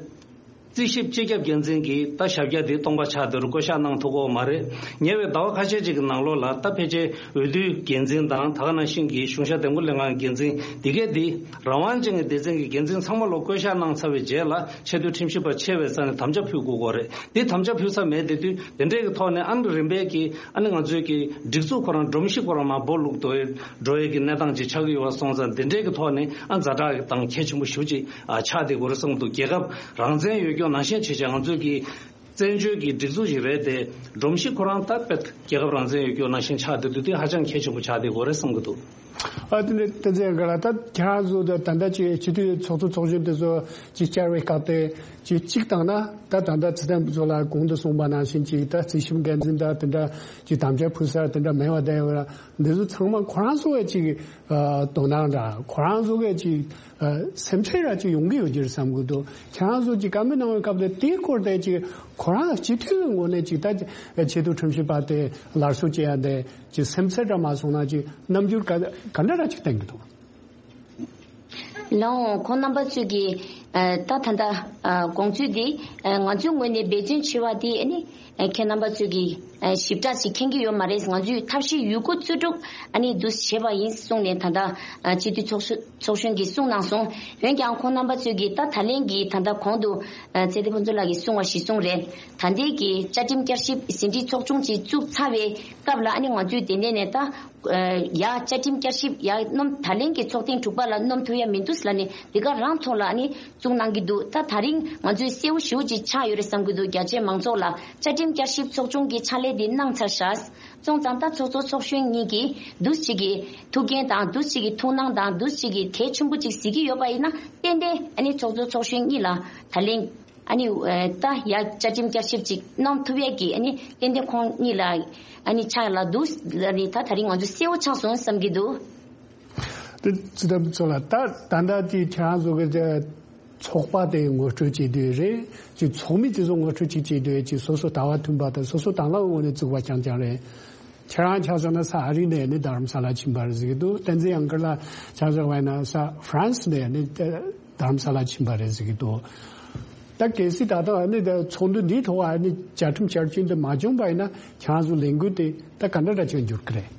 རྩིས་ཞིབ་སྤྱི་ཁྱབ་འགན་འཛིན་གྱིས་ད་ཞབས་བཀྱག་དེ་སྟོང་པ་ཆགས་བསྡད་རུ་བསྐོ་བཞག་གནང་ཐུབ་ཀྱི་ཡོད་མ་རེད། ཉེ་བའི་ཟླ་བ་ཁ་ཤས་ཅིག་གི་ནང་ལོགས་ལ་ད་ཕལ་ཆེར་འོས་བསྡུའི་འགན་འཛིན་དང་ད་ག་ནང་བཞིན་གྱི་གཞུང་ཞབས་འདེམས་བསྐོ་ལྷན་ཁང་གི་འགན་འཛིན་འདི་གས་འདི་རང་དབང་ཅན་གྱི་སྡེ་ཚན་གྱི་འགན་འཛིན་ཚང་མ་ལོ་བསྐོ་བཞག་གནང་ཚར་བའི་རྗེས་ལ་ཆེས་མཐོའི་ཁྲིམས་ཞིབ་པ་ཆེ་བའི་ས་ནས་དམ་བཅའ་ཕུལ་དགོས་ཀྱི་རེད། འདི་དམ་བཅའ་ཕུལ་ས་མེད་དེ་དུས་དེ་འདྲའི་གི་ཐོག་ནས་ཨ་ནི་རིམ་པས་ཀྱི་ཨ་ནི་ང་ཚོའི་གི་སྒྲིག་འཛུགས་ཁོ་རང་སྒྲོམ་གཞི་ཁོ་རང་མར་སྦོ་ལུག་འགྲོ་ཡི་འགྲོ་ཡི་གི་གནས་སྟངས་ཅིག་ཆགས་ཀྱི་ཡོད་པ་སོང་ཙང་དེ་འདྲའི་གི་ཐོག་ནས་ཨ་ཛ་དྲག་གི་དང་གལ་ཆེན་པོ་ཞེ་པོ་ཅིག་ཨ་ཆགས་བསྡད་ཀྱི་ཡོད་རེད་བསམ་གྱི་འདུག་རྒྱལ་ཁབ་རང་བཙན་ཡོད་རྒྱུ་ནང་བཞིན་བྱས་བྱས་ང་ཚོའི་གི་བཙན་བྱོལ་གྱི་སྒྲིག་འཛུགས་ཤིག་རེད་དེ། སྒྲོམ་གཞི་ཁོ་རང་ད་དཔེ་རྒྱལ་ཁབ་རང་བཙན་ཡོད་རྒྱུ་ནང་བཞིན་ཆགས་བསྡད་འདུག་དེ་ཧ་ཅང་གལ་ཆེན་པོ་ཆགས་བསྡད་ཀྱི་ཡོད་རེད་བསམ་གྱི་འདུག་ཨ་དེ་ནས་བསྟན་འཛིན་ཡང་ག་ལ་ད་ཁྱེད་རང་ཚོ་ད་ད་ལྟ་ཅིག་སྤྱི་འཐུས་ཚོགས་གཙོ་ཚོགས་གཞོན་དེ་ཚོ་ཅིག་བཅར་བའི་སྐབས་དེ་ཅིག་གཅིག་བཏང་ན་ད་ད་ལྟ་ཚེ་བརྟན་ཕུན་ཚོགས་ལགས་གོང་དུ་གསུངས་པ་ནང་བཞིན་ཅིག་ད་རྩིས་ཞིབ་འགན་འཛིན་དང་དེ་འདྲ་ཅིག་དམ་བཅའ་ཕུལ་ས་དེ་འདྲ་མེད་པ་བསྡད་ཡོད་ར། འདི་ཚོ་ཚང་མ་ཁོ་རང་ཚོ་བས་ཅིག་ཨ་དོ་སྣང་ར་ཁོ་རང་ཚོ་གས་ཅིག་ཨ་སེམས་ཁྲལ་ར་ཅིག་ཡོང་གི་ཡོད་ཀྱི་རེད་བསམ་གྱི་འདུག་ཁྱེད་རང་ཚོ་ཅིག་བཀའ་མོལ་གནང་བའི་སྐབས་དེ་དེའི་སྐོར་དེ་ཅིག་ཁོ་རང་སྤྱི་འཐུས་ཀྱི་ངོས་ནས་ཅིག་ད་ཆེས་མཐོའི་ཁྲིམས་ཞིབ་པ་དེ་སླར་གསོ་བྱེད་ཡ་དེ་ཅིག་སེམས་ཚེགས་ར་མ་སོང་ན་ཅིག་རྣམ་འགྱུར་ག་ག་འདྲ་ར་ཅིག་བསྟན་གྱི་འདུག་ལགས་འོང་། ཁོང་རྣམ་པ་ཚོས་ཀྱི་ཨ་ད་ད་ལྟ་ཨ་དགོངས་ཚུལ་འདི་ཨ་ང་ཚོའི་ངོས་ནས་འབད་བརྩོན་བྱེད་པ་དེ་ཨ་ནི་ཨ་ཁྱེད་རྣམ་པ་ཚོས་ཀྱི་ཨ་ཞིབ་ཕྲ་ཞིག་མཁྱེན་གྱི་ཡོད་མ་རེད། ང་ཚོས་ཐབས་ཤེས་ཡོད་རྒུ་རྩལ་སྤྲུགས་ཨ་ནི་འདུ་བྱེད་པ་ཡིན་གསུངས་ནས་ད་ལྟ་ཨ་སྤྱི་འཐུས་ཚོགས་གཙོ་ཚོགས་གཞོན་གྱིས་གསུངས་གནང་སོང་། འོན་ཀྱང་ཁོང་རྣམ་པ་ཚོས་ཀྱི་ད་ད་ལན་གྱི་ད་ལྟ་གོང་དུ་ཨ་ཚེ་བརྟན་ཕུན་ཚོགས་ལགས་ཀྱིས་གསུངས་པ་གཞིར་བཟུང་རེད། ད་ལྟའི་གི་བཅའ་ཁྲིམས་བསྐྱར་ཞིབ་ཟིན་བྲིས་ཚོགས་ཆུང་ཅིག་བཙུགས་ཚར་བའི་སྐབས་ལ་ཨ་ནི་ང་ཚོས་དེ་ནས་ནས་ད། ཡ་བཅའ་ཁྲིམས་བསྐྱར་ཞིབ་ཡ་རྣམ་ད་ལན་གྱི་ཚོགས་ཐེངས་དྲུག་པ་ལ་རྣམ་ཐུབ་ཡ་མི་འདུག་ལ་ནི་འདི་ག་རང་ཐོག་ལ་ནི་བཙུགས་གནང་གི་འདུག་ད་ད་རིང་ང་ཚོའི་གསལ་བོ་ཞེ་པོ་ཅིག་ཆགས་ཡོད་རེད་བསམ་གྱི་འདུག་རྒྱ་ཆེའི་མང་ཚོགས་ལ་བཅའ་ཁྲིམས་བསྐྱར་ཞིབ་ཚོགས་ཆུང་གི་ཕྱག་ལས་འདི་གནང་ཚར་ཤག་སོང་ཙང་ད་ཚོགས་གཙོ་ཚོགས་གཞོན་གཉིས་ཀྱིས་འདུག་ཅིག་གི་ཐུགས་འགན་དང་འདུག་ཅིག་གི་ཐུགས་སྣང་དང་འདུག་ཅིག་གི་གལ་ཆེན་པོ་ཅིག་གཟིགས་ཀྱི་ཡོད་པ་ཡིན་ན་ཏན་ཏན་ཨ་ནི་ཚོགས་གཙོ་ཚོགས་གཞོན་གཉིས་ལ་ད་ལན། ཨ་ནི་ཨ་ད་ཡ་བཅའ་ཁྲིམས་བསྐྱར་ཞིབ་ཅིག་གནང་ཐུབ་ཡས་ཀྱི་ཨ་ནི་ཏན་ཏན་ཁོང་གཉིས་ལ་ཨ་ནི་ཕྱག་ལ་འདུག་ལ་ནི་ད་ད་རིང་ང་ཚོ་གསལ་བོ་ཆགས་སོང་བསམ་གྱི་འདུག་དེ་ཚོ་ད་ཚོ་ལ་ད་ད་ལྟ་དེ་ཁྱེད་རང་ཚོ་གི་དེ་ཚོགས་པ་དེ་ངོ་སྤྲོད་བྱེད་དུས་རེད་ཅིག་ཚོགས་མི་དེ་ཚོ་ངོ་སྤྲོད་ཅིག་བྱེད་དུས་ཅིག་སོ་སོ་ལྟ་བ་མཐུན་པ་དང་སོ་སོ་དང་བླངས་ངོས་ནས་བཙུགས་པ་རྐྱང་རྐྱང་རེད། ཁྱེད་རང་ཆ་བཞག་ན་ས་ཨ་རི་ནས་ནི་རྡ་རམ་ས་ལ་ཕྱིན་པ་རེད་ཟེར་གྱི་འདུག་བསྟན་འཛིན་ཡང་དཀར་ལགས་ཆ་བཞག་པ་ཡིན་ན་ས་ཧྥ་རན་སི་ནས་ནི་རྡ་རམ་ས་ལ་ཕྱིན་པ་རེད་ཟེར་གྱི་འདུག་ད་གལ་སྲིད་ད་ལྟ་ནི་ཚོགས་འདུ་འདིའི་ཐོག་ནི་བཅའ་ཁྲིམས་བསྐྱར་བཅོས་འདི་མ་བྱུང་པ་ཡིན་ན་ཁྱེད་རང་ཚོ་ལས་འགུལ་དེ་ད་ག་འདྲ་འདྲ་ཅིག་འགྱུར་གི་རེད།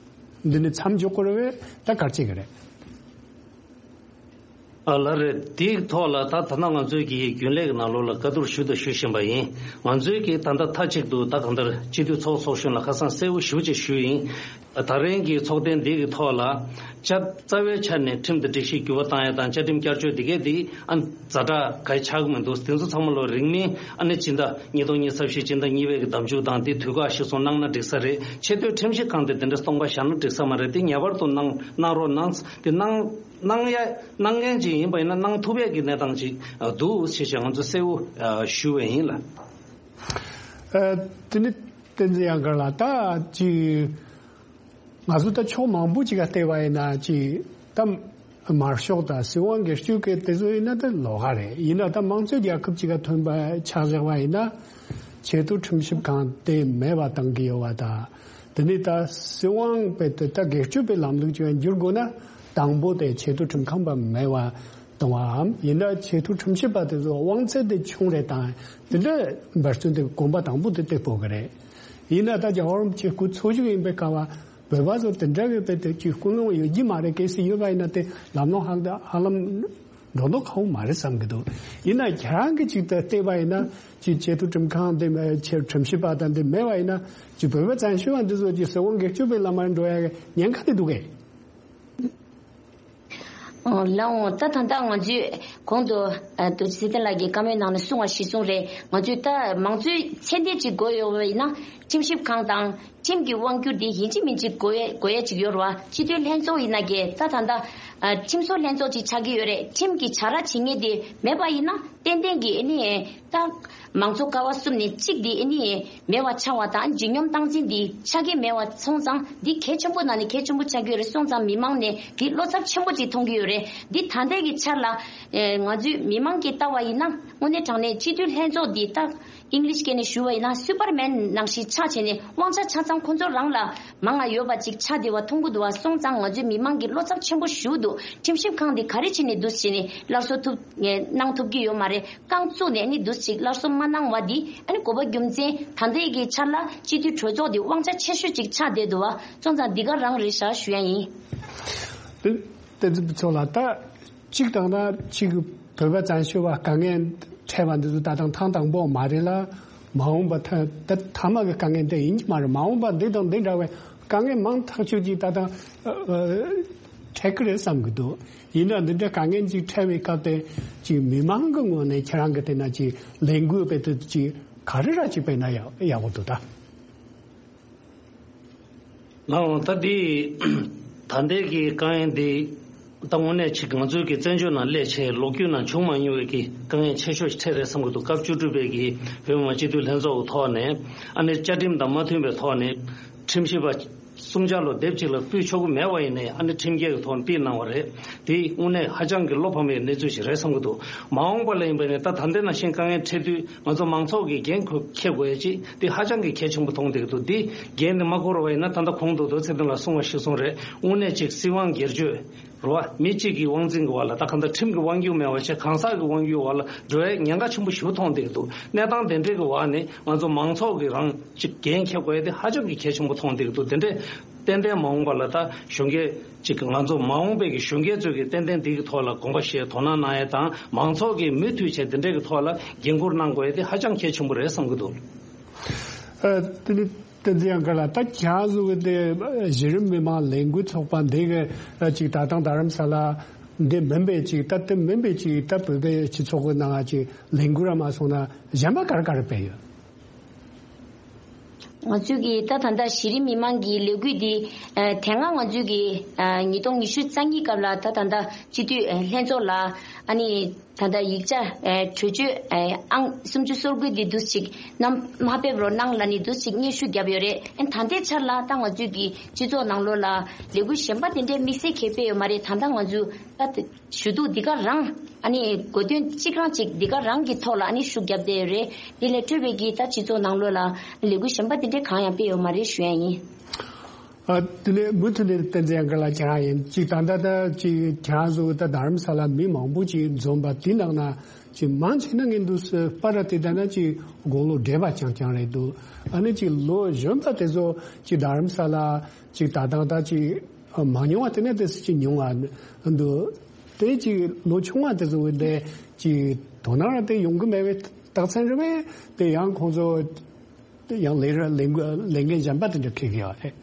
འདི་ནི་མཚམས་འཇོག་དགོས་རེད་པས་ད་ག་རེ་བྱེད་ཀྱི་རེད། ཨ་ལགས་རེད། དེའི་ཐོག་ལ་ད་ད་ལྟ་ང་ཚོའི་གི་རྒྱུན་ལས་ཀྱི་ནང་ལོགས་ལ་བཀའ་བསྡུར་ཞུས་དང་ཞུ་བཞིན་པ་ཡིན། ང་ཚོའི་གི་ད་ལྟ་མཐའ་གཅིག་ཏུ་ད་གང་ལྟར་སྤྱི་འཐུས་ཚོགས་ཚོགས་གཞོན་ལ་ཁ་སང་གསལ་བོ་ཞེ་པོ་ཅིག་ཞུས་ཡིན། ད་རིང་གི་ཚོགས་ཐེངས་འདི་གི་ཐོག་ལ་བཅའ་རྩ་བའི་ཆ་ནས་ཁྲིམས་དང་སྒྲིག་གཞི་འགྱུར་བ་བཏང་ཡ་དང་བཅའ་ཁྲིམས་བསྐྱར་བཅོས་འདི་གས་འདི་ཨ་ཛ་དྲག་ག་ཆགས་ཀྱི་མི་འདུག་དེ་ཚོ་ཚང་མ་ལོ་རིང་མིན་ཨ་ནི་སྤྱི་ཟླ་ཉིས་སྟོང་ཉི་ཤུ་རྩ་བཞི་སྤྱི་ཟླ་གཉིས་པའི་གི་ཟླ་མཇུག་དང་དེ་དུས་བཀག་གཞིར་བཟུང་གནང་ན་འགྲིག་ས་རེད། ཆེས་མཐོའི་ཁྲིམས་ཞིབ་ཁང་དེ་དེ་འདྲ་སྟོང་པ་བཞག་ན་འགྲིག་ས་མ་རེད། དེ་ངེས་པར་དུ་གནང་གནང་རོགས་གནང་། དེ་གནང་གནང་ཡ་གནང་མཁན་ཅིག་ཡིན་པ་ཡིན་ན་གནང་ཐུབ་ཡས་ཀྱི་གནས་སྟངས་ཅིག་འདུག་ཞེས་བྱས་ང་ཚོ་གསལ་བོ་ཞུ་བ་ཡིན་ལ། ཨ་དེ་ནི་བསྟན་འཛིན་ཡང་དཀར་ལགས་ད་ཅིག་ང་ཚོ་ད་ཕྱོགས་མང་པོ་ཅིག་ག་བལྟས་པ་ཡིན་ན་ཅིག་ད་དམར་ཤོག་དང་སྲིད་དབང་སྒེར་གཅོད་ཀྱི་དེ་ཚོ་ཡིན་ན་ད་ལོགས་ཀ་རེད། ཡིན་ན་ད་དམངས་གཙོའི་རྒྱལ་ཁབ་ཅིག་ག་ཐོན་པ་ཆ་བཞག་པ་ཡིན་ན་ཆེས་མཐོའི་ཁྲིམས་ཞིབ་ཁང་དེ་མེད་པ་བཏང་གི་ཡོད་པ་དང་། དེ་ནི་ད་སྲིད་དབང་དཔེ་དེ་ད་སྒེར་གཅོད་པའི་ལམ་ལུགས་ཅིག་འགྱུར་དགོས་ན་དང་པོ་དེ་ཆེས་མཐོའི་ཁྲིམས་ཁང་པ་མེད་པ་གཏོང་བའམ་ཡིན་ན་ཆེས་མཐོའི་ཁྲིམས་ཞིབ་པ་དེ་ཚོ་དབང་ཚད་དེ་ཆུང་རེད་དང་དེ་འདྲ་འབད་བརྩོན་དེ་གོམ་པ་དང་པོ་དེ་སྟེགས་དགོས་ཀྱི་རེད། ཡིན་ན་ད་རྒྱལ་བ་རིན་པོ་ཆེ་སྐུ་འཚོ་བཞུགས་ཡིན་པའི་སྐབས་བོད་པ་ཚོ་དེ་འདྲ་གི་དཔེ་དེ་ཅིག་ཀུན་སློང་ཡོད་ཀྱི་མ་རེད། གལ་སྲིད་ཡོད་པ་ཡིན་ན་དེ་ལམ་ལྷོང་ཧ་ཧ་ལམ་འགྲོ་མདོག་ཁ་པོ་མ་རེད་བསམ་གྱི་འདུག་ཡིན་ན་ཁྱེད་རང་གི་ཅིག་ད་བལྟས་པ་ཡིན་ན་ཅིག་ཆེས་མཐོའི་ཁྲིམས་ཁང་དེ་མེད་ཆེས་ཁྲིམས་ཞིབ་པ་དང་དེ་མེད་པ་ཡིན་ན་ཅིག་བོད་པ་བཙན་བྱོལ་བ་འདི་ཚོ་ཅིག་སྲིད་དབང་སྒེར་གཅོད་པའི་ལམ་མར་འགྲོ་ཡ་གི་ཉེན་ཁ་དེ་འདུག་གས། ལགས་འོང་། ད་ད་ལྟ་ང་ཚོས་གོང་དུ་རྡོ་རྗེ་ཚེ་བརྟན་ལགས་ཀྱིས་བཀའ་མོལ་ནང་ནས་གསུངས་པ་གཞིར་བཟུང་རེད། ང་ཚོས་ད་མང་གཙོའི་ཚད་ལྡན་ཅིག་དགོས་ཡོད་པ་ཡིན་ན་ཁྲིམས་ཞིབ་ཁང་དང་ཁྲིམས་ཀྱི་དབང་སྒྱུར་དེ་ཡིན་གཅིག་མིན་གཅིག་དགོས་ཡ་དགོས་ཡ་ཅིག་ཡོད་རེད་བ། སྤྱི་འཐུས་ལྷན་ཚོགས་ཡིན་ན་གས་ད་ད་ལྟ་ཁྲིམས་བཟོ་ལྷན་ཚོགས་ཅིག་ཆགས་ཀྱི་ཡོད་རེད། ཁྲིམས་ཀྱི་བྱ་ར་བྱེད་མཁན་དེ་མེད་པ་ཡིན་ན་ཏན་ཏན་གྱི་ཨ་ནི་ད་མང་གཙོ་ཀ་བ་གསུམ་ནས་གཅིག་དེ་ཨ་ནི་མེད་པ་ཆགས་པ་དང་ལྗིད་སྙོམས་སྟངས་འཛིན་འདི་ཆགས་ཀྱི་མེད་པ་སོང་ཙང་འདི་གལ་ཆེན་པོ་ནང་ནས་གལ་ཆེན་པོ་ཆགས་ཀྱི་ཡོད་རེད། སོང་ཙང་མི་མང་ནས་འདི་བློ་འཚབ་ཆེན་པོ་ཅིག་མཐོང་གི་ཡོད་རེད། འདི་ད་ལྟའི་གི་ཆར་ལ་ཨེ་ང་ཚོའི་མི་མང་གི་ལྟ་བ་ཡིན་ན་ དངོས་གནས་དྲང་གནས་སྤྱི་འཐུས་ལྷན་ཚོགས་འདི་ད་ཨིང་ལིཤ་སྐད་ནས་ཞུ་བ་ཡིན་ན་སུ་པར་མན་ནང་བཞིན་ཆགས་བྱས་ནས་དབང་ཆ་ཆ་ཚང་ཁོ་ཚོ་རང་ལ་མང་ང་ཡོད་པ་ཅིག་ཆགས་བསྡད་པ་མཐོང་གི་འདུག་བ། སོང་ཙང་ང་ཚོའི་མི་མང་གིས་བློ་འཚབ་ཆེན་པོ་ཞུ་འདུག་ཁྲིམས་ཞིབ་ཁང་འདི་ག་རེ་བྱས་ནས་འདུག་བྱས་ནས་སླར་གསོ་ཐུབ་གནང་ཐུབ་ཀྱི་ཡོད་མ་རེད། རྐང་བཙུགས་ནས་ནི་འདུག་ཅིག་སླར་གསོ་མ་གནང་བ་འདི་ཨ་ནི་དགོས་པ་རྒྱུ་མཚན་ད་ལྟའི་གི་ཆར་ལ་སྤྱི་འཐུས་གྲོས་ཚོགས་འདི་དབང་ཆ་ཆེ་ཤོས་ཅིག་ཆགས་བསྡད་འདུག་བ། སོང་ཙང་འདི་ག་རང་རེད་ཤག་ཞུ་ཡ་ཡིན། དེ་དེ་ཚོ་ལ་ད་གཅིག་དང་ན་གཅིག་བོད་པ་བཙན་བྱོལ་བ་དཀའ་ངལ་འཕྲད་པ་འདི་ཚོ་ད་དང་ཐེངས་དང་པོ་མ་རེད་ལ། མ་འོངས་པ་ད་ད་མཐའ་མ་གི་དཀའ་ངལ་འདི་ཡིན་གྱི་མ་རེད། མ་འོངས་པ་འདི་དང་འདི་འདྲ་བའི་དཀའ་ངལ་མང་ཐག་ཆོད་ཅིག་ད་དང་འཕྲད་ཀྱི་རེད་བསམ་གྱི་འདུག་ཡིན་ན་འདི་འདྲ་དཀའ་ངལ་ཅིག་འཕྲད་པའི་སྐབས་དེ་ཅིག་མི་མང་གི་ངོས་ནས་ཁྱེད་རང་གི་དེ་ན་ཅིག་ལས་འགུལ་སྤེལ་དུས་ཅིག་ག་རེ་ར་ཅིག་སྤེལ་ན་ཡག་ཡག་པོ་འདུག་ད། ལགས་འོང་ད་འདི་ད་ལྟའི་གི་དཀའ་ངལ་འདི་ད་དངོས་གནས་ཅིག་ང་ཚོའི་གི་བཙན་བྱོལ་ནང་སླེབས་བྱས་ལོ་རྒྱུས་ནང་བྱུང་མ་མྱོང་བའི་གི་དཀའ་ངལ་ཆེ་ཤོས་ཤིག་འཕྲད་རེད་བསམ་གྱི་འདུག་སྐབས་བཅུ་དྲུག་པའི་གི་བོད་མི་མང་སྤྱི་འཐུས་ལྷན་ཚོགས་ཀྱི་ཐོག་ནས་ཨ་ནི་བཅའ་ཁྲིམས་དང་མ་མཐུན་པའི་ཐོག་ནས་ཁྲིམས་ཞིབ་པ་གསུམ་ཆ་ལོ་སྡེབ་གཅིག་ལ་ཕུད་ཆོག་གི་མེད་པ་ཡིན་ནའི་ཨ་ནི་ཁྲིམས་འགལ་གྱི་ཐོག་ནས་ཕུད་གནང་བ་རེད། དེ་དངོས་གནས་ཧ་ཅང་གི་བློ་ཕམ་པའི་གནས་ཚུལ་ཞིག་རེད་བསམ་གྱི་འདུག་མ་འོངས་པ་ལ་ཡིན་པ་ནས་ད་ད་ལྟའི་ནང་བཞིན་དཀའ་ངལ་འཕྲད་དུས་ང་ཚོ་མང་ཚོགས་ཀྱིས་འགན་ཁུར་འཁྱེར་དགོས་ཡ་ཅིག་དེ་ཧ་ཅང་གི་གལ་ཆེན་པོ་མཐོང་བསྡད་ཀྱི་འདུག་འདི་འགན་དེ་མ་འཁུར་བ་ཡིན་ན་ད་ལྟ་གོང་དུ་རྡོ་རྗེ་ཚེ་བརྟན་ལགས་གསུངས་པ་ཞིག་གསུངས་རེད། དངོས་གནས་ཅིག་སྲིད་དབང་སྒེར་གཅོད་རེད་བ། མི་གཅིག་གི་དབང་འཛིན་གྱི་འོག་ལ་ད་གང་ལྟར་ཁྲིམས་ཀྱི་དབང་སྒྱུར་མེད་པ་བྱས་གང་ཟག་གི་དབང་སྒྱུར་འོག་ལ་འགྲོ་ཡའི་ཉེན་ཁ་ཆེན་པོ་ཞིག་མཐོང་བསྡད་ཀྱི་འདུག་གནས་སྟངས་དེ་འདྲའི་གི་འོག་ནས་ང་ཚོ་མང་ཚོགས་ཀྱིས་རང་ཅིག་འགན་འཁྱེར་དགོས་ཡ་དེ་ཧ་ཅང་གི་གལ་ཆེན་པོ་མཐོང་བསྡད་ཀྱི་འདུག་དེ་འདྲས་ཏན་ཏན་མ་འོངས་པ་ལ་ད་གཞོན་སྐྱེས་ཅིག་གི་ང་ཚོ་མ་འོངས་པའི་གི་གཞོན་སྐྱེས་ཚོས་ཀྱི་ཏན་ཏན་འདི་གི་ཐོག་ལ་དགོངས་པ་བཞེས་དོ་སྣང་གནང་ཡ་དང་མང་ཚོགས་ཀྱིས་མུ་མཐུད་བྱས་དེ་འདྲས་ཀྱི་ཐོག་ལ་འགན་འཁུར་གནང་དགོས་ཡ་དེ་ཧ་ཅང་གལ་ཆེན་པོ་རེད་བསམ་གྱི་འདུག་ཨ། དེ་ནི་བསྟན་འཛིན་ཡང་དགའ་ལགས་ད་ཁྱེད་རང་ཚོ་གི་དེ་གཞི་རིམ་མི་མང་ལས་འགུལ་ཚོགས་པ་འདི་གི་ཅིག་ད་ཐེངས་རྡ་རམ་ས་ལ་འདི་མིན་པའི་ཅིག་ད་དེ་མིན་པའི་ཅིག་ད་བོད་པའི་སྤྱི་ཚོགས་ཀྱི་ནང་ཅིག་ལས་འགུལ་ར་མ་སོང་ན་གཞན་པ་ག་རེ་ག་རེ་སྤེལ་ཡོད། ང་ཚོས་ཀྱི་ད་ད་ལྟ་གཞི་རིམ་མི་མང་གི་ལས་འགུལ་འདི་ཨ་དེ་སྔ་ང་ཚོས་ཀྱི་ཨ་ཉིས་སྟོང་ཉི་ཤུ་རྩ་གཉིས་སྐབས་ལ་ད་ད་ལྟ་སྤྱི་འཐུས་ཨ་ལྷན་ཚོགས་ལ་ཨ་ནི་ད་ལྟ་ཡིག་ཆ་ཨ་གྲོས་ཆོད་ཨ་ཨང་སུམ་ཅུ་སོ་དགུ་འདི་འདུག་ཅིག་ནམ་མ་ཕེབས་རོགས་གནང་ལ་ནི་འདུག་ཅིག་སྙན་ཞུ་བརྒྱབ་ཡོད་རེད། ཨ་ད་ལྟའི་ཆར་ལ་ད་ང་ཚོས་ཀྱི་སྤྱི་ཚོགས་ནང་ལོགས་ལ་ལས་འགུལ་གཞན་པ་དེ་འདྲའི་དམིགས་བསལ་གྱི་སྤེལ་ཡོད་མ་རེད། ད་ལྟ་ང་ཚོས་ད་ཞུ་གཏུག་འདི་ག་རང་ཨ་ནི་གོ་སྟོན་གཅིག་རང་གཅིག་འདི་ག་རང་གི་ཐོག་ལ་ཨ་ནི་ཤུགས་བརྒྱབ་བསྡད་ཡོད་རེད། འདི་ལས་འཕྲོས་པའི་གི་ད་སྤྱི་ཚོགས་ནང་ལོགས་ལ་ལས་འགུལ་གཞན་པ་འདི་འདྲའི་གང་ཡང་སྤེལ་ཡོད་མ་རེད་ཞུ་ཡ་ཡིན། ཨ་དེ་ནས་མུ་མཐུད་ནས་བསྟན་འཛིན་ཡང་དགའ་ལགས་ཁྱེད་རང་ཡིན་གཅིག་ད་ལྟ་ད་ཅིག་ཁྱེད་རང་ཚོ་ད་རྡ་རམ་ས་ལ་མི་མང་པོ་ཅིག་འཛོམས་པ་དེ་ནང་ན་ཅིག་མང་ཆེ་ན་ངས་འདུག་སེ་པར་དེ་ལྟ་ན་ཅིག་དགུང་ལོ་བགྲེས་པ་རྐྱང་རྐྱང་རེད་འདུག་ཨ་ནི་ཅིག་ལོ་གཞོན་པ་དེ་ཚོ་ཅིག་རྡ་རམ་ས་ལ་ཅིག་ད་ཐེངས་ད་ཅིག་མ་མྱོང་བ་དེ་ནས་དེ་ཚོ་ཅིག་མྱོང་བ་འདུག་དེ་ཅིག་ལོ་ཆུང་བ་དེ་ཚོ་འདི་ཅིག་དོ་སྣང་ར་དེ་ཡོང་གི་མེད་པའི་རྟགས་མཚན་རེད་པས། དེ་ཡང་ཁོང་ཚོ་དེ་ཡང་ལས་ར་ལས་འགུལ་ལས་འགན་གཞན་པ་དེ་འདྲ་འཁྱེར་གི་ཡོད་རེད།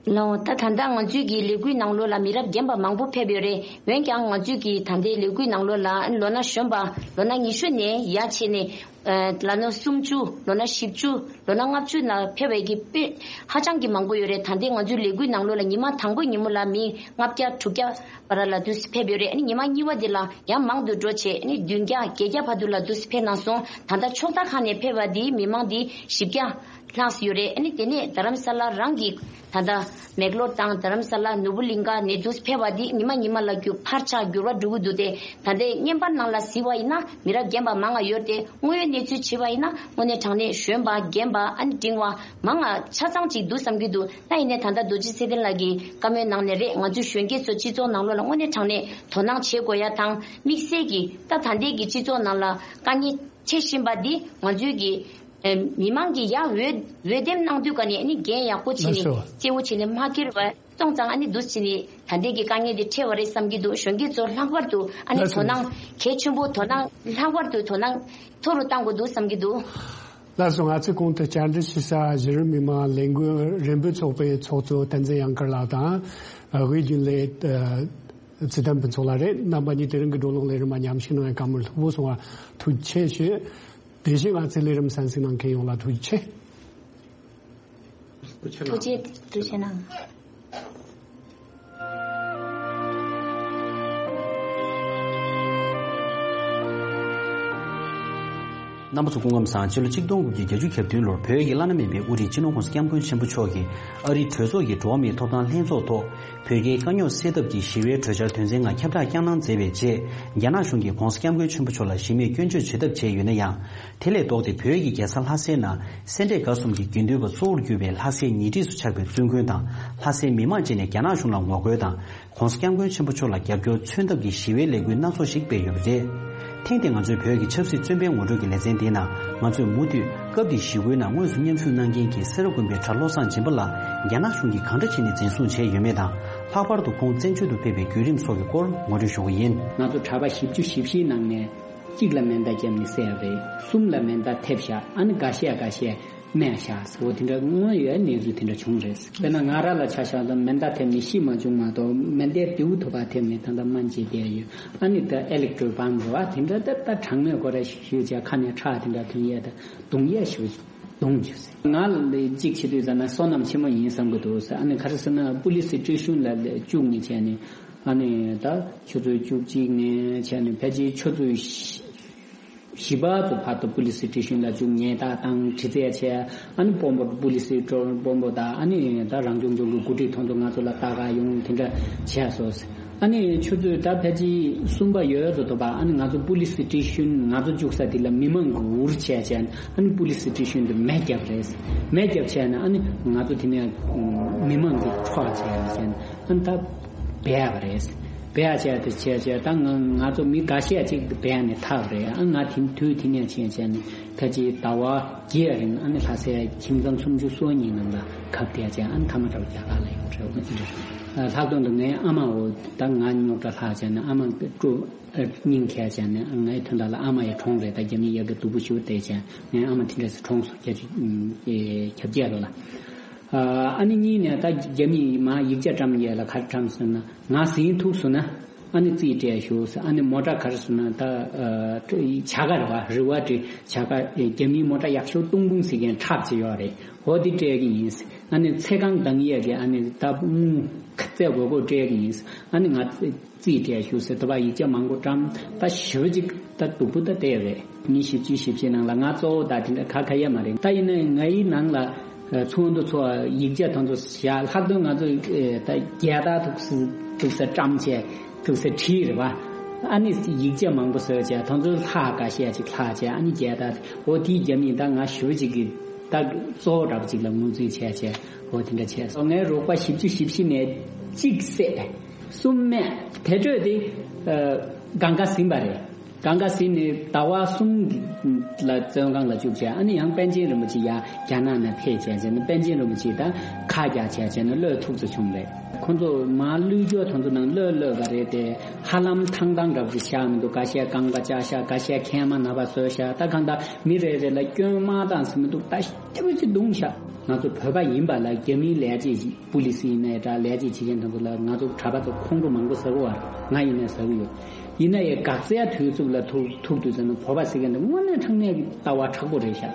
ལགས་འོང་། ད་ད་ལྟ་ང་ཚོའི་གི་ལས་འགུལ་ནང་ལོགས་ལ་མི་རབས་རྒན་པ་མང་པོ་ཕེབས་ཡོད་རེད། འོན་ཀྱང་ང་ཚོའི་གི་ད་ལྟའི་ལས་འགུལ་ནང་ལོགས་ལ་ལོ་ན་གཞོན་པ་ལོ་ན་ཉི་ཤུ་ནས་ཡར་བྱས་ནས་ལ་ལོ་སུམ་ཅུ་ལོ་ན་བཞི་བཅུ་ལོ་ན་ལྔ་བཅུ་ན་ཕེབས་པའི་གི་དཔེ་ཧ་ཅང་གི་མང་པོ་ཡོད་རེད། ད་ལྟའི་ང་ཚོའི་ལས་འགུལ་ནང་ལོགས་ལ་ཉི་མ་དང་པོའི་ཉིན་མོ་ལ་མི་ལྔ་བརྒྱ་དྲུག་བརྒྱ་བར་ལ་དུས་ཕེབས་ཡོད་རེད། ཨ་ནི་ཉི་མ་གཉིས་པ་འདི་ལ་ཡང་མང་དུ་འགྲོ་བྱས་ཨ་ནི་བདུན་བརྒྱ་བརྒྱད་བརྒྱ་བར་དུ་ལ་དུས་ཕེབས་གནང་སོང་། ད་ལྟ་ཕྱོགས་མཐའ་ཁག་ནས་ཕེབས་པ་འདིའི་མི་མང་འདི་བཞི་བརྒྱ་ལྷག་ཡོད་རེད། ཨ་ནི་དེ་ནས་རྡ་རམ་ས་ལ་རང་གི་ད་ལྟ་མེག་ལོར་དང་རྡ་རམ་ས་ལ་ནོར་བུ་གླིང་ཁ་ནས་དུས་ཕེབས་པ་འདི་ཉི་མ་ཉི་མ་ལ་རྒྱུ་འཕར་ཆག་འགྱུར་བ་འགྲོ་གི་འདུག་སྟེ། ད་ལྟའི་བརྙན་པར་ནང་ལ་གཟིགས་པ་ཡིན་ན་མི་རབས་རྒན་པ་མང་ང་ཡོད་དེ། དངོས་ཡོད་གནས་ཚུལ་བྱས་པ་ཡིན་ན་དངོས་གནས་དྲང་གནས་གཞོན་པ་རྒན་པ་ཨ་ནི་འབྲིང་བ་མང་ང་ཆ་ཚང་ཅིག་འདུག་བསམ་གྱི་འདུག་ད་ཡིན་ནའི་ད་ལྟ་རྡོ་རྗེ་ཚེ་བརྟན་ལགས་ཀྱིས་བཀའ་མོལ་གནང་ནས་རེད། ང་ཚོའི་གཞོན་སྐྱེས་ཚོ་སྤྱི་ཚོགས་ནང་ལོགས་ལ་དངོས་གནས་དྲང་གནས་དོ་སྣང་བྱེད་དགོས་ཡ་དང་དམིགས་བསལ་གྱིས་ད་ད་ལྟའི་གི་སྤྱི་ཚོགས་ནང་ལ་དཀའ་ངལ་འཕྲད་བཞིན་པ་འདི་ང་ཚོའི་གི་ཨེ་མི་མང་གི་ཡ་འོས་འོས་འདེམས་གནང་དུས་ཀ་ནས་ཨ་ནི་འགན་ཡག་པོ་བྱས་ནས་ལགས་སོ། གཅེས་པོ་བྱས་ནས་མ་འཁྱེར་བ། སོང་ཙང་ཨ་ནི་འདུག་བྱས་ནས་ད་ལྟའི་གི་དཀའ་ངལ་འདི་འཕྲད་པ་རེད་བསམ་གྱི་འདུག་གཞོན་སྐྱེས་ཚོ་ལྷག་པར་དུ་ཨ་ནི་ལགས་སོ། དོ་སྣང་གལ་ཆེན་པོ་དོ་སྣང་ལྷག་པར་དུ་དོ་སྣང་མཐོ་རུ་གཏང་དགོས་འདུག་བསམ་གྱི་འདུག་ལགས་སོ། ང་ཚོས་གོང་དུ་བཅར་འདྲི་ཞུ་ས་གཞི་རིམ་མི་མང་ལས་འགུལ་རིམ་པ་ཚོགས་པའི་ཚོགས་གཙོ་བསྟན་འཛིན་ཡང་དཀར་ལགས་དང་། དབུས་རྒྱུན་ལས་ཚེ་བརྟན་ཕུན་ཚོགས་ལགས་རེད། རྣམ་པ་གཉིས་དེ་རིང་གི་བགྲོ་གླེང་ལས་རིམ་མ་ཉམས་ཞིབ་གནང་བའི་བཀའ་མོལ་ལྷུག་པོ་གསུང་བ་ཐུགས་རྗེ་ཆེ་ཞུ། དེ་བཞིན་ང་ཚོའི་ལས་རིམ་གསན་གཟིགས་གནང་མཁན་ཡོངས་ལ་ཐུགས་རྗེ་ཆེ། ཐུགས་རྗེ་ཆེ་གནང་། རྣམ་པ་ཚོ་སྐུ་ཁམས་བཟང་། ཕྱི་ལོ་ཆིག་སྟོང་དགུ་བརྒྱ་བརྒྱད་ཅུ་གྱ་བདུན་ལོར་བོད་ཀྱི་བླ་ན་མེད་པའི་དབུ་ཁྲིད་སྤྱི་ནོར་༸གོང་ས་༸སྐྱབས་མགོན་ཆེན་པོ་མཆོག་གིས་ཨ་རིའི་གྲོས་ཚོགས་ཀྱི་འགྲོ་བ་མིའི་ཐོབ་ཐང་ལྷན་ཚོགས་ཐོག་བོད་རྒྱའི་དཀའ་རྙོག་སེལ་ཐབས་ཀྱི་ཞི་བའི་གྲོས་འཆར་དོན་ཚན་ལྔ་ཁྱབ་བསྒྲགས་བསྐྱངས་གནང་མཛད་པའི་རྗེས། རྒྱ་ནག་གཞུང་གིས་༸གོང་ས་༸སྐྱབས་མགོན་ཆེན་པོ་མཆོག་ལ་གཞི་མེད་སྐྱོན་བརྗོད་བྱེད་ཐབས་བྱས་ཡོད་ན་ཡང་། དེ་ལས་ལྡོག་སྟེ་བོད་ཀྱི་རྒྱལ་ས་ལྷ་སའི་ནང་སེ་འབྲས་དགའ་གསུམ་གྱི་དགེ་འདུན་པ་གཙོ་བོར་གྱུར་པའི་ལྷ་སའི་ཉེ་འཁྲིས་སུ་ཆགས་པའི་བཙུན་དགོན་དང་ལྷ་སའི་མི་མང་བཅས་ནས་རྒྱ་ནག་གཞུང་ལ་ངོ་རྒོལ་དང་། ༸གོང་ས་༸སྐྱབས་མགོན་ཆེན་པོ་མཆོག་ལ་རྒྱབ་སྐྱོར་མཚོན་ཐབས་ཀྱི་ཞི་བའི་ལས་འགུལ་སྣ་ཚོགས་ཤིག་སྤེལ་ཡོད་པ་རེད། ཐེངས་འདིའི་ང་ཚོའི་བོད་ཀྱི་ཆབ་སྲིད་བཙོན་པའི་ངོ་སྤྲོད་ཀྱི་ལེ་ཚན་འདིའི་ནང་། ང་ཚོས་མུ་མཐུད་སྐབས་དེའི་ཞི་རྒོལ་ནང་དངོས་སུ་མཉམ་ཞུགས་གནང་མཁན་གྱི་སེ་ར་དགོན་པའི་གྲྭ་བློ་བཟང་སྦྱིན་པ་ལགས་རྒྱ་ནག་གཞུང་གིས་གང་འདྲ་བྱས་ནས་འཛིན་བཟུང་བྱས་ཡོད་མེད་དང་། ལྷག་པར་དུ་ཁོང་བཙན་བྱོལ་དུ་ཕེབས་པའི་བརྒྱུད་རིམ་སོགས་ཀྱི་སྐོར་ངོ་སྤྲོད་ཞུ་གི་ཡིན། ང་ཚོ་གྲྭ་པ་བཞི་བཅུ་ཞེ་བཞིའི་ནང་ནས་གཅིག་ལ་མེ་མདའ་བརྒྱབ་ནས་བསད་པ་རེད། གསུམ་ལ་མེ་མདའ་ཐེབས་བཞག་ཨ་ནི་འགའ་ཤས་འགའ་ཤས་རྨས་བཞག་ཟེར་བ་དེ་འདྲ་དངོས་ཡོད་གནས་ཚུལ་དེ་འདྲ་བྱུང་རེད། དཔེར་ན་ང་རང་ལ་ཆ་བཞག་ན་མེ་མདའ་ཐེབས་ནས་ཤི་མ་བྱུང་མ་གཏོགས་མེ་མདའི་མདེའུ་ཐོག་པ་ཐེབས་ནས་ད་ལྟ་སྨན་བཅོས་བསྡད་ཡོད། ཨ་ནི་ད་ཨེ་ལེག་ཊྲིག་པམ་རེད་བ། དེ་འདྲ་ད་ད་གྲང་མོས་ཁོ་ར་ཞུས་བྱས་ཁ་ནས་ཁྲག་དེ་འདྲ་ཐོན་ཡས་ད་གདུང་ཡས་ཞུ་གདུང་རྒྱུ་ཟེར། ང་ལ་གཅིག་བྱེད་དུས་ཙ་ན་བསོད་ནམས་ཆེན་མོ་ཡིན་བསམ་གི་འདུག་ཟེར། ཨ་ནི་ག་རེ་ཟེར་ན་པུ་ལི་སི་སི་ཊེ་ཤན་ལ་བཅུག་ནས་བྱས་ནས་ཨ་ནི་ད་ཆུ་ཚོད་བཅུ་གཅིག་ནས་བྱས་ནས་ཕལ་ཆེར་ཆུ་ཚོད་བཞི་བཞི་པ་ཚོ་བར་དུ་པུ་ལི་སི་སི་ཊེ་ཤན་ལ་བཅུག་ཉེས་རྡུང་དང་དྲི་རྩད་བྱས། ཨ་ནི་དཔོན་པོ་པུ་ལི་སི་དཔོན་པོ་དང་ཨ་ནི་ད་རང་སྐྱོང་ལྗོངས་ཀྱི་འགོ་ཁྲིད་དེ་ཚོ་ང་ཚོ་ལ་ལྟ་ག་ཡོང་དེ་འདྲ་བྱས་སོང་། ཨ་ནི་ཆུ་ཚོད་ད་ཕལ་ཆེར་གསུམ་པ་ཡོལ་དུ་འདུག་པ། ཨ་ནི་ང་ཚོ་པུ་ལི་སི་སི་ཊེ་ཤན་ང་ཚོ་བཅུག་ས་དེ་ལ་མི་མང་གིས་འུར་བྱས་བྱས་ཨ་ནི་པུ་ལི་སི་སི་ཊེ་ཤན་དུ་མེ་བརྒྱབ་རེད། མེ་བརྒྱབ་བྱས་ན་ཨ་ནི་ང་ཚོ་དེ་ནས་མི་མང་གིས་འཕྲོག་བྱས་བྱས་ཨ་ནི་ད། སྦས་པ་རེད། སྦས་བྱས་དེ་བྱས་བྱས་ད་ང་ང་ཚོ་མི་འགའ་ཤས་ཅིག་སྦས་ནས་ཐར་རེད། ཨ་ང་དེ་དུས་དེ་ནས་ཕྱིན་བྱས་ནས་ཕལ་ཆེར་ཟླ་བ་བརྒྱད་རིང་ཨ་ནི་ལྷ་སའི་ཁྱིམ་ཚང་སུམ་ཅུ་སོ་གཉིས་ནང་ལ་གབ་བསྡད་བྱས་ཨ་ནི་མཐའ་མ་འདྲ་བ་རྒྱ་གར་ལ་ཡོང་རེད། འོ་དེ་འདྲ་རེད། ལྷག་དོན་དུ་ངའི་ཨ་མའོ་ད་ང་རྙོག་དྲ་ལྷག་བྱས་ནས་ཨ་མ་སྤྲོ་སྙིང་གས་བྱས་ནས་ངའི་དོན་དག་ལ་ཨ་མ་ཡི་གྲོངས་རེད། ད་རྒྱ་མི་ཡ་གི་སྡུག་པོ་ཞུ་བལྟས་བྱས་ངའི་ཨ་མ་དེ་འདྲས་སུ་གྲོངས་སོང་། བརྒྱད་ཅུ་གྱ་བརྒྱད་ལོ་ལ། ཨ་ནི་གཉིས་ནས་ད་རྒྱ་མིས་མ་ཡིག་ཆ་བཀྲམ་ཡས་ལ་ག་རེ་བཀྲམ་ཟེར་ན། ང་ཟིན་ཐུག་སོང་ན་ཨ་ནི་རྩིས་སྤྲད་ཞུ་ཟེར། ཨ་ནི་མོ་ཊ་ག་རེ་ཟེར་ན་ད་བྱ་དགའ་རེད་བ། རི་བ་ཊི་བྱ་དགའ་རྒྱ་མིའི་མོ་ཊ་ཡག་ཤོས་ཏུང་ཏུང་ཟེར་མཁན་ཁྲག་ཅིག་ཡོད་རེད། འོ་དེ་སྤྲད་ཀྱི་ཡིན་ཟེར། ཨ་ནི་ཚེ་གང་འདང་ཡས་ཀྱི་ཨ་ནི་ད་དངུལ་རྩིས་དགོས་དགོས་སྤྲད་ཀྱི་ཡིན་ཟེར། ཨ་ནི་ང་རྩིས་སྤྲད་ཞུ་ཟེར། དེ་བ་ཡིག་ཆ་མང་པོ་བཀྲམ་ད་ཞེ་པོ་ཅིག་ད་སྡུག་པོ་ད་བལྟས་རེད། མི་བཞི་བཅུ་ཞེ་བཞི་ནང་ལ་ང་གཙོ་བོ་ད་དེ་འདྲ་ཁ་ཁ་ཡ་མ་རེད། ད་ཡིན་ན་ངའི་ནང་ལ་ཚོགས་འདུ་ཚོགས་ཡིག་ཆ་དེ་ཚོ་བཞག་ལྷག་དོན་ང་ཚོ་ད་རྒྱལ་དར་ཐུགས་སུ་ཐུགས་སུ་བཀྲམ་བྱས་ཐུགས་སུ་བྲིས་རེད་བ། ཨ་ནི་ཡིག་ཆ་མང་པོ་བཟོས་བྱས་དེ་ཚོ་ལྷག་འགའ་ཤས་ཅིག་ལྷག་བྱས་ཨ་ནི་རྒྱལ་དར་འོ་དེའི་རྒྱབ་ནས་ད་ང་ཞེ་པོ་ཅིག་གི་ད་གཙོ་བོ་འདྲ་པོ་ཅིག་ལ་ངོས་འཛིན་བྱས་བྱས་འོ་དེ་འདྲ་བྱས་སོང་། ངའི་རོགས་པ་བཞི་བཅུ་ཞེ་བཞི་ནས་གཅིག་བསད། གསུམ་རྨས། དེ་འཕྲོས་དེ་ཨ་གང་ག་ཟིན་པ་རེད། གང་ག་ཟིན་ནས་ཟླ་བ་གསུམ་ལ་བཙོན་ཁང་ལ་བཅུག་བྱས། ཨ་ནི་ཡང་པཎ་ཆེན་རིན་པོ་ཆེ་ཡར་རྒྱ་ནག་ནས་ཕེབས་བྱས་བྱས་ནས་པཎ་ཆེན་རིན་པོ་ཆེ་དང་ཁ་རྒྱག་བྱས་བྱས་ནས་གློད་ཐུབ་ཚོད་བྱུང་རེད། ཁོ་ཚོ་མར་གློད་རྒྱུ་དེ་ཚོ་ནང་གློད་གློད་པ་རེད་དེ། ཧ་ལམ་ཐང་ཐང་འདྲ་པོ་ཞིག་བཞག་མི་འདུག་འགའ་ཤས་རྐང་པ་བཅག་ཤག་འགའ་ཤས་མཁལ་མ་ན་བ་བཟོས་ཤག་ད་གང་ལྟར་མི་རེ་རེ་ལ་སྐྱོན་མ་བཏང་ཟེར་མི་འདུག་ད་ཞེ་པོ་ཅིག་བརྡུངས་ཤག་ང་ཚོ་བོད་པ་ཡིན་པ་ལ་རྒྱ་མིའི་ལས་བྱེད་ཅིག་པུ་ལི་སི་ཡིན་ནའི་འདྲ། ལས་བྱེད་བྱེད་མཁན་དེ་ཚོ་ལ་ང་ཚོ་གྲྭ་པ་ཚོ་ཁོང་ཁྲོ་མང་པོ་ཟ་གི་ཡོད་རེད། ང་ཡིན་ནའི་ཟ་གི་ཡོད། ཡིན་ན་ཡང་འགག་རྩའི་དུས་ཚོད་ལ་ཐུག་ཐུག་དུས་ཙམ་ན་བོད་པ་ཟེར་མཁན་དེ་དངོས་གནས་དྲང་གནས་ཀྱི་ལྟ་བ་མཁྲེགས་པོ་རེད་ཤག་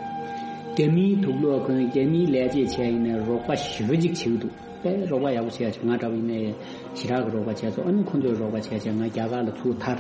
རྒྱ་མིའི་དུག་ལོག་གོན། རྒྱ་མིའི་ལས་བྱེད་བྱས་ཡིན་ནའི་རོགས་པ་ཞེ་པོ་ཅིག་བྱེད་ཀྱི་འདུག་དཔེ་རོགས་པ་ཡག་པོ་བྱས་ཡག་བྱས། ང་འདྲ་པོ་ཡིན་ནའི་ཞེ་དྲག་གི་རོགས་པ་བྱས་སོང་། ཨ་ནི་ཁོ་ཚོས་རོགས་པ་བྱས་བྱས་ང་རྒྱ་གར་ལ་ཚུར་ཐར།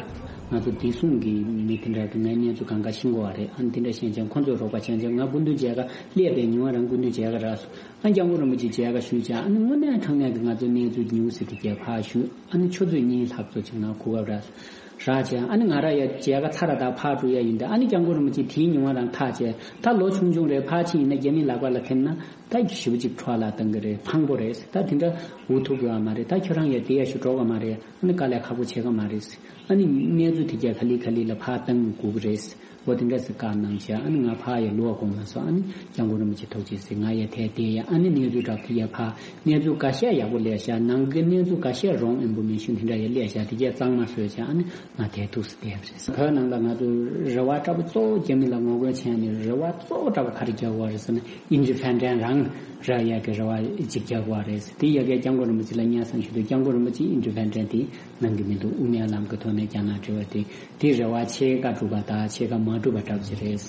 ང་ཚོ་བདེ་སྲུང་གི་མི་དེ་འདྲ་གི་ངའི་གནས་ཚུལ་གང་ག་ཤེས་ཀྱི་ཡོད་རེད། ཨ་ནི་དེ་འདྲ་ཤེས་བྱས་ཁོ་ཚོས་རོགས་པ་བྱས་བྱས་ང་སྐུ་མདུན་མཇལ་ཁ་སླེབས་པའི་ཉི་མ་རང་སྐུ་མདུན་མཇལ་ཁ་རག་སོང་། ཨ་སྐྱབས་མགོན་རིན་པོ་ཆེ་མཇལ་ཁ་ཞུས་བྱས། ཨ་ནི་དངོས་གནས་དྲང་གནས་ཀྱི་ང་ཚོའི་གནས་ཚུལ་ཉུང་ཟད་དེ་རྒྱས་ཕར་ཞུས། ཨ་ནི་ཆུ་ཚོད་གཉིས་ལྷག་ཙམ་ཅིག་ནང་གོ་སྐབས་རག་རག་བྱས། ཨ་ནི་ང་རང་ཡང་མཇལ་ཁ་ཚར་ར་ད་ཕར་འགྲོ་ཡ་ཡིན་ཏེ། ཨ་ནི་སྐྱབས་མགོན་རིན་པོ་ཆེ་དེའི་ཉི་མ་རང་ཐག་བཅད། ད་ལོ་ཆུང་ཆུང་རེད། ཕར་ཕྱིན་ཡིན་ན་རྒྱ་མི་ལག་པ་ལ་ཐིམ་ན་ད་ཞེ་པོ་ཅིག་འཕྲོ་བརླག་གཏང་གི་རེད། ཕངས་པོ་རེད། ད་དེ་འདྲ་འུ་ཐུག་གི་ཡོད་མ་རེད། ད་ཁྱོད་རང་ཡང་དེ་ཡ་ཞུ་འགྲོ་གི་མ་རེད། ཨ་ནི་དཀའ་ལས་ཁག་པོ་བྱེད་ཀྱི་མ་རེད། ཨ་ནི་གནས་ཚུལ་དེ་ག་ལེ་ག་ལེ་ལ་ཕར་བཏང་དགོས་ཀྱི་རེད། འོ་དེ་འདྲ་ཟེར་བཀའ་གནང་བྱས། ཨ་ནི་ང་ཕར་ཡ་ལོག་དགོས་མ་སོང་། ཨ་ནི་སྐྱབས་མགོན་རིན་པོ་ཆེ་ཐུགས་རྗེ་ཆེ་ཟེར་ང་ཡ་དེ་དེ་ཡ། ཨ་ནི་གནས་ཚུལ་འདྲ་དེ་ཡ་ཕར་གནས་ཚུལ་འགའ་ཤས་ཡག་པོ་སླེབས་ཤག་ནང་གི་གནས་ཚུལ་འགའ་ཤས་རོང་ཨེམ་པོ་མེ་ཤོན་དེ་འདྲ་ཡ་སླེབས་ཤག་དེ་གས་གཙང་མ་བཟོས་བྱས་ཨ་ནི་ང་དེ་ཐུགས་སུ་བསྡད་པ་རེད། བོད་ནང་ལ་ང་ཚོ་རེ་བ་འདྲ་པོ་གཙོ་བོ་རྒྱ་མི་ལ་ངོ་རྒོལ་བྱས་ནས་རེ་བ་གཙོ་བོ་འདྲ་པོ་ག་རེ་རྒྱག་དགོས་རེད་ཟེར་ན། ཨིན་ཌི་པེན་ཌེན་ཊི་རང་རག་ཡག་གི་རེ་བ་ཅིག་རྒྱག་དགོས་རེད། དེ་ཡ་གས་སྐྱབས་མགོན་རིན་པོ་ཆེ་ལ་སྙན་སེང་ཞུ་དུས་སྐྱབས་མགོན་རིན་པོ་ཆེས་ཨིན་ཌི་པེན་ཌེན་ཊི་དེ་གནང་གི་མི་འདུག་དབུ་མའི་ལམ་གྱི་ཐོག་ནས་རྒྱ་ནག་འབྲེལ་བ་དེ་དེ་རེ་བ་ཕྱེད་ཀ་འགྲུབ་པ་དང་ཕྱེད་ཀ་མ་འགྲུབ་པ་འདྲ་པོ་ཅིག་རེད།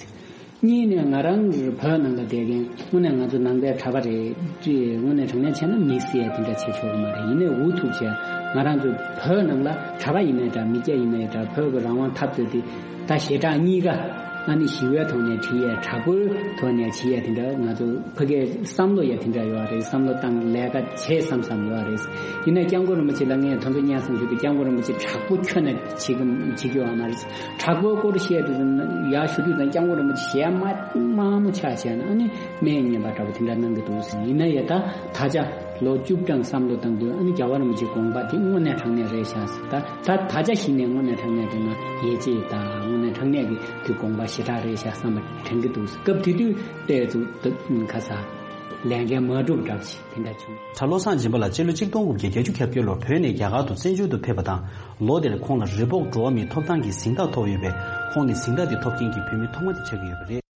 གཉིས་ནས་ང་རང་བོད་ནང་ལ་བསྡད་མཁན་དངོས་གནས་ང་ཚོ་ནང་པའི་གྲྭ་པ་རེད། དངོས་གནས་དྲང་གནས་བྱས་ན་མི་བསད་དེ་འདྲ་བྱེད་ཆོག་གི་མ་རེད། ཡིན་ནའི་འུ་ཐུག་བྱས་ང་རང་ཚོ་བོད་ནང་ལ་གྲྭ་པ་ཡིན་ནའི་འདྲ། མི་སྐྱ་ཡིན་ནའི་འདྲ། བོད་ཀྱི་རང་དབང་འཐབ་རྩོད་དེ་ད་ཞེ་དྲག་གཉིས་ཀ་ཨ་ནི་ཞི་བའི་ཐོག་ནས་བྲིས་ཡས། དྲག་པོའི་ཐོག་ནས་བྲིས་ཡས། དེ་འདྲ་ང་ཚོ་ཕ་གིའི་བསམ་བློ་ཡ་དེ་འདྲ་ཡོད་རེད། བསམ་བློ་བཏང་ལས་ཀ་བྱེད་བསམ་བསམ་ཡོད་རེད། ཡིན་ན་སྐྱབས་མགོན་རིན་པོ་ཆེ་ལ་ངས་ད་དུང་སྙན་སེང་ཞུ་དུས། སྐྱབས་མགོན་རིན་པོ་ཆེ་དྲག་པོ་ཁྱོན་ནས་བྱེད་ཀྱི་བྱེད་ཀྱི་ཡོད་མ་རེད། དྲག་པོའི་སྐོར་བཤད་དུས་ཙམ་ཡར་ཞུ་དུས་ཙམ་སྐྱབས་མགོན་རིན་པོ་ཆེ་ཞལ་དམར་དམར་མོ་ཆགས་བྱས་ནས། ཨ་ནི་སྨན་ངན་པ་འདྲ་པོ་དེ་འདྲ་གནང་གི་འདུག་ཟེར། ཡིན་ན་ཡ་ད་ད་ཆ་ལོ་བཅུ་གྲངས་བསམ་བློ་བཏང་དུས། ཨ་ནི་རྒྱལ་བ་རིན་པོ་ཆེའི་དགོངས་པ་དེ་དངོས་གནས་དྲང་གནས་རེད་ཤག་ཟེར། ད་ད་ད་ཆ་གཞི་ནས་དངོས་གནས་དྲང་གནས་དེ་ང་ཡིད་ཆེས་དང་། དངོས་གནས་དྲང་གནས་ཀྱི་དེ་དགོངས་པ་ཞེ་དྲག་རེད་ཤག་བསམ་པ་དྲན་གྱི་འདུག། སྐབས་དེ་དུས་ཏོག་ཙམ་ཁ་ས་ལས་འགན་མ་འགྲུབ་འདྲ་ཞིག་དེ་འདྲ་བྱུང་། གྲྭ་བློ་བཟང་སྦྱིན་པ་ལགས་སྤྱི་ལོ་ཆིག་སྟོང་དགུ་བརྒྱ་བརྒྱད་ཅུ་གྱ་བརྒྱད་ལོར་བོད་ནས་རྒྱ་གར་དུ་བཙན་བྱོལ་དུ་ཕེབས་པ་དང་། ལོ་དེར་ཁོང་ལ་རི་བོག་འགྲོ་བ་མིའི་ཐོབ་ཐང་གི་གཟེངས་རྟགས་ཐོབ་ཡོད་པས། ཁོང་ནི་གཟེངས་རྟགས་དེ་ཐོབ་མཁན་གྱི་བོད་མི་ཐོག་མ་དེ་ཆགས་ཀྱི་ཡོད་པ་རེད།